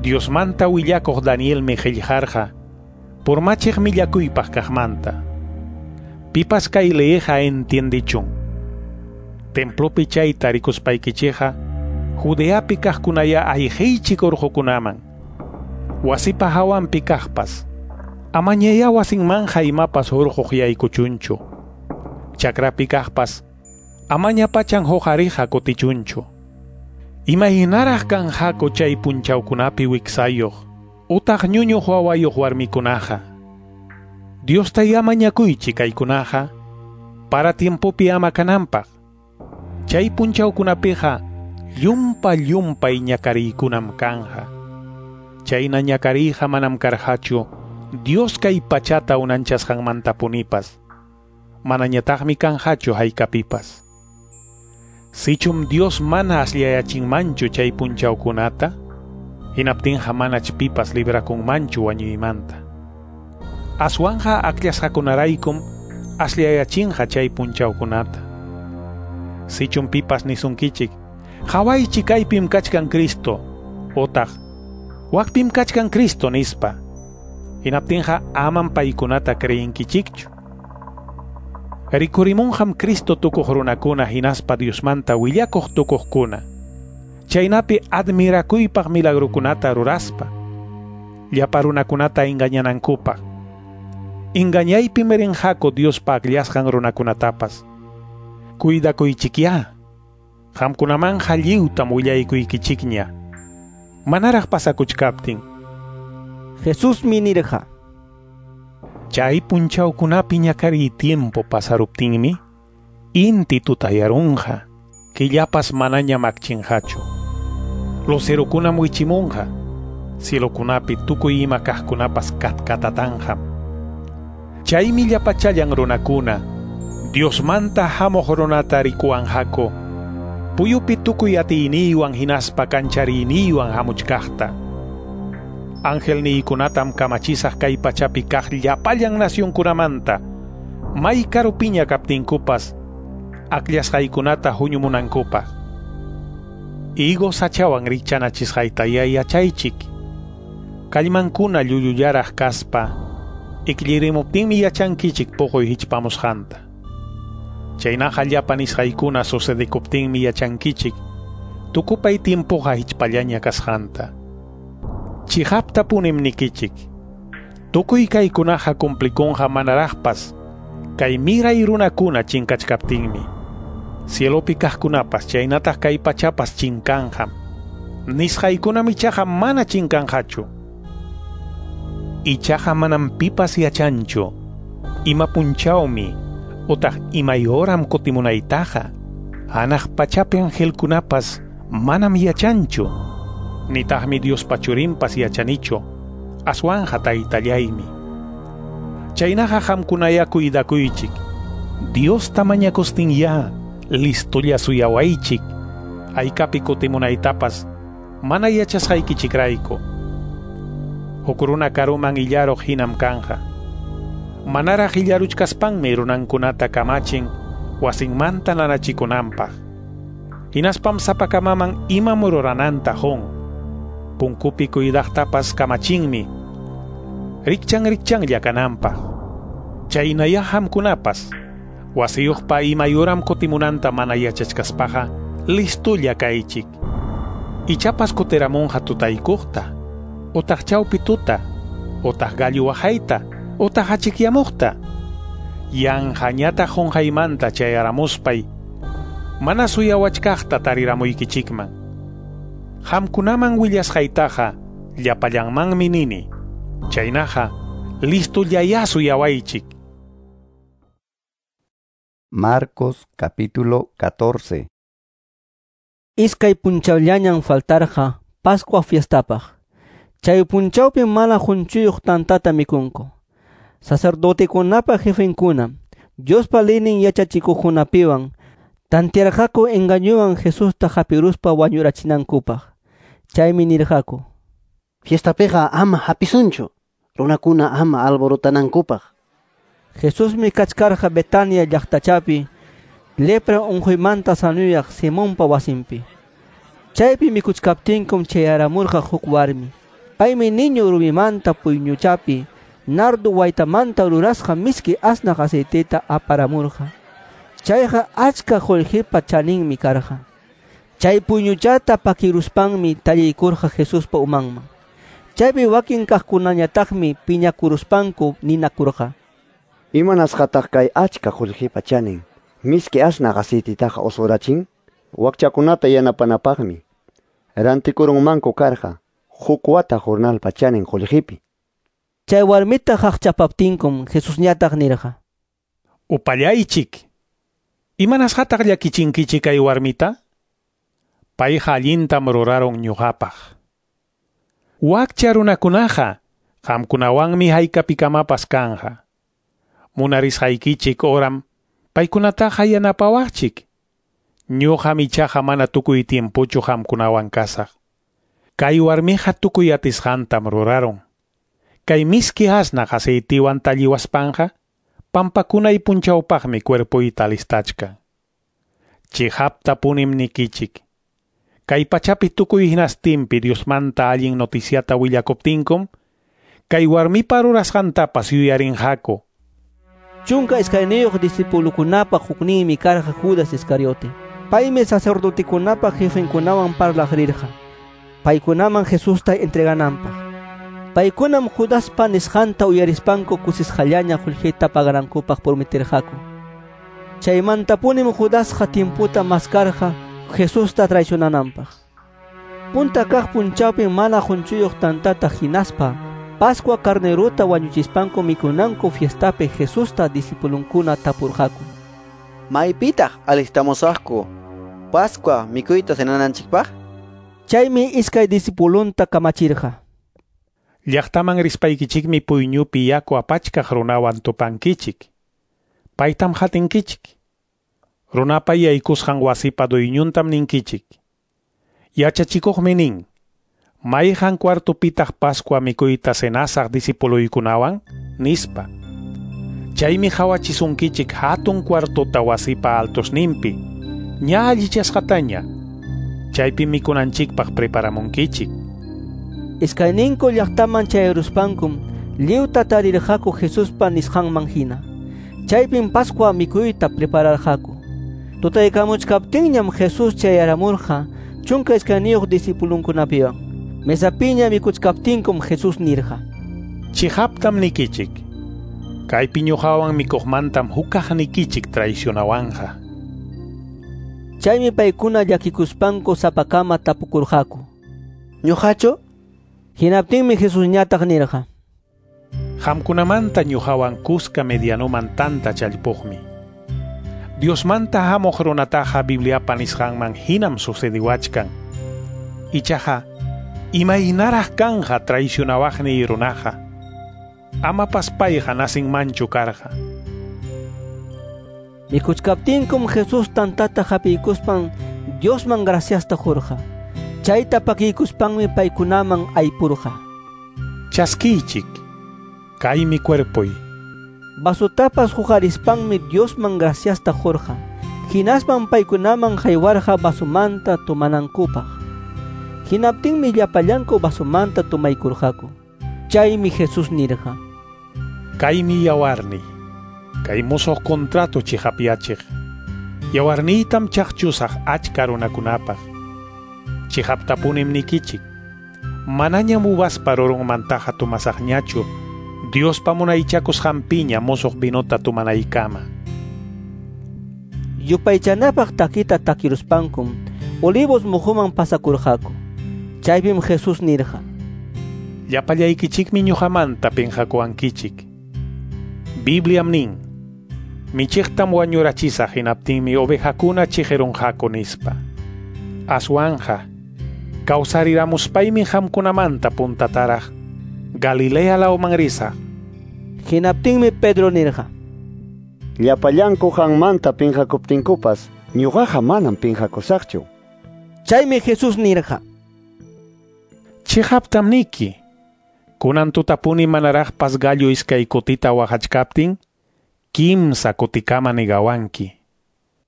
Diosmanta willakuq Danielmi qillqarqa purmachiq millakuypaq kaqmanta. Pipas kay leeqa entiendichun. Templopi chayta rikuspaykichikqa Judeapi kaqkunaya ayqiychik urqukunaman. Wasipa hawanpi kaqpas amañaya wasinmanja imapas hurquq yaykuchunchu. Chakrapi kaqpas amaña pachan huqariqa kutichunchu. Imaynaraq kanqaku chay punchawkunapi wiksayuq utaq ñuñuq wawayuq warmikunaqa. Diosta mañakuychik kaykunaqa para tiempopi ama kananpaq. Chay punchawkunapiqa llumpa llumpay ñakariykunam kanqa. Chayna ñakariyqa manam karqachu Dios kay pachata unanchasqanmantapunipas. Manañataqmi kanqachu haykapipas. Sichum Dios mana asllayachinmanchu chay punchawkunata, hinaptinqa manach pipas librakunmanchu wañuymanta. Aswanja akllasqakunaraykum asllayachinqa chay punchawkunata. Sichum pipas nisunkichik, hawaychik kaypim kachkan Cristo, otaq wakpim kachkan Cristo nispa, hinaptinqa amam paykunata creyinkichikchu. Rikurimunqam Cristo tukuq runakuna hinaspa Diosmanta willakuq tukuqkuna. Chaynapi admirakuypaq milagrukunata ruraspa, llapa runakunata engañanankupaq. Engañaypim rinqaku Diospa akllasqan runakunatapas. Cuidakuychikyá. Qamkunamanqa lliwtam willaykuykichikña. Manaraq pasakuchkaptin. Jesusmi nirqa: Chay punchawkunapi ñakariy tiempo pasaruptinmi, inti tutayarunqa, killapas manaña makchinqachu. Lucerokunam wichimunqa, cielokunapi tukuy ima kaqkunapas katkatatanqam. Chaymi llapachallan runakuna, Diosmanta hamuq runata rikuwanqaku, puyupi tukuy atiyniywan hinaspa kanchariyniwan hamuchkaqta. Angelniykunatam kamachisaq kay pachapi kaq llapallan nacionkunamanta, may karupiña kaptinkupas, akllasqaykunata huñumunankupaq. Higo sachawan rikchanachisqaytaya yachaychik. Kallmankuna llullullaraq kaspa, iklirimuptinmi yachankichik puquy hichpamusqanta. Chaynaqa llapa nisqaykuna sucedekuptinmi yachankichik, tukupay tiempoqa hichpallaña kasqanta. Chiqaptapunim nikichik, tukuy kaykunaqa cumplikunqa manaraqpas, kay miray runakuna chinkachkaptinmi. Cielopi kaqkunapas chaynataq kay pachapas chinkanqam. Nisqaykunam ichaqa mana chinkanqachu. Ichaqa manam pipas yachanchu, ima punchawmi utaq imay horam kutimunaytaqa, hanaq pachapi angelkunapas manam yachanchu, nitaqmi Diospa churinpas yachanichu, aswanqa taytallaymi. Chaynaqa qamkunaya cuidakuychik, Diosta mañakustinya listolla suyawaychik, haykapi kutimunaytapas mana yachasqaykichikrayku. Huk runa karuman illaruq hinam kanja. Manaraq illaruchkaspanmi runankunata kamachin wasinmanta nanachikunanpaq. Hinaspam sapakamaman imam rurananta qun. Punkupi cuidaqtapas kamachinmi rikchan rikchanlla kananpaq. Chaynaya qamkunapas wasiyuqpa imay uram kutimunanta mana yachachkaspaqa listulla kaychik. Ichapas kutiramunqa tutaykuqta, utaq chawpi tuta, utaq gallu waqayta, utaq achikyamuqta. Yanqañataq qunqaymanta chayaramuspay, mana suyawachkaqta tariramuykichikman. Qamkunaman willasqaytaqa llapallanmanmi nini. Chaynaqa listullayá suyawaychik. Marcos capítulo catorce. Iskay punchawllañam faltarqa Pascua fiestapaq. Chay punchawpim mana qunchuyuq tantata mikunku. Sacerdotekunapa jefenkuna, Diospa leynin yachachikuqkunapiwan, tantearqaku engañuwan Jesusta hapiruspa wañurachinankupaq. Chaymi nirqaku: Fiestapiqa ama hapisunchu, runakuna ama alborotanankupaq. Jesusmi kachkarqa Betania llaqtachapi, lepra unquymanta sanuyaq Simonpa wasinpi. Chaypi mikuchkaptinkum chayaramurqa huk warmi. Paymi niñu rumimanta puyñuchapi nardo waytamanta rurasqa miski asnaq aceiteta aparamurqa. Chayqa achka qullqipa chaninmi karqa. Chay puyñuchata pakiruspanmi talliykurqa Jesuspa umanman. Chaypi wakin kaqkunañataqmi piñakuruspanku ninakurqa: Imanasqataq kay achka qullqipa chanin miski asnaq aceitetaqa usurachin? Wakchakunata yanapanapaqmi rantikurunmanku karqa huk wata jornalpa chanin qullqipi. Chay warmita qaqchapaptinkum Jesusñataq nirqa: Upallaychik. Imanasqataq llakichinkichik kay warmita? Payqa allintam rurarun ñuqapaq. Wakcha runakunaqa qamkunawanmi haykapikamapas kanja. Munarisqaykichik horam paykunataqa yanapawaqchik. Ñuqam ichaqa mana tukuy tiempochu qamkunawan kasaq. Kay warmiqa tukuy atisqantam rurarun. Kay miski asnaq aceitiwan talliwaspanqa pampakunay punchawpaqmi cuerpoyta alistachkan. Chiqaptapunim nikichik, kay pachapi tukuy hinastinpi Diosmanta allin noticiata willakuptinkum, kay warmipa rurasqantapas yuyarinqaku. Chunka iskayniyuq discipulukunapa hukninmi karqa Judas Iscariote. Paymi sacerdotekunapa jefenkunawan parlaq rirqa, paykunaman Jesusta entregananpaq. Paykunam Judaspa nisqanta uyarispanku kusisqallaña qullqita paganankupaq prometerqaku. Chaymantapunim Judasqa tiemputa maskarqa Jesusta traicionananpaq. Punta kaq punchawpim mana qunchuyuq tantata hinaspa Pascua carnerota wañuchispanku mikunanku fiestapi Jesusta discipulunkuna tapurqaku. Maypitaq alistamusaqku Pascua mikuyta cenananchikpaq? Chaymi iskay discipulunta kamachirqa. Llaqtaman rispaykichikmi puyñupi yaku apachkaq runawan tupankichik. Paytam hatinkichik. Runapa yaykusqan wasipa duyñuntam ninkichik. Yachachikuqmi nin, mayqan cuartopitaq Pascua mikuyta cenasaq discipuluykunawan, nispa. Chaymi hawachisunkichik hatun cuartota wasipa altosninpi, ña allichasqataña. Chaypi mikunanchikpaq preparamunkichik. Iskayninku llaqtaman chayaruspankum lliwta tarirqaku Jesuspa nisqanman hina. Chaypim Pascua mikuyta prepararqaku. Tutaykamuchkaptinñam Jesús chayaramurqa chunka iskayniyuq discipulunkunapiwan. Mesapiña mikuchkaptinkum Jesús nirqa: Chihaptam nikichik. Kaypi ñuqawan mikuqmantam hukaq nikichik traicionawanqa. Chaymi paykuna llakikuspanku sapakama tapukurqaku. ¿Ñuqachu? Hinaptinmi Jesusñataq nirqa: Qamkunamanta ñuqawan kuska medianuman tanta challpuqmi. Diosmanta hamuq runataqa Bibliapa nisqanman hinam sucediwachkan. Ichaqa imaynaraq kanja traicionawaqniy runaqa. Amapas payqa nasinmanchu karqa. Mikuchkaptinkum Jesús tantata hapiykuspan Diosman graciasta qurqa. Chayta pakiykuspanmi paykunaman aypurqa. Chaskiychik, kaymi cuerpoy. Vasotapas huqarispanmi Diosman graciasta qurqa. Hinaspan paykunaman haywarqa vasomanta tomanankupaq. Hinaptinmi llapallanku vasomanta tomaykurqaku. Chaymi Jesús nirqa: Kaymi yawarniy, kay musuq contrato chihapyachiq. Yawarniytam chaqchusaq achka runakunapaq. Chihaptapunim nikichik. Manañam uvaspa rurunmantaqa tomasaqñachu, Diospa munaychakusqanpiña musuq vinota tomanaykama. Yupaychanapaq takita takiruspankum Olivos muhuman pasakurqaku. Chaypim Jesús nirqa: Llapallaykichikmi ñuqamanta pinqakuwankichik. Bibliam nin, michiqtam wañurachisaq hinaptinmi ovejakuna chiqirunqaku nispa. Aswanja, kawsariramuspaymi qamkunamanta puntataraq Galilea lawman risaq. Hinaptinmi Pedro nirqa: Llapallanku qanmanta pinqakuptinkupas ñuqaqa manam pinqakusaqchu. Chaymi Jesús nirqa: Chihaptam niki, kunan tutapuni manaraqpas gallo iskay kutita waqachkaptin, kimsa kutikama nigawanki.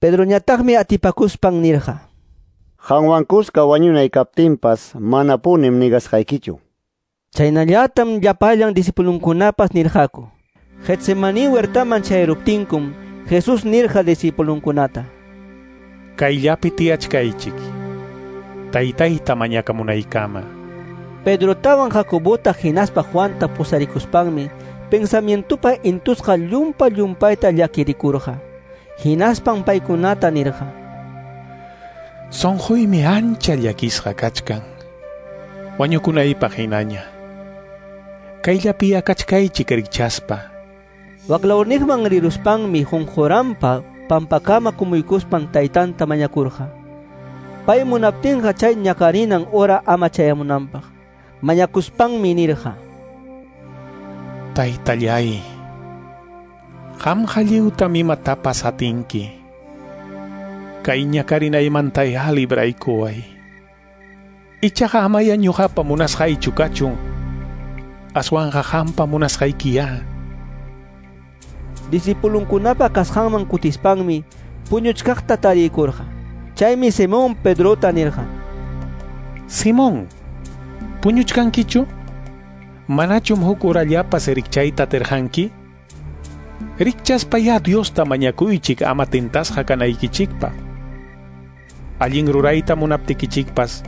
Pedroñataqmi atipakuspan nirqa: Qanwan kuska wañunay kaptinpas manapunim nigasqaykichu. Chaynallatam llapallan discipulunkunapas nirqaku. Getsemaní huertaman chayaruptinkum Jesús nirqa discipulunkunata: Kayllapi tiyachkaychik, taytayta mañakamunaykama. Pedrotawan Jacobota hinaspa Juanta pusarikuspanmi pensamientopa intusqa llumpa llumpayta llakirikurqa. Hinaspan paykunata nirqa: Sunquymi ancha llakisqa kachkan, wañukunaypaq hinaña. Kayllapi akachkaychik rikchaspa. Waklawniqman riruspanmi qunquranpa pampakama kumuykuspan taytanta mañakurqa. Pay munaptinqa chay ñakarinan hora ama chayamunanpaq. Mañakuspanmi nirqa: Taytallay, qamqa lliwtam imatapas atinki. Kay ñakarinaymantaya libraykuway. Ichaqa amaya ñuqapa munasqaychu kachun, aswanqa qampa munasqaykiya. Discipulunkunapa kasqanman kutispanmi puñuchkaqta tariykurqa. Chaymi Simón Pedrota nirqa: Simón, puñuchkankichu? Manachum huk urallapas rikchayta atirqanki? Rikchaspayá Diosta mañakuychik ama tentasqa kanaykichikpaq. Allin rurayta munaptikichikpas,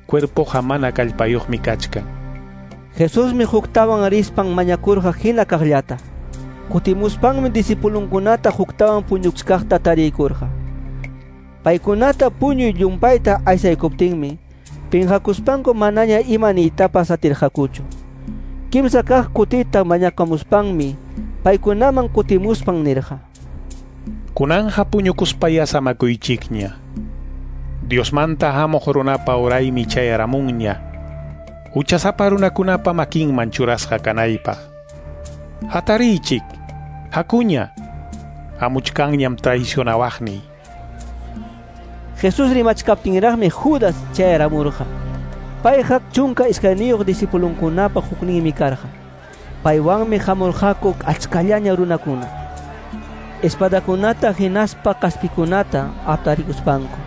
cuerpoqa mana kallpayuqmi kachkan. Jesusmi huktawan rispan mañakurqa hina kaqllata. Kutimuspanmi discipulunkunata huktawan puñuchkaqta tariykurqa. Paykunata puñuy llumpayta aysaykuptinmi pinqakuspanku manaña ima niytapas atirqakuchu. Kimsa kaq kutita mañakamuspanmi paykunaman kutimuspan nirqa: Kunanja puñukuspaya samakuychikña. Diosmanta hamuq runapa uraymi chayaramunña. Huchasapa runakunapa makinman churasqa kanaypaq. Hatariychik, hakuña. Hamuchkanñam traicionawaqniy. Jesús rimachkaptinraqmi Judas chayaramurqa. Payqa chunka iskayniyuq discipulunkunapa hukninmi karqa. Paywanmi hamurqaku achkallaña runakuna. Espadakunata hinaspa kaspikunata aptarikuspanku.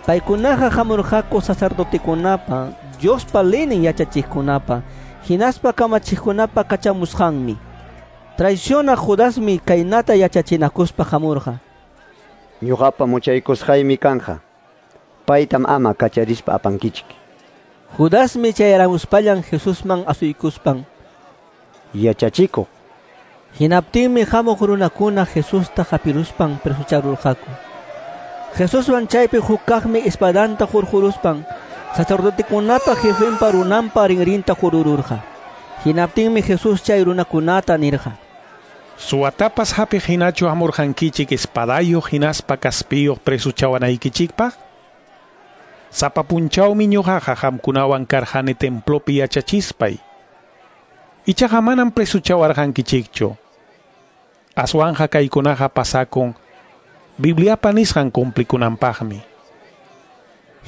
Paykunaqa hamurqaku sacerdotekunapa, Diospa leynin yachachiqkunapa, hinaspa kamachiqkunapa kachamusqanmi. Traicionaq Judasmi kaynata yachachinakuspa hamurqa: Ñuqapa muchaykusqaymi kanja. Paytam ama kacharispa apankichik. Judasmi chayaramuspallan Jesusman asuykuspan: Yachachikuq. Hinaptinmi hamuq runakuna Jesusta hapiruspan presucharurqaku. Jesuswan chaypi huk kaqmi espadanta hurquruspan sacerdotekunapa jefenpa runanpa rinrinta hurururqa. Hinaptinmi Jesús chay runakunata nirqa: Suwatapas hapiq hinachu hamurqankichik espadayuq hinaspa kaspiyuq presuchawanaykichikpaq? Sapa punchawmi ñuqaqa qamkunawan karqani templopi yachachispay. Ichaqa manam presuchawarqankichikchu. Aswanja kaykunaqa pasakun Bibliapa nisqan cumplikunanpaqmi.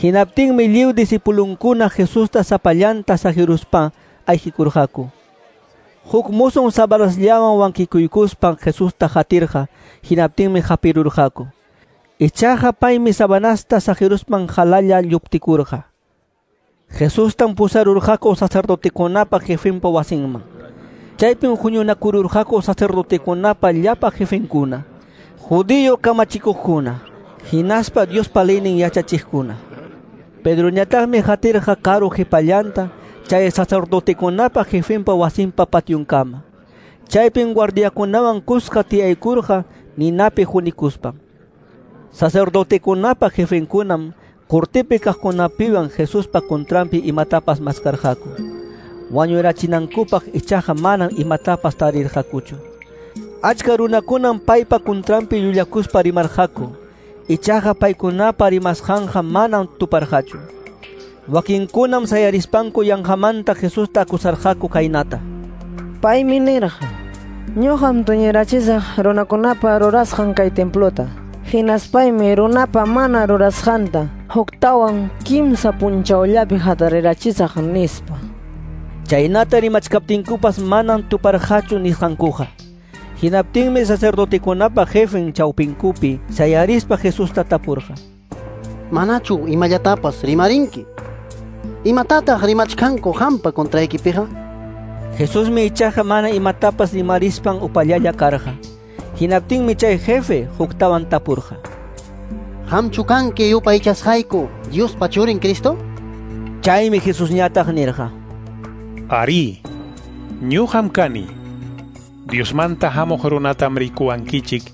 Hinaptinmi lliw discipulunkuna Jesusta sapallanta saqiruspa ayqikurqaku. Huk musum sabanasllawan wankikuykuspan Jesusta qatirqa, hinaptinmi hapirurqaku. Ichaqa paymi sabanasta saqiruspan qalalla lluptikurqa. Jesustam pusarurqaku sacerdotekunapa jefenpa wasinman. Chaypim huñunakururqaku sacerdotekunapa llapa jefenkuna, judío kamachikuqkuna, hinaspa Diospa leynin yachachiqkuna. Pedroñataqmi qatirqa karu qhipallanta chay sacerdotekunapa jefenpa wasinpa pationkama. Chaypim guardiakunawan kuska tiyaykurqa ninapi hunikuspan. Sacerdotekunapa jefenkunam cortepi kaqkunapiwan Jesuspa contranpi imatapas maskarqaku. Wañurachinankupaq ichaqa manam imatapas tarirqakuchu. Achka runakunam paypa contranpi llullakuspa rimarqaku. Ichaqa paykunapa rimasqanqa manam tuparqachu. Wakinkunam sayarispanku yanqamanta Jesusta akusarqaku kaynata: Paymi nirqa: Ñuqam tuñirachisaq runakunapa rurasqan kay templota. Hinaspaymi runapa mana rurasqanta huktawan kimsa punchawllapi hatarirachisaq, nispa. Chaynata rimachkaptinkupas manam tuparqachu nisqankuqa. Hinaptinmi sacerdotekunapa jefen chawpinkupi sayarispa Jesusta tapurqa: Manachu imallatapas rimarinki? Imatataq rimachkanku qampa contraykipiqa? Jesusmi ichaqa mana imatapas rimarispan upallalla karqa. Hinaptinmi chay jefe huktawan tapurqa: Qamchu kanki yupaychasqayku Diospa churin Cristo? Chaymi Jesusñataq nirqa: Ari, ñuqam kani. Diosmanta hamuq runatam rikuwankichik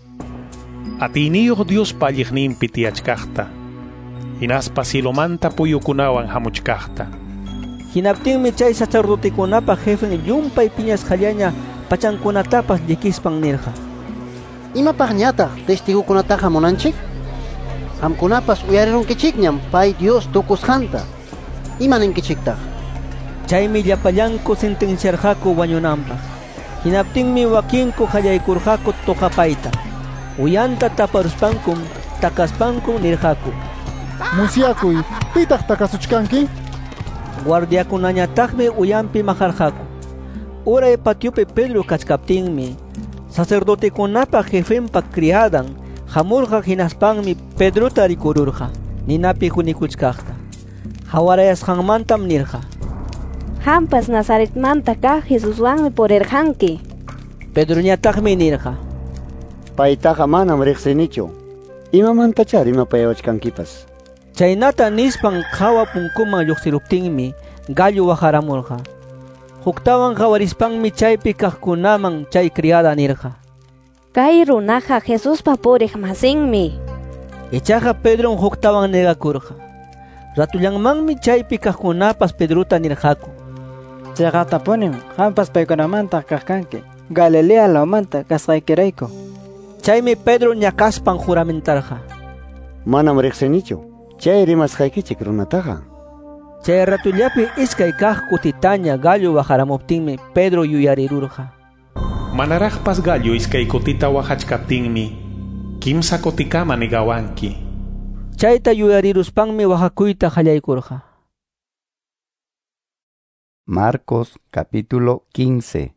atiyniyuq Diospa alliqninpi tiyachkaqta, hinaspa cielomanta puyukunawan hamuchkaqta. Hinaptinmi chay sacerdotekunapa jefen llumpay piñasqallaña pachankunatapas llikispan nirqa: Imapaqñataq testigukunataqa munanchik? Qamkunapas uyarirunkichikñam pay Dios tukusqanta. Ima ninkichiktaq? Chaymi llapallanku sentenciarqaku wañunanpaq. Hinaptinmi wakinku qallaykurqaku tuqapayta. Uyanta taparuspankum takaspankum nirqaku: Musyakuy, pitaq takasuchkanki? Guardiakunañataqmi uyanpi maqarqaku. Uray patiopi Pedro kachkaptinmi sacerdotekunapa jefenpa criadan hamurqa, hinaspanmi Pedrota rikururqa ninapi hunikuchkaqta. Hawarayasqanmantam nirqa: Qampas Nazaretmanta kaq Jesuswanmi purirqanki. Pedroñataqmi nirqa: Paytaqa manam riqsinichu. Imamantachá rimapayawachkankipas. Chaynata nispan qawa punkuman lluqsiruptinmi gallo waqaramurqa. Huktawan qawarispanmi chaypi kaqkunaman chay criada nirqa: Kay runaqa Jesuspa puriq masinmi. Ichaqa Pedrom huktawan negakurqa. Ratullanmanmi chaypi kaqkunapas Pedrota nirqaku: Chayqatapunim qampas paykunamanta kaq kanki, Galilea lawmanta kasqaykirayku. Chaymi Pedro ñakaspan juramentarqa. Manam riqsinichu chay rimasqaykichik runataqa. Chay ratullapi iskay kaq kutitaña gallo waqaramuptinmi Pedro yuyarirurqa. Manaraqpas gallo iskay kutita waqachkaptinmi kimsa kutikama negawanki. Chayta yuyariruspanmi waqakuyta qallaykurqa. Marcos capítulo quince.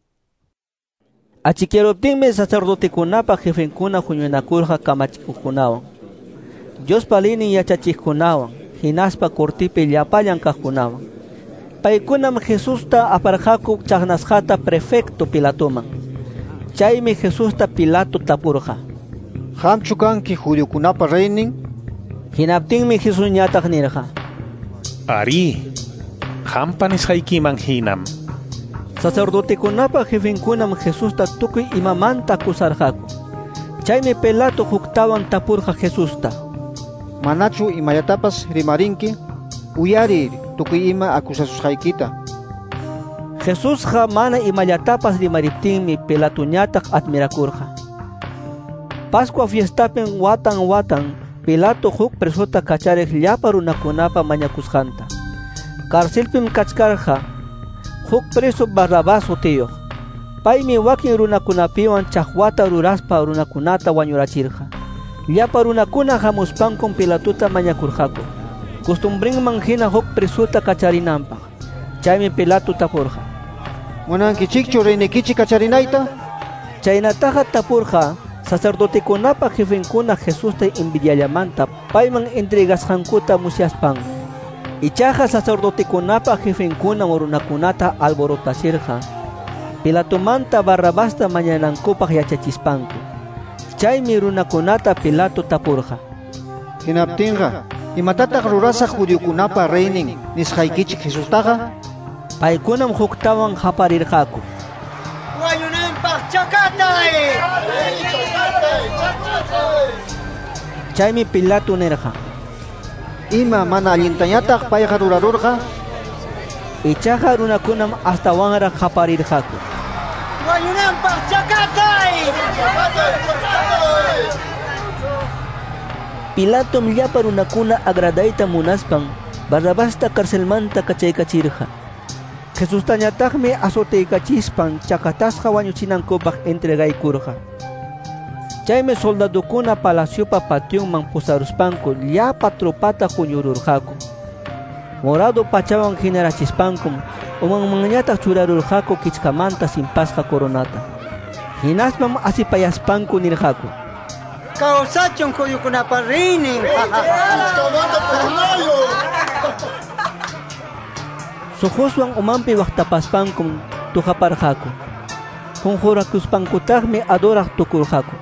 Achikiruptinmi sacerdotekunapa jefenkuna huñunakurqa kamachikuqkunawan, Diospa liynin yachachiqkunawan, hinaspa cortipi llapallan kaqkunawan. Paykunam Jesusta aparqaku chaqnasqata prefecto Pilatoman. Chaymi Jesusta Pilato tapurqa: ¿Qamchu kanki judiokunapa reynin? Hinaptinmi Jesusñataq nirqa: Ari, qampa nisqaykiman hinam. Sacerdotekunapa jefenkunam Jesusta tukuy imamanta acusarqaku. Chaymi Pilato huktawan tapurqa Jesusta: Manachu imallatapas rimarinki? Uyariy tukuy ima acusasusqaykita. Jesusqa mana imallatapas rimariptinmi Pilatoñataq admirakurqa. Pascua fiestapin watan watan Pilato huk presota kachariq llapa runakunapa mañakusqanta. Carcelpim kachkarqa huk preso Barrabás sutiyuq. Paymi wakin runakunapiwan chaqwata ruraspa runakunata wañurachirqa. Llapa runakuna hamuspankum Pilatota mañakurqaku costumbrinman hina huk presota kacharinanpaq. Chaymi Pilato tapurqa: ¿Munankichikchu reynikichik kacharinayta? Chaynataqa tapurqa sacerdotekunapa jefenkuna Jesusta envidiallamanta payman entregasqankuta musyaspan. Ichaqa sacerdotekunapa jefenkuna runakunata alborotachirqa Pilatomanta Barrabasta mañanankupaq yachachispanku. Chaymi runakunata Pilato tapurqa: Hinaptinqa, imatataq rurasaq judiokunapa reynin nisqaykichik Jesustaqa? Paykunam huktawan qaparirqaku: ¡Wañunanpaq chakatay! Chaymi Pilato nirqa: Ima mana allintañataq payqa rurarurqa? Ichaqa runakunam astawanraq qaparirqaku: ¡Wañunanpaq chakatay! Pilatom llapa runakuna agradayta munaspan Barrabasta carcelmanta kachaykachirqa. Jesustañataqmi azoteykachispan chakatasqa wañuchinankupaq entregaykurqa. Chaymi soldadokuna palaciopa pationman pusaruspanku llapa tropata huñururqaku. Morado pachawan hinarachispankum umanmanñataq churarurqaku kichkamanta simpasqa coronata. Hinaspam asipayaspanku nirqaku: Kawsachun judiokunapa reynin! Suquswan umanpi waqtapaspankum tuqaparqaku. Qunqurakuspankutaqmi adoraq tukurqaku.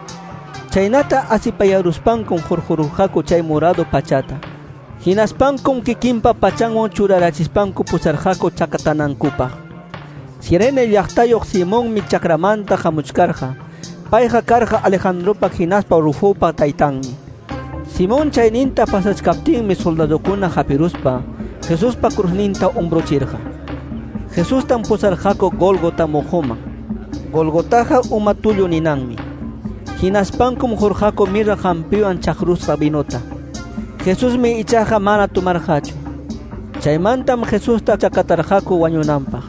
Chaynata asipayaruspankum hurqururqaku chay morado pachata. Hinaspankum kikinpa pachanwan churarachispanku pusarqaku chakatanankupaq. Sirene llaqtayuq Simonmi chakramanta hamuchkarqa. Payqa karqa Alejandropa hinaspa Rufopa taytanmi. Simón chayninta pasachkaptinmi soldadokuna hapiruspa Jesuspa cruzninta umbrochirqa. Jesustam pusarqaku Gólgota muquman. Gólgotaqa uma tullu ninanmi. Hinaspankum hurqaku mirra hampiwan chaqrusqa vinota. Jesusmi ichaqa mana tomarqachu. Chaymantam Jesusta chakatarqaku wañunanpaq.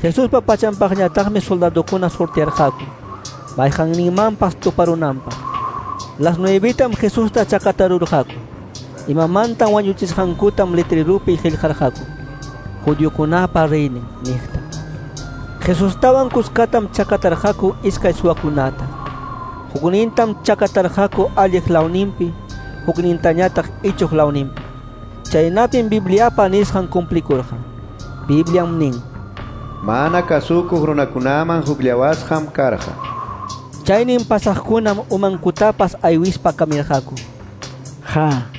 Jesuspa pachanpaqñataqmi soldadokuna sortearqaku mayqanninmanpas tuparunanpaq. Las nuevitam Jesusta chakatarurqaku. Imamantam wañuchisqankutam letrerupi qillqarqaku: Judiokunapa reynin niqta. Jesustawan kuskatam chakatarqaku iskay suwakunata. Huknintam chakatarqaku alliq lawninpi, huknintañataq ichuq lawninpi. Chaynapim Bibliapa nisqan cumplikurqa. Bibliam nin: Mana kasukuq runakunaman hukllawasqam karqa. Chaynin pasaqkunam umankutapas aywispa kamirqaku. Ja,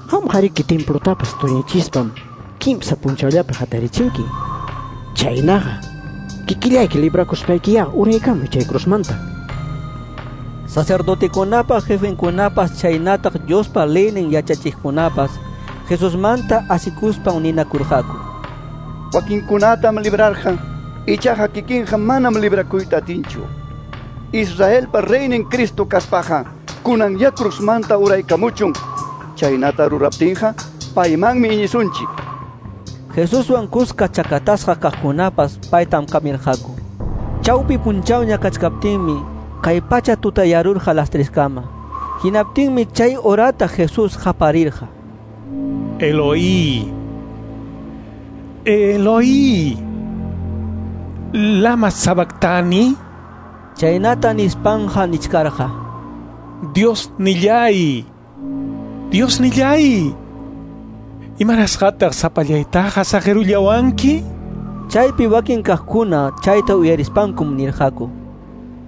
qamqariki templotapas tuñichispam kimsa punchawllapi hatarichinki. Chaynaqa, kikillayki librakuspaykiyá uraykamuy chay cruzmanta. Sacerdotekunapa jefenkunapas chaynataq Diospa leynin yachachiqkunapas Jesusmanta asikuspan ninakurqaku: Wakinkunatam librarqa, ichaqa kikinqa manam librakuyta atinchu. Israelpa reynin Cristo kaspaqa, kunan ya cruzmanta uraykamuchun. Chaynata ruraptinqa, paymanmi iñisunchik. Jesuswan kuska chakatasqa kaqkunapas paytam kamirqaku. Chawpi punchawña kachkaptinmi kay pacha tutayarurqa las treskama. Hinaptinmi chay horata Jesús qaparirqa: Eloí, Eloí, lama sabactani. Chaynata nispanja nichkarqa: Dios nillay, Dios nillay, imarasqataq sapallaytaqa saqirullawanki? Chaypi wakin kaqkuna chayta uyarispankum nirqaku: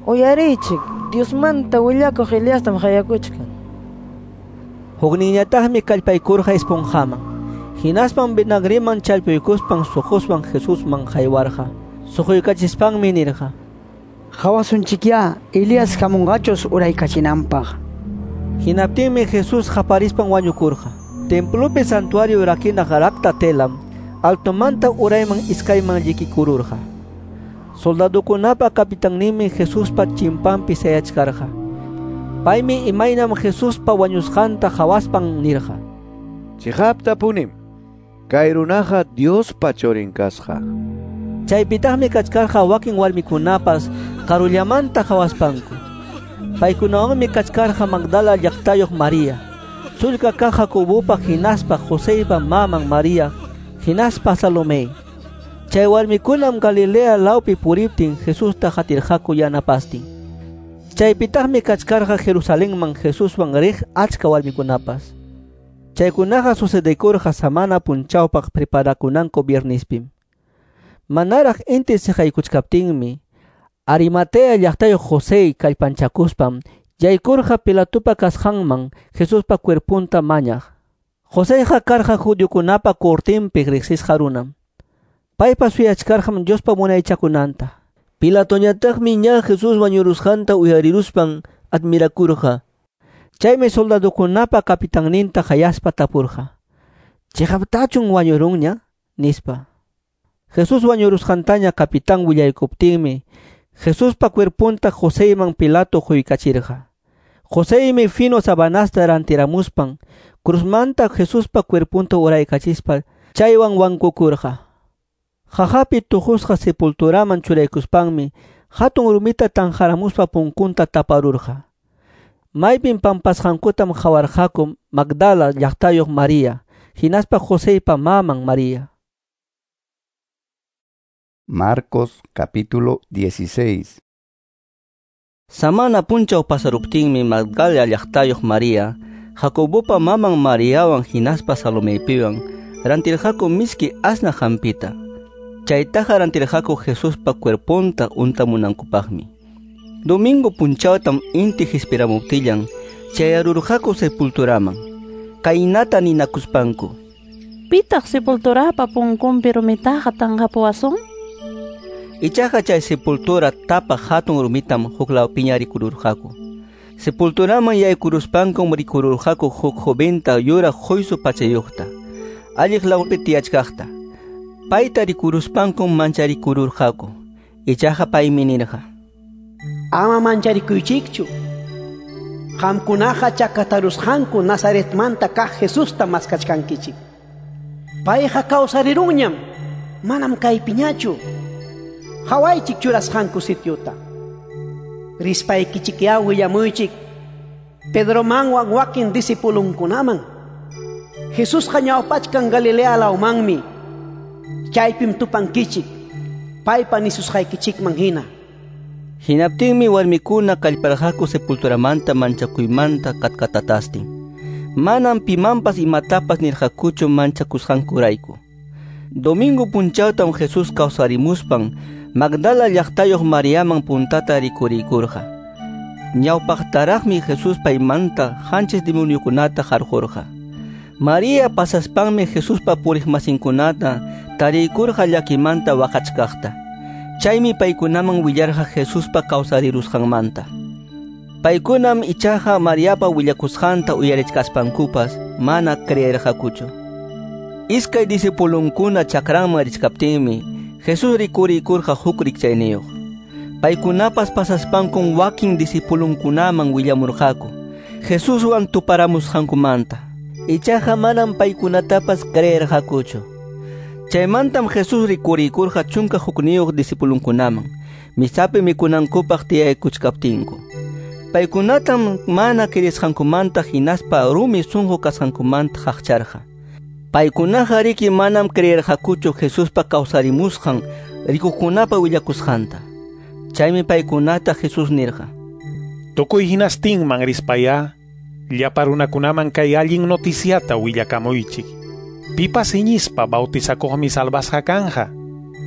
Uyariychik, Diosmanta willakuq Eliastam qayakuchkan. Hukninñataqmi kallpaykurqa esponjaman. Hinaspan vinagreman challpuykuspan suquswan Jesusman haywarqa. Suquykachispanmi nirqa: Hawasunchikyá, Elías hamunqachus uraykachinanpaq. Hinaptinmi Jesús qaparispan wañukurqa. Templopi santuario rakinaq rakta telam altomanta urayman iskayman llikikururqa. Soldadukunapa capitanninmi Jesuspa chimpanpi sayachkarqa. Paymi imaynam Jesuspa wañusqanta qhawaspan nirqa: Chiqaptapunim, kay runaqa Diospa churin kasqa. Chaypitaqmi kachkarqa wakin warmikunapas karullamanta qhawaspanku. Paykunawanmi kachkarqa Magdala llaqtayuq María, sullka kaq Jacobopa hinaspa Joseypa maman María, hinaspa Salomé. Chay warmikunam Galilea lawpi puriptin Jesusta qatirqaku yanapastin. Chaypitaqmi kachkarqa Jerusalenman Jesuswan riq achka warmikunapas. Chaykunaqa sucedekurqa samana punchawpaq preparakunanku viernispim. Manaraq inti siqaykuchkaptinmi Arimatea llaqtayuq José kallpanchakuspam yaykurqa Pilatopa kasqanman Jesuspa cuerpunta mañaq. Joseyqa karqa judiokunapa cortinpi riqsisqa runam. Paypas suyachkarqam Diospa munaychakunanta. Pilatoñataqmi ña Jesús wañurusqanta uyariruspan admirakurqa. Chaymi soldadukunapa capitanninta qayaspa tapurqa: "Chiqaptachun wañurunña?" nispa. Jesús wañurusqantaña capitán willaykuptinmi Jesuspa cuerpunta Joseyman Pilato huykachirqa. Joseymi fino sabanasta rantiramuspan cruzmanta Jesuspa cuerpunta uraykachispa chaywan wankukurqa. Jajapi tuqusqa sepulturaman churaykuspanmi hatun rumita tanjaramuspa punkunta taparurqa. Maypim pampasqankutam qawarqaku Magdala llaqtayuq María, hinaspa Joseypa maman María. Marcos capítulo dieciséis. Samana punchaw pasaruptinmi Magdala llaqtayuq María, Jacobopa maman Mariawan hinaspa Salomeypiwan rantirqaku miski asnaq hampita. Chaytaqa rantirqaku Jesuspa cuerponta untamunankupaqmi. Domingo punchawtam inti hispiramuptillan chayarurqaku sepulturaman. Kaynata ninakuspanku: Pitaq sepulturapa punkunpi rumitaqa tanqapuwasun? Ichaqa chay sepultura tapaq hatun rumitam huklawpiña rikururqaku. Sepulturaman yaykuruspankum rikururqaku huk joventa yuraq huysu pachayuqta, alliq lawpi tiyachkaqta. Payta rikuruspankum mancharikururqaku. Ichaqa paymi nirqa: Ama mancharikuychikchu. Qamkunaqa chakatarusqanku Nazaretmanta kaq Jesusta maskachkankichik. Payqa kawsarirunñam, manam kaypiñachu. Hawaychik churasqanku sitiuta. Rispaykichikyá willamuychik Pedromanwan wakin discipulunkunaman. Jesusqa ñawpachkan Galilea lawmanmi. Chaypim tupankichik, paypa nisusqaykichikman hina. Hinaptinmi warmikuna kallparqaku sepulturamanta manchakuymanta katkatatastin. Manam pimanpas imatapas nirqakuchu manchakusqankurayku. Domingo punchawtam Jesús kawsarimuspan Magdala llaqtayuq Mariaman puntata rikuriykurqa. Ñawpaqtaraqmi Jesús paymanta qanchis demoniokunata qarqurqa. María pasaspanmi Jesuspa puriqmasinkunata tariykurqa llakimanta waqachkaqta. Chaymi paykunaman willarqa Jesuspa kawsarirusqanmanta. Paykunam ichaqa Mariapa willakusqanta uyarichkaspankupas mana creerqakuchu. Iskay disipulunkuna chakranman richkaptinmi Jesús rikuriykurqa huk rikchayniyuq. Paykunapas pasaspankum wakin disipulunkunaman willamurqaku Jesuswan tuparamusqankumanta. Ichaqa manam paykunatapas creerqakuchu. Chaymantam Jesús rikuriykurqa chunka hukniyuq disipulunkunaman misapi mikunankupaq tiyaykuchkaptinku. Paykunatam mana kirisqankumanta hinaspa rumi sunqu kasqankumanta qaqcharqa. Paykunaqa riki manam creerqakuchu Jesuspa kawsarimusqan rikuqkunapa willakusqanta. Chaymi paykunata Jesús nirqa: Tukuy hinastinman rispayá, llapa runakunaman kay allin noticiata willakamuychik. Pipas iñispa bautizakuqmi salvasqa kanja,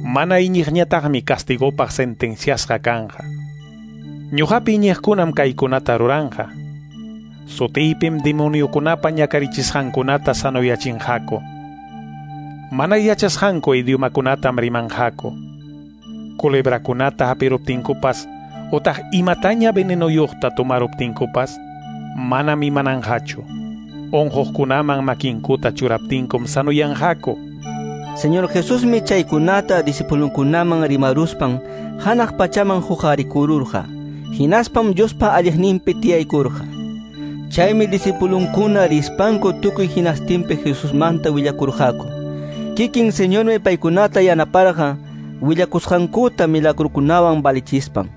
mana iñiqñataqmi castigopaq sentenciasqa kanja. Ñuqapi iñiqkunam kaykunata ruranja. Sutiypim demoniokunapa ñakarichisqankunata sanoyachinqaku. Mana yachasqanku idiomakunatam rimanqaku. Culebrakunata hapiruptinkupas utaq imataña venenoyuqta tomaruptinkupas manam imananqachu. Unquqkunaman makinkuta churaptinkum sanoyanqaku. Señor Jesusmi chaykunata disipulunkunaman rimaruspan hanaq pachaman huqarikururqa. Hinaspam Diospa alliqninpi tiyaykurqa. Chaymi disipulunkuna rispanku tukuy hinastinpi Jesusmanta willakurqaku. Kikin Señormi paykunata yanaparqa willakusqankuta milagrukunawan valichispan.